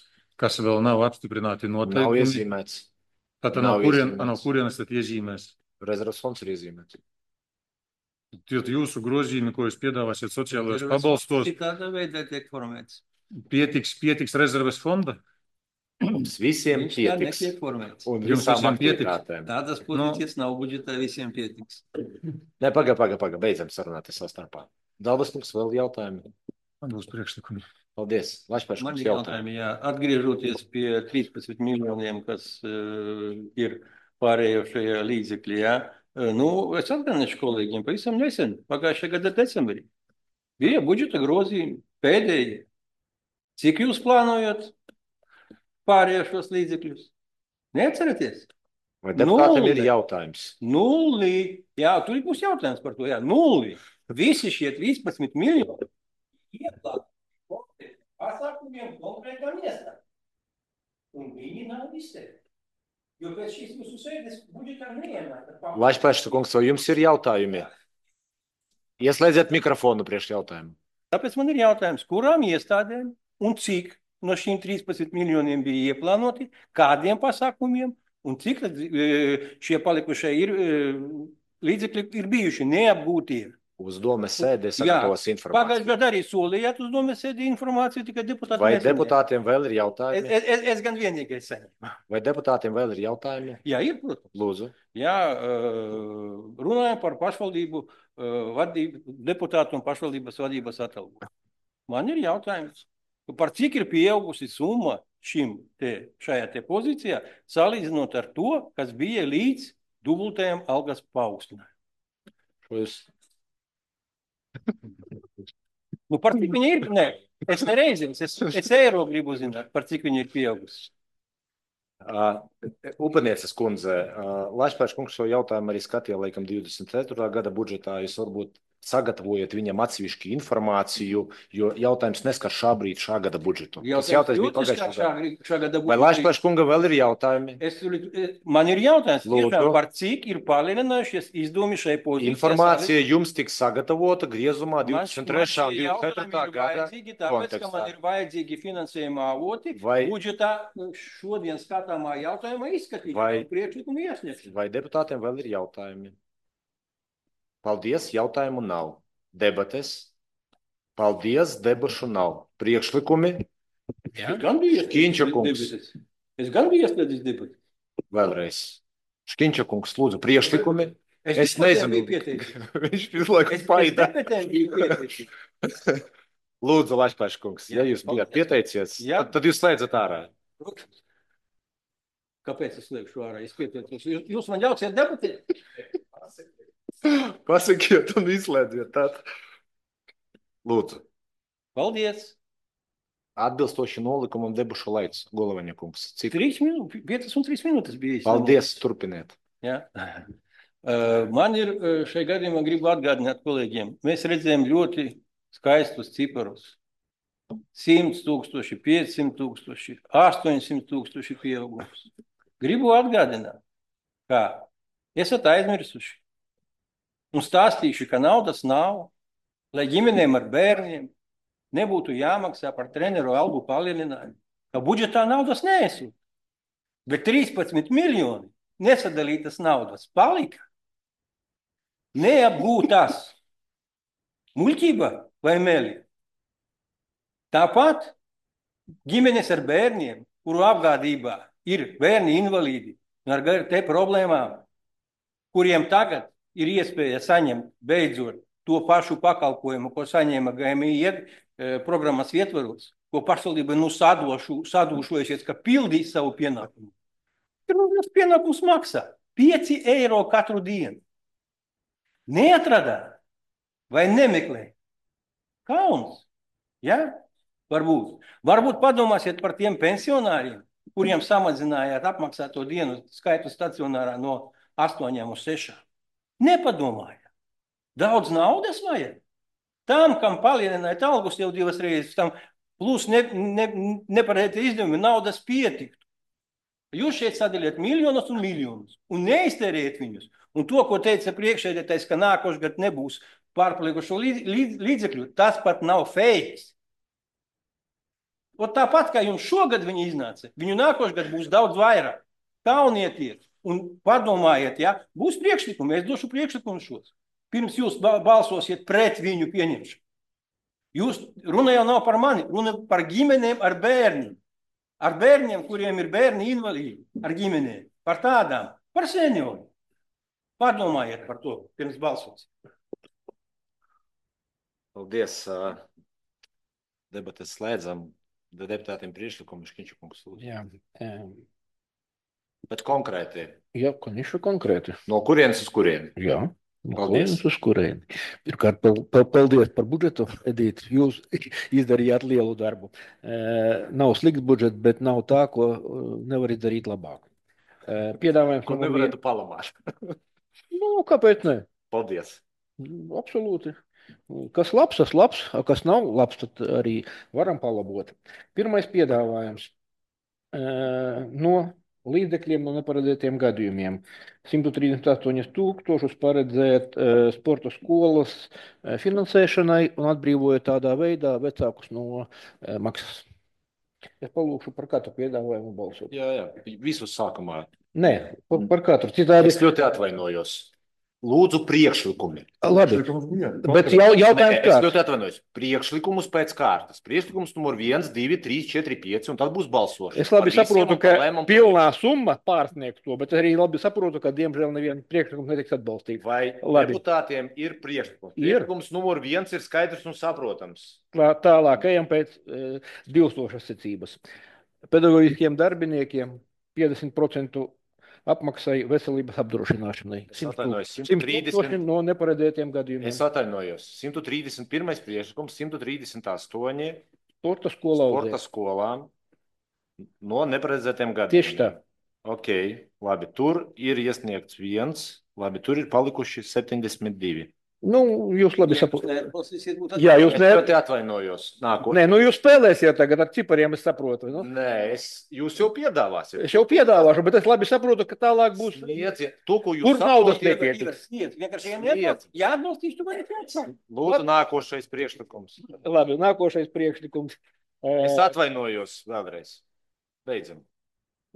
kas vēl nav apstiprināti noteikumi. Nav iezīmēts. Tad no kurienes tad iezīmēs? Rezerves fonds ir iezīmēts. Tie jūsu grozījumi, ko jūs piedāvāsiet sociālajos pabalstos, Citādā veidā tiek formēts. pietiks rezerves fonda? Mums visiem Viņš tā pietiks. netiek formēts. Un Jums visām visiem pietiks? aktivitātēm. Tādas pozīcijas nav budžetā, visiem pietiks. Nē, paga, beidzam sarunāties savā starpā. Dalbas kungs, vēl jautājumi? Man būs priekšlikumi. Paldies. Lašpērs Man kungs ir jautājumi. jautājumi, jā. Atgriežoties pie 13 miljoniem, kas ir pārējošajā līdzekļi, jā. Es atgādināšu kolēģiem pavisam nesen, pagājušajā gada decembrī. Bija budžeta grozījumi pēdējie. Cik jūs plānojat pārējošos līdzekļus? Neatceraties? Vai deputātiem ir jautājums? 0. Jā, tur būs jautājums par to, jā. 0. Visi šie 13 miljoni ieplānoti pasākumiem konkrētām iestādēm. Un viņi nav izteikti. Jo pēc šīs jūsu sēdes budžetā neienāk. Lašpērs kungs, vai jums ir jautājumi? Ieslēdziet mikrofonu priekš jautājumu. Tāpēc man ir jautājums, kurām iestādēm un cik no šīm 13 miljoniem bija ieplānoti, kādiem pasākumiem un cik šie palikušie līdzekļi ir bijuši neapgūtie. Uz domes sēdē sagatavos informāciju. Pagājušajā gadā arī solījāt uz domes sēdē informāciju, tikai deputāti Vai nesaņēma. deputātiem vēl ir jautājumi? Es gan vienīgais saņēmu. Vai deputātiem vēl ir jautājumi? Jā, ir, protams. Lūdzu. Jā, runājam par pašvaldību deputātu un pašvaldības vadības atalgojumu. Man ir jautājums, par cik ir pieaugusi summa šajā te pozīcijā, salīdzinot ar to, kas bija līdz dubultajam algas paaugstinājumam. Par cik viņa ir? Nē, es nereizes, es eiro gribu zināt, par cik viņa ir pieaugusi. Upenieces kundze, Lašpērs kungs šo jautājumu arī skatīja, laikam, 24. gada budžetā. Jūs varbūt sagatavojiet viņam atsevišķu informāciju, jo jautājums neskar šā gada budžetu. Jautājums bija pagājušā gada budžetā. Vai Lašpērs kungam vēl ir jautājumi? Man ir jautājums, tiešām, par cik ir palielinājušies izdevumi šai pozīcijai. Informācija jums tiks sagatavota griezumā 23. un 24. gada tāpēc, ka man ir vajadzīgi finansējuma avoti, budžetā šodien skatāmā jautājumā izskatīt priekšlikumu iesniegšanu. Vai deputātiem vēl ir jautājumi? Paldies, jautājumu nav. Debates. Paldies, debašu nav. Priekšlikumi. Škiņča kungs. Es gan biju ieslēdzis debates. Vēlreiz. Škiņča kungs, lūdzu, priekšlikumi. Es nezinu. Viņš visu laiku spaida. Lūdzu, Lašpērs kungs, ja jūs bijāt pieteicies, tad jūs slēdzat ārā. Kāpēc es slēgšu ārā? Es pieteicos. Jūs man ļausiet debatēt? Pasakiet un izslēdziet tātad. Lūdzu. Paldies. Atbilstoši nolikumam debušu laiks, Golovaņa kungs. Cik? 5 un 3 minūtes bija. Paldies, turpiniet. Jā. Man ir šai gadījumā gribu atgādināt kolēģiem. Mēs redzējām ļoti skaistus ciparus. 100 000, 500 000, 800 000 pieaugums. Gribu atgādināt, ka esat aizmirsuši un stāstījuši, ka naudas nav, lai ģimenēm ar bērniem nebūtu jāmaksā par treneru algu palielinājumu, ka budžetā naudas neesot. Bet 13 miljoni nesadalītas naudas palika neapgūtās. Muļķība vai meli? Tāpat ģimenes ar bērniem, kuru apgādībā ir bērni invalīdi ar te problēmām, kuriem tagad ir iespēja saņemt beidzot to pašu pakalpojumu, ko saņēma GMI programmas ietvaros, ko pašvaldība sadūšojušies, ka pildīs savu pienākumu. Tas pienākums maksā 5 eiro katru dienu. Neatradāt vai nemeklē? Kauns. Ja? Varbūt padomāsiet par tiem pensionāriem, kuriem samazinājāt apmaksāto dienu skaitu stacionārā no 8 uz 6. Nepadomājāt. Daudz naudas vajag. Tam, kam palielinājāt algus jau 2 reizes, tam plus nepareizi izdevumi naudas pietiktu. Jūs šeit sadaliet miljonus un miljonus un neiztērējat viņus. Un to, ko teica priekšsēdētājs, ka nākošais gads nebūs pārpalikušo līdzekļu, tas pat nav fejks. Tāpat, kā jums šogad viņi iznāca, viņu nākošais gads būs daudz vairāk. Kaunieties un padomājiet, ja? Būs priekšlikumi, es došu priekšlikumu šos. pirms jūs balsosiet pret viņu pieņemšanu. Jūs runa jau nav par mani, runa par ģimenēm ar bērniem. Ar bērniem, kuriem ir bērni invalīdi, ar ģimenēm. Par tādām, par senioriem. Pārdomājiet par to, pirms balsos. Paldies. Debates slēdzam. Deputātiem priekšlikumu Škiņškungs lūdzu. Jā. Bet konkrēti. Jā, конечно, konkrēti. No kurienes uz kurieni? Jā. No Paldies. kurienes uz kurieni. Pirmkārt, paldies par budžetu, Edīt. Jūs izdarījāt lielu darbu. Nav slikts budžets, bet nav tā, ko nevar izdarīt labāk. Piedāvājums. Ko nevarētu palamāt? Nu, kāpēc ne? Paldies. Absolūti. Kas labs, tas labs, a kas nav labs, tad arī varam palabot. Pirmais piedāvājums no līdzekļiem no neparedzētiem gadījumiem. 138 000 paredzēt sporta skolas finansēšanai un atbrīvojot tādā veidā vecākus no maksas. Es palūkšu par katru piedāvājumu balsot. Jā, visus sākumā. Nē, par katru. Citādi... Es ļoti atvainojos. Lūdzu, priekšlikumi. Labi, bet jautājums kāds? Es ļoti atvainojos. Priekšlikumus pēc kārtas. Priekšlikums numur 1, 2, 3, 4, 5, un tad būs balsošana. Es labi saprotu, ka pilnā summa pārsniegs to, bet arī labi saprotu, ka diemžēl neviena priekšlikums netiks atbalstīts. Vai labi. Deputātiem ir priekšlikums? Priekšlikums numur 1 ir skaidrs un saprotams. Tālāk ejam pēc 2000 secības. Pedagoģiskiem darbiniekiem 50% apmaksai veselības apdrošināšanai. 130 no neparedzētiem gadījumiem. Es atvainojos. 131. priekšlikums, 138 sporta skolām no neparedzētiem gadījumiem. Tieši tā. Ok, labi. Tur ir iesniegts 1, labi, tur ir palikuši 72. Nu, jūs labi saprotat. Jā, jūs ļoti atvainojos. Nē, nu jūs spēlēsiet tagad ar cipariem, es saprotu. Nu? Nē, jūs jau piedāvāsiet. Es jau piedāvāšu, bet es labi saprotu, ka tālāk būs... To, ko jūs kur naudas nepietiks? Jā, atbalstīšu, tu mani pēc. Lūdzu, nākošais priekšlikums. Labi, nākošais priekšlikums. Es atvainojos vēlreiz. Beidzam.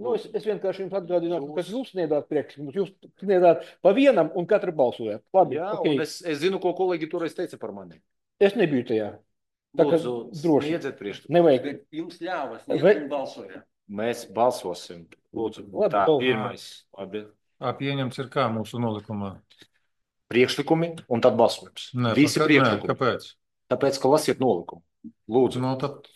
Nu, es vienkārši jums atgādinātu, ka jūs sniedzāt priekšlikumus. Jūs sniedzāt pa vienam un katru balsojāt. Labi, jā, okay. Un es zinu, ko kolēģi toreiz teica par mani. Es nebiju tajā. Lūdzu, sniedziet priekšlikumu. Nevajag. Jums ļāvas, sniedzam balsojāt. Mēs balsosim. Lūdzu, labi, tā, pirmais. Labi. Pieņemts ir kā mūsu nolikumā? Priekšlikumi un tad balsojums. Nē, visi priekšlikumi. Kāpēc? Tāpēc, ka lasiet nolikumu. Lūdzu. No, tad...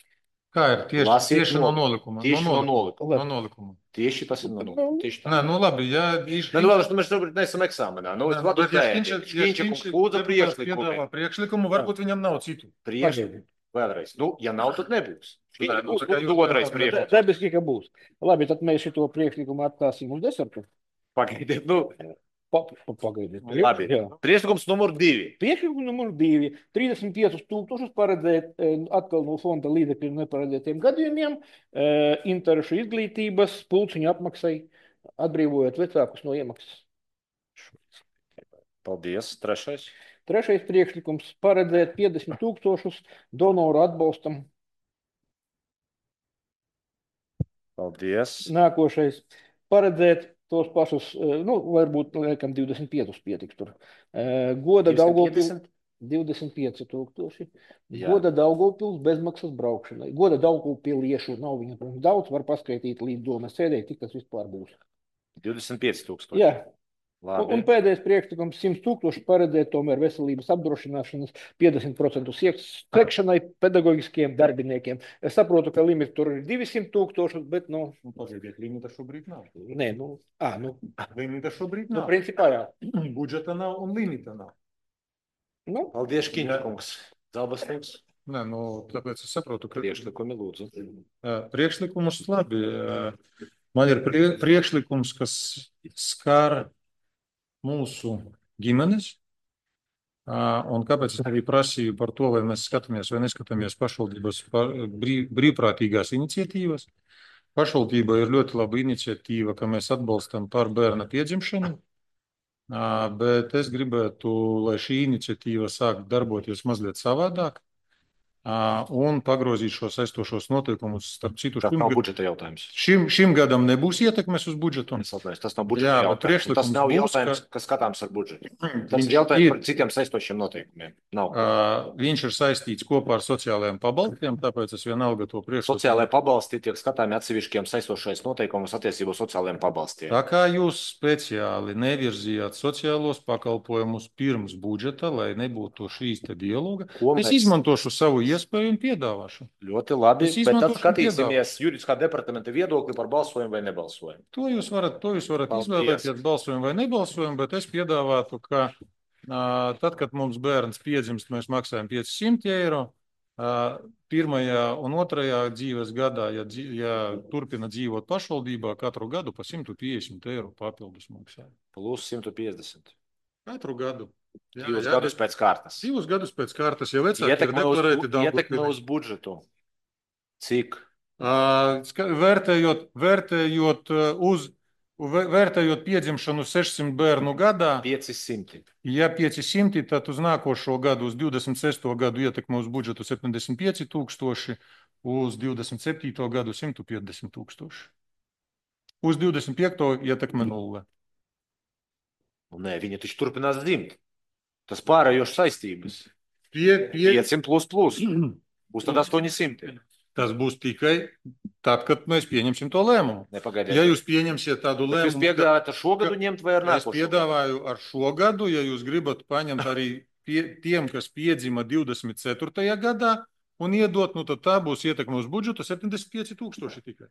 Kā ir? Tieši no nolikuma. Tieši no nolikuma. Tieši tas ir no nolikuma. Tieši tā. Nē, nu labi, jā. Nē, nu labi, mēs šobrīd neesam eksāmenā. Nu, es vadu Škiņškungs lūdza priekšlikumu. Priekšlikumu, varbūt viņam nav citu. Priekšlikumu. Vēlreiz. Nu, ja nav, tad nebūs. Otrais priekšlikums. Dabiski, ka būs. Labi, tad mēs šito priekšlikumu atstāsim uz desertu. Pagaidiet, nu... Pagaidiet. Labi. Priekšlikums numur 2. Priekšlikums numur 2. 35 000 paredzēt atkal no fonda līdzekļu neparedzētiem gadījumiem, interešu izglītības, pulciņu apmaksai, atbrīvojot vecākus no iemaksas. Paldies. Trešais. Trešais priekšlikums paredzēt 50 000 donoru atbalstam. Paldies. Nākošais paredzēt tos pašus, nu, varbūt, liekam, 25 pietiks tur. Goda Daugavpils 25 000. Goda Daugavpils bezmaksas braukšanai. Goda Daugavpiliešu nav viņa daudz, var paskaitīt līdz domas sēdē, cik tas vispār būs. 25 000. Jā. Labi. Un pēdējais priekšlikums 100 000 paredzēt tomēr veselības apdrošināšanas 50% sekšanai pedagoģiskiem darbiniekiem. Es saprotu, ka limits tur ir 200 000, bet, nu... Pagaidiet, limita šobrīd nav. Nē, nu... Limita šobrīd nav. Nu, principā, jā. Budžeta nav un limita nav. Nu? Paldies, Škiņškungs. Zalbaskungs. Nē, nu, tāpēc es saprotu, ka... Priekšlikumi, lūdzu. Priekšlikumus labi. Man ir priekšlikums, kas skar mūsu ģimenes, un kāpēc es arī prasīju par to, vai mēs skatāmies vai neskatāmies pašvaldības brīvprātīgās iniciatīvas. Pašvaldība ir ļoti laba iniciatīva, ka mēs atbalstam par bērna piedzimšanu, bet es gribētu, lai šī iniciatīva sāk darboties mazliet savādāk. un pagrozīt šo saistošos noteikumus starp citu. Tas nav budžeta jautājums. Šim gadam nebūs ietekmes uz budžetu. Tas nav budžeta jautājums. Tas nav jautājums, kas skatāms ar budžetu. Tas ir jautājums par citiem saistošiem noteikumiem. Nav. Viņš ir saistīts kopā ar sociālajiem pabalstiem, tāpēc es vienalga to priekšlikumu. Sociālajie pabalsti tiek skatāmi atsevišķiem saistošais noteikumus attiecībā uz sociālajiem pabalstiem. Tā kā jūs speciāli nevirzījāt sociālos pakalpojumus pirms budžeta, lai nebūtu šīs te dialoga, es izmantošu savu iespēju un piedāvāšu. Ļoti labi, bet tad skatīsimies juridiskā departamenta viedokli par balsojumu vai nebalsojumu. To jūs varat izvēlēties balsojumu vai nebalsojumu, bet es piedāvātu, ka tad, kad mums bērns piedzimst, mēs maksājam 500 eiro. Pirmajā un otrajā dzīves gadā, ja turpina dzīvot pašvaldībā, katru gadu pa 150 eiro papildus maksā. Plus 150. Katru gadu. Divus gadus pēc kārtas. Divus gadus pēc kārtas, ja vecāki ir deklarēti daudz. Ietekme uz budžetu. Cik? Vērtējot piedzimšanu 600 bērnu gadā. 500. Ja 500, tad uz nākošo gadu, uz 26. gadu ietekme uz budžetu 75 000, uz 27. gadu 150 000. Uz 25. ietekme 0. Nē, viņi taču turpinās dzimt. Tas pārējošs saistības. 500 plus. Būs tad 800. Tas būs tikai tad, kad mēs pieņemsim to lēmumu. Nepagaidiet. Ja jūs pieņemsiet tādu lēmumu... Jūs piedāvājat ar šo gadu ņemt vai ar nākošo? Es piedāvāju ar šo gadu, ja jūs gribat paņemt arī tiem, kas piedzima 24. gadā un iedot, tad tā būs ietekme uz budžetu 75 000 tikai.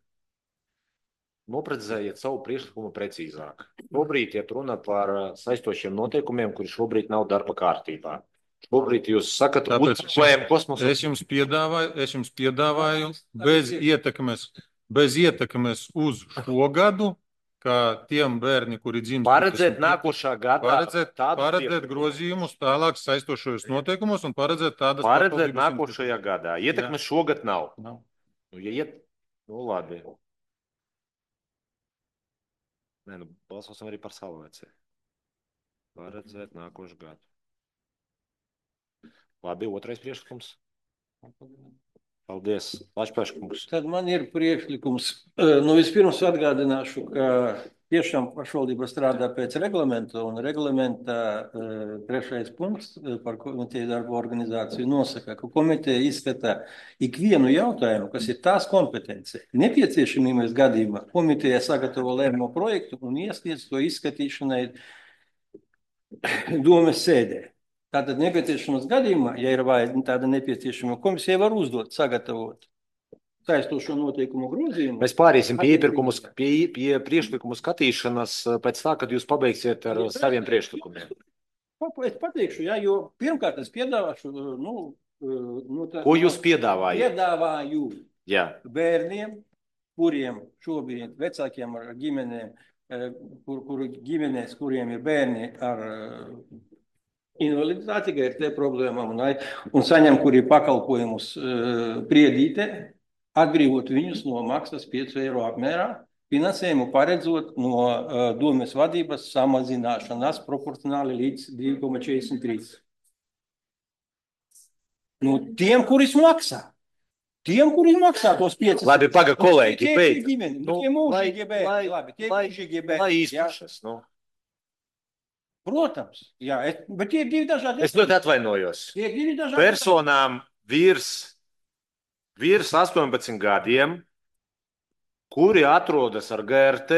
Noprecizējiet savu priekšlikumu precīzāk. Šobrīd iet runa par saistošiem noteikumiem, kuri šobrīd nav darba kārtībā. Šobrīd jūs sakat, uzplējam kosmosu. Es jums piedāvāju bez ietekmes uz šo gadu, kā tiem bērni, kuri dzimst. Paredzēt nākošā gadā. Paredzēt grozījumus tālāk saistošajos noteikumos un paredzēt tādas. Paredzēt nākošajā gadā. Ietekmes šogad nav. Nu, labi. Nē, balsosim arī par saulēci. Paredzēt nākošu gadu. Labi, otrais priekšlikums. Paldies, Lačplēškungs. Tad man ir priekšlikums. Vispirms atgādināšu, ka tiešām pašvaldība strādā pēc reglamenta, un reglamenta 3. punkts par komiteju darbu organizāciju nosaka, ka komiteja izskata ikvienu jautājumu, kas ir tās kompetence. Nepieciešamības gadījumā komiteja sagatavo lēmumu projektu un iesniedz to izskatīšanai domes sēdē. Tātad nepieciešamas gadījumā, ja ir tāda nepieciešama, komisija var uzdot, sagatavot saistošo noteikumu grozījumu. Mēs pāriesim pie priekšlikumu skatīšanas pēc tā, kad jūs pabeigsiet ar saviem priekšlikumiem. Es pateikšu, jo pirmkārt es piedāvāšu, Ko jūs piedāvājat? Piedāvāju bērniem, kuriem šobrīd vecākiem ar ģimenēm, kuriem ir bērni ar invaliditāti, ka ir te problēmām un saņem, kuri pakalpojumus priedīte, atbrīvot viņus no maksas 5 eiro apmērā, finansējumu paredzot no domes vadības samazināšanas proporcionāli līdz 2,43. Tiem, kuris maksā. Tiem, kuri maksā tos 5. Labi, paga kolēģi, beidz. Tie mūžīgi bērni, labi, tie mūžīgi bērni. Lai izpašas, Protams, bet tie ir divi dažādi. Es ļoti atvainojos. Tie ir divi dažādi. Personām virs 18 gadiem, kuri atrodas ar GRT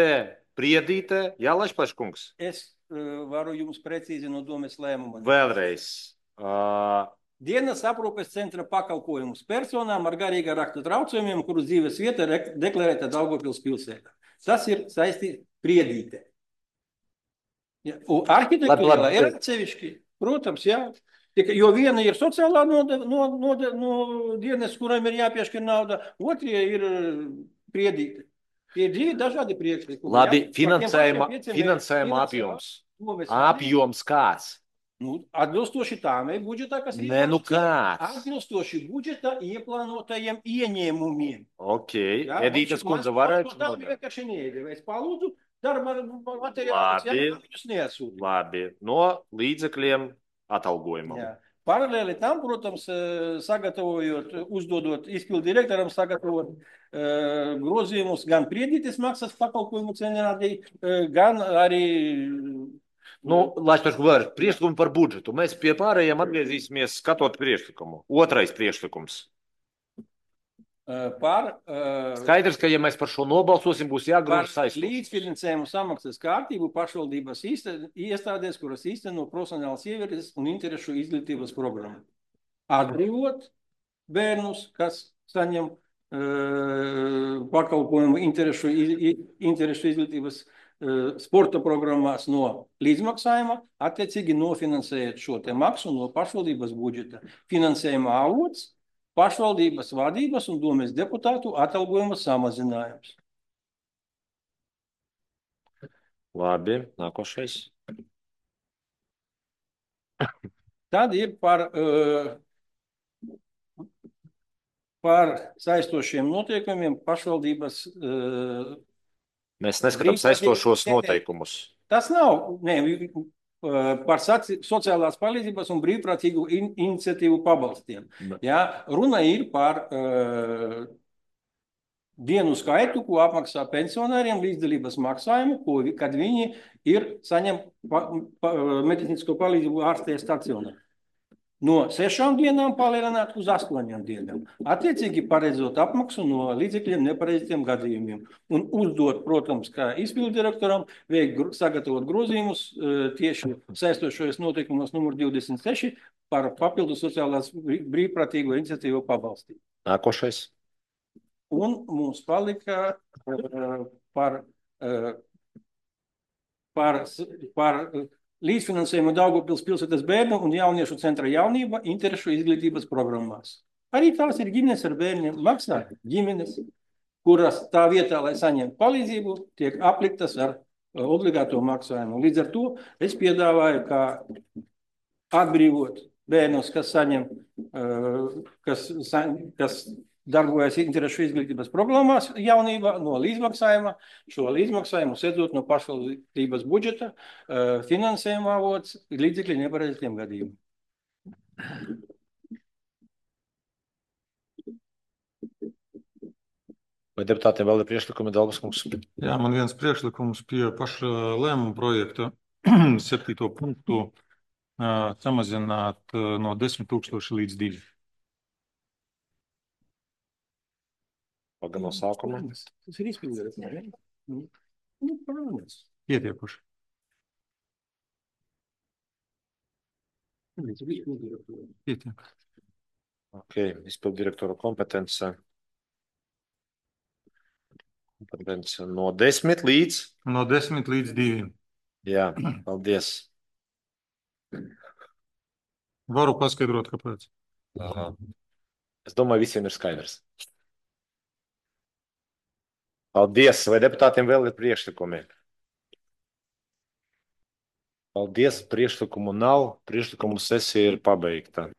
priedītē, Lačplēškungs. Es varu jums precīzi no domes lēmuma. Vēlreiz. Dienas aprūpes centra pakalpojumus personām ar garīgā raksta traucējumiem, kuru dzīves vieta deklarēta Daugavpils pilsētā. Tas ir saistīts priedītē. Arhitektūrā ir atsevišķi, protams, jo viena ir sociālā dienas, kuram ir jāpiešķir nauda, otrie ir priedīte. Tie ir divi dažādi priekšlikumi. Labi, finansējuma apjoms. Apjoms kāds? Atbilstoši tām budžetā, kas ir. Kāds? Atbilstoši budžetā ieplānotajiem ieņēmumiem. Ok, Edītas kundze varētu. Tā vienkārši neiedevēs. Es palūdzu. Darba materiālus, viņus neatsūta. Labi, no līdzekļiem atalgojumam. Paralēli tam, protams, sagatavojot, uzdodot izpildu direktoram, sagatavot grozījumus gan priedītes maksas pakalpojumu cenārī, gan arī. Nu, lai es pašu varu, priekšlikumu par budžetu. Mēs pie pārējiem atgriezīsimies skatot priekšlikumu. Otrais priekšlikums. Skaidrs, ka, ja mēs par šo nobalsosim, būs jāgrūž saistības. Līdzfinansējumu samaksas kārtību pašvaldības iestādēs, kuras īsteno profesionālas ievirzes un interešu izglītības programmu. Atbrīvot bērnus, kas saņem pakalpojumu interešu izglītības sporta programmās no līdzmaksājuma, attiecīgi nofinansējot šo te maksu no pašvaldības budžeta. Finansējuma avots pašvaldības vadības un domes deputātu atalgojuma samazinājums. Labi, nākošais. Tad ir par saistošiem noteikumiem pašvaldības. Mēs neskatām saistošos noteikumus. Tas nav, par sociālās palīdzības un brīvprātīgu iniciatīvu pabalstiem. Ja, runa ir par dienu skaitu, ko apmaksā pensionāriem līdzdalības maksājumu, kad viņi saņem medicīnisko palīdzību ārstē stacionā. No 6 dienām palielināt uz 8 dienām. Attiecīgi paredzot apmaksu no līdzekļiem nepareiziem gadījumiem. Un uzdot, protams, kā izpildu direktoram, sagatavot grozījumus tieši saistošajos noteikumos numur 26 par papildu sociālās brīvprātīgo iniciatīvu pabalstību. Nākošais. Un mums palika par līdzfinansējumu Daugavpils pilsētas bērnu un jauniešu centra jaunība interešu izglītības programmās. Arī tās ir ģimenes ar bērniem, maksā ģimenes, kuras tā vietā, lai saņemtu palīdzību, tiek apliktas ar obligāto maksājumu. Līdz ar to es piedāvāju, kā atbrīvot bērnus, kas saņem, kas darbojas interešu izglītības programmās jaunībā no līdzmaksājuma, šo līdzmaksājumu sēdot no pašvaldības budžeta, finansējuma avots līdzekļi nepareiziem gadījumiem. Vai deputātiem vēl ir priekšlikumi, Dalbas kungs? Jā, man viens priekšlikums pie paša lēmuma projekta 7. punktu samazināt no 10 000 līdz 2. Paga no sākuma. Tas ir izpildījums, ne? Pietiekuši. Pietiek. Ok, izpildu direktora kompetence. Kompetence no 10 līdz? No 10 līdz 2. Jā, paldies. Varu paskaidrot, kāpēc. Es domāju, visiem ir skaidrs. Paldies. Vai deputātiem vēl ir priekšlikumi? Paldies. Priekšlikumu nav. Priekšlikumu sesija ir pabeigta.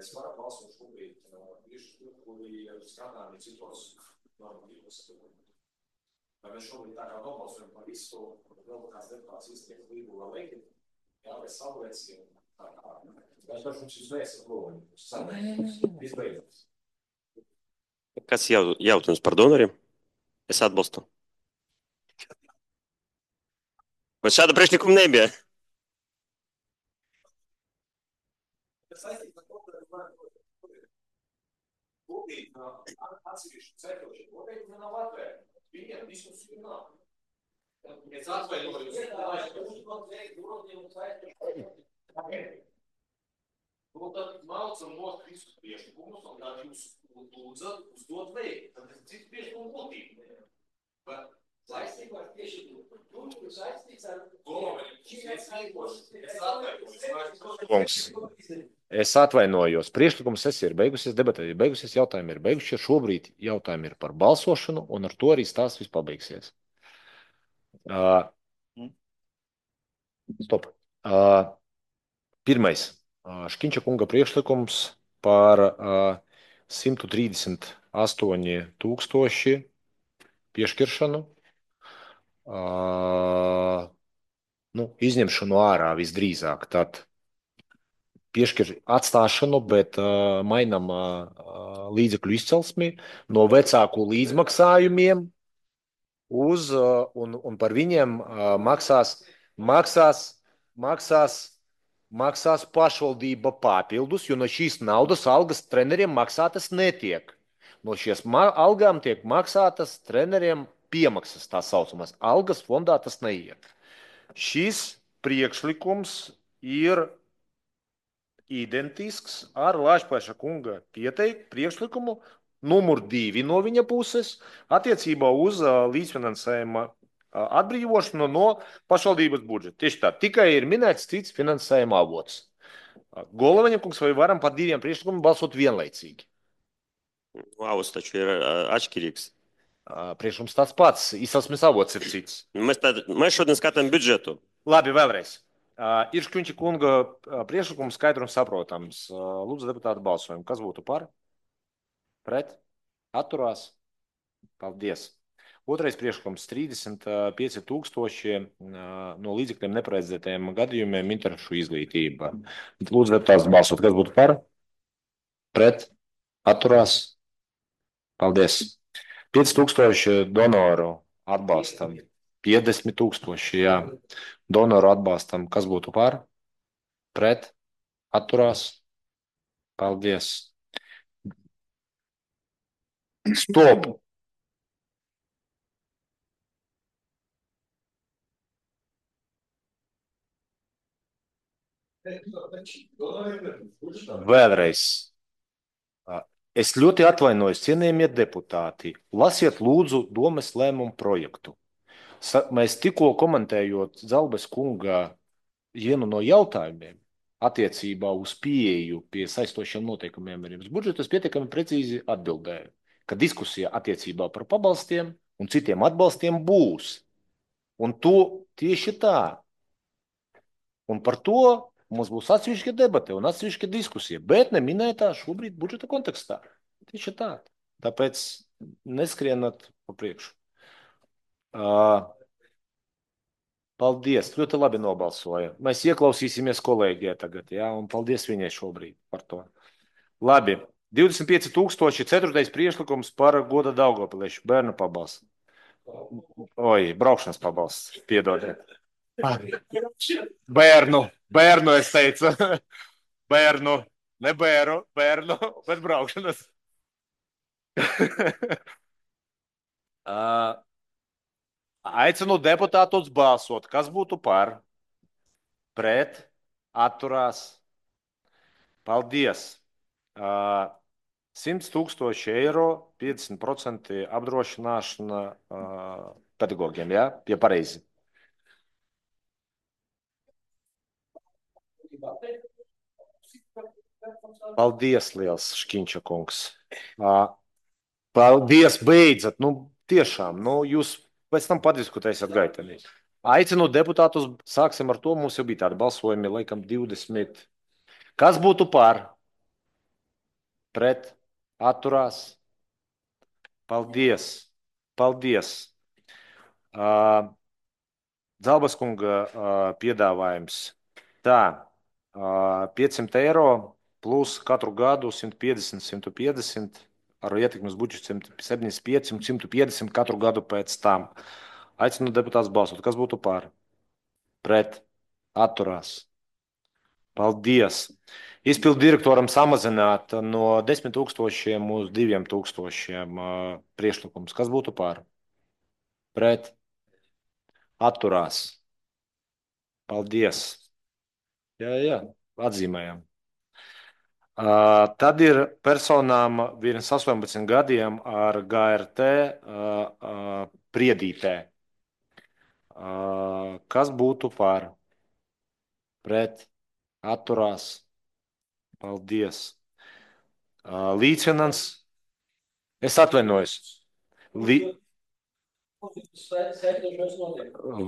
Mēs varam balsot šobrīd kuri strādājam citos normatīvos. Vai mēs šobrīd tā kā nobalsojam par visu, vēl kāds deputāts iztiek līgu vēl veikti, jā, vai savlaicīgi, tā kā. Mēs varam mums izvēst aplovi. Izbeidzams. Kāds jautājums par donoriem? Es atbalstu. Vai šāda priekšlikuma nebija? Atsevišķi ceļošie noteikumi nav atvērti. Viņiem diskusiju nav. Es atvainojos. Nu, tad malcam nost visus priekšlikumus un tad jūs lūdza uzdot veikt. Tad es cits priekšlikumu būtību. Bet saistībā ar tieši saistīts ar Es atvainojos. Priekšlikums ir beigusies, debatē ir beigusies, jautājumi ir beigušies. Šobrīd jautājumi ir par balsošanu, un ar to arī stāsts viss pabeigsies. Stop. Pirmais. Škiņča kunga priekšlikums par 138 tūkstoši piešķiršanu, izņemšanu ārā visdrīzāk. Tad piešķir atstāšanu, bet mainam līdzekļu izcelsmi no vecāku līdzmaksājumiem uz, un par viņiem maksās pašvaldība papildus, jo no šīs naudas algas treneriem maksātas netiek. No šīs algām tiek maksātas treneriem piemaksas, tā saucamās. Algas fondā tas neiet. Šis priekšlikums ir identisks ar Lāčplēša kunga pieteiktu priekšlikumu numur 2 no viņa puses attiecībā uz līdzfinansējuma atbrīvošanu no pašvaldības budžeta. Tieši tā, tikai ir minēts cits finansējuma avots. Golovaņa kungs, vai varam par 2 priekšlikumiem balsot vienlaicīgi? Avots taču ir atšķirīgs. Priekšlikums tāds pats, izcelsmes avots ir cits. Mēs šodien skatām budžetu. Labi, vēlreiz. Ir Škiņča kunga priekšlikums skaidrums saprotams. Lūdzu, deputāti balsojumu. Kas būtu par? Pret? Atturās? Paldies. Otrais priekšlikums 35 tūkstoši no līdzekļiem neparedzētajiem gadījumiem interešu izglītība. Lūdzu, deputāts balsot. Kas būtu par? Pret? Atturās? Paldies. 5 tūkstoši donoru atbalstam. 50 tūkstoši, jā. Donoru atbalstam. Kas būtu par? Pret? Atturās? Paldies. Stop! Vēlreiz. Es ļoti atvainojos, cienījamie deputāti. Lasiet lūdzu domes lēmumu projektu. Mēs tikko komentējot Zalbes kunga vienu no jautājumiem attiecībā uz pieeju pie saistošiem noteikumiem ar budžetu, es pietiekami precīzi atbildēju, ka diskusija attiecībā par pabalstiem un citiem atbalstiem būs. Un to tieši tā. Un par to mums būs atsevišķa debate un atsevišķa diskusija, bet neminētā šobrīd budžeta kontekstā. Tieši tā. Tāpēc neskrienat pa priekšu. Paldies, ļoti labi nobalsoja. Mēs ieklausīsimies kolēģijai tagad, jā, un paldies viņai šobrīd par to. Labi, 25 tūkstoši, 4. priekšlikums par Goda Daugavpiliešu bērnu pabalstu. Braukšanas pabalsts, piedodiet. Bērnu es teicu. Bērnu, ne bērnu, bet braukšanas. Aicinu deputātus balsot. Kas būtu par? Pret? Atturās? Paldies. 100 tūkstoši eiro, 50% apdrošināšana pedagogiem, jā? Ja pareizi. Paldies liels, Škiņča kungs. Paldies, beidzat. Tiešām, jūs pēc tam padiskutēsiet gaitenī. Aicinu deputātus, sāksim ar to, mums jau bija tādi balsojumi, laikam 20. Kas būtu par? Pret? Atturās? Paldies. Paldies. Zalbas kunga piedāvājums. Tā, 500 eiro plus katru gadu 150, 150, ar ietekmes budžetu 75 un 150 katru gadu pēc tam. Aicinu deputātus balsot. Kas būtu par? Pret? Atturās? Paldies. Izpildu direktoram samazināt no 10 tūkstošiem uz 2 tūkstošiem priekšlikums. Kas būtu par? Pret? Atturās? Paldies. Jā, atzīmējam. Tad ir personām virs 18 gadiem ar GRT priedītē. Kas būtu par? Pret? Atturās? Paldies. Līdzfinans. Es atvainojos.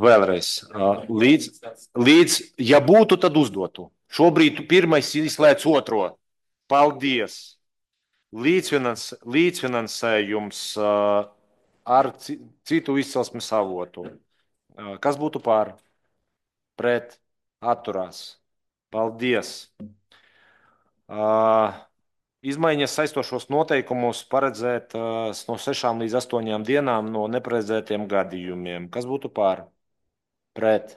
Vēlreiz. Līdz, ja būtu, tad uzdotu. Šobrīd pirmais izslēdz otro. Paldies. Līdzfinansējums ar citu izcelsmes avotu. Kas būtu par? Pret? Atturās? Paldies. Izmaiņas saistošos noteikumus paredzēt no 6 līdz 8 dienām no neparedzētiem gadījumiem. Kas būtu par? Pret?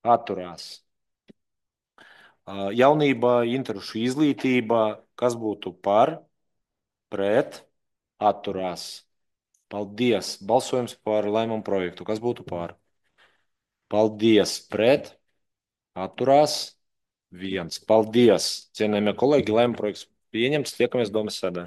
Atturās? Jaunība, interešu izglītība. Kas būtu par? Pret? Atturās? Paldies. Balsojums par lēmumu projektu. Kas būtu par? Paldies. Pret? Atturās? 1. Paldies. Cienējamie kolēģi, lēmumu projekts pieņemts. Tiekamies Domes sēdē.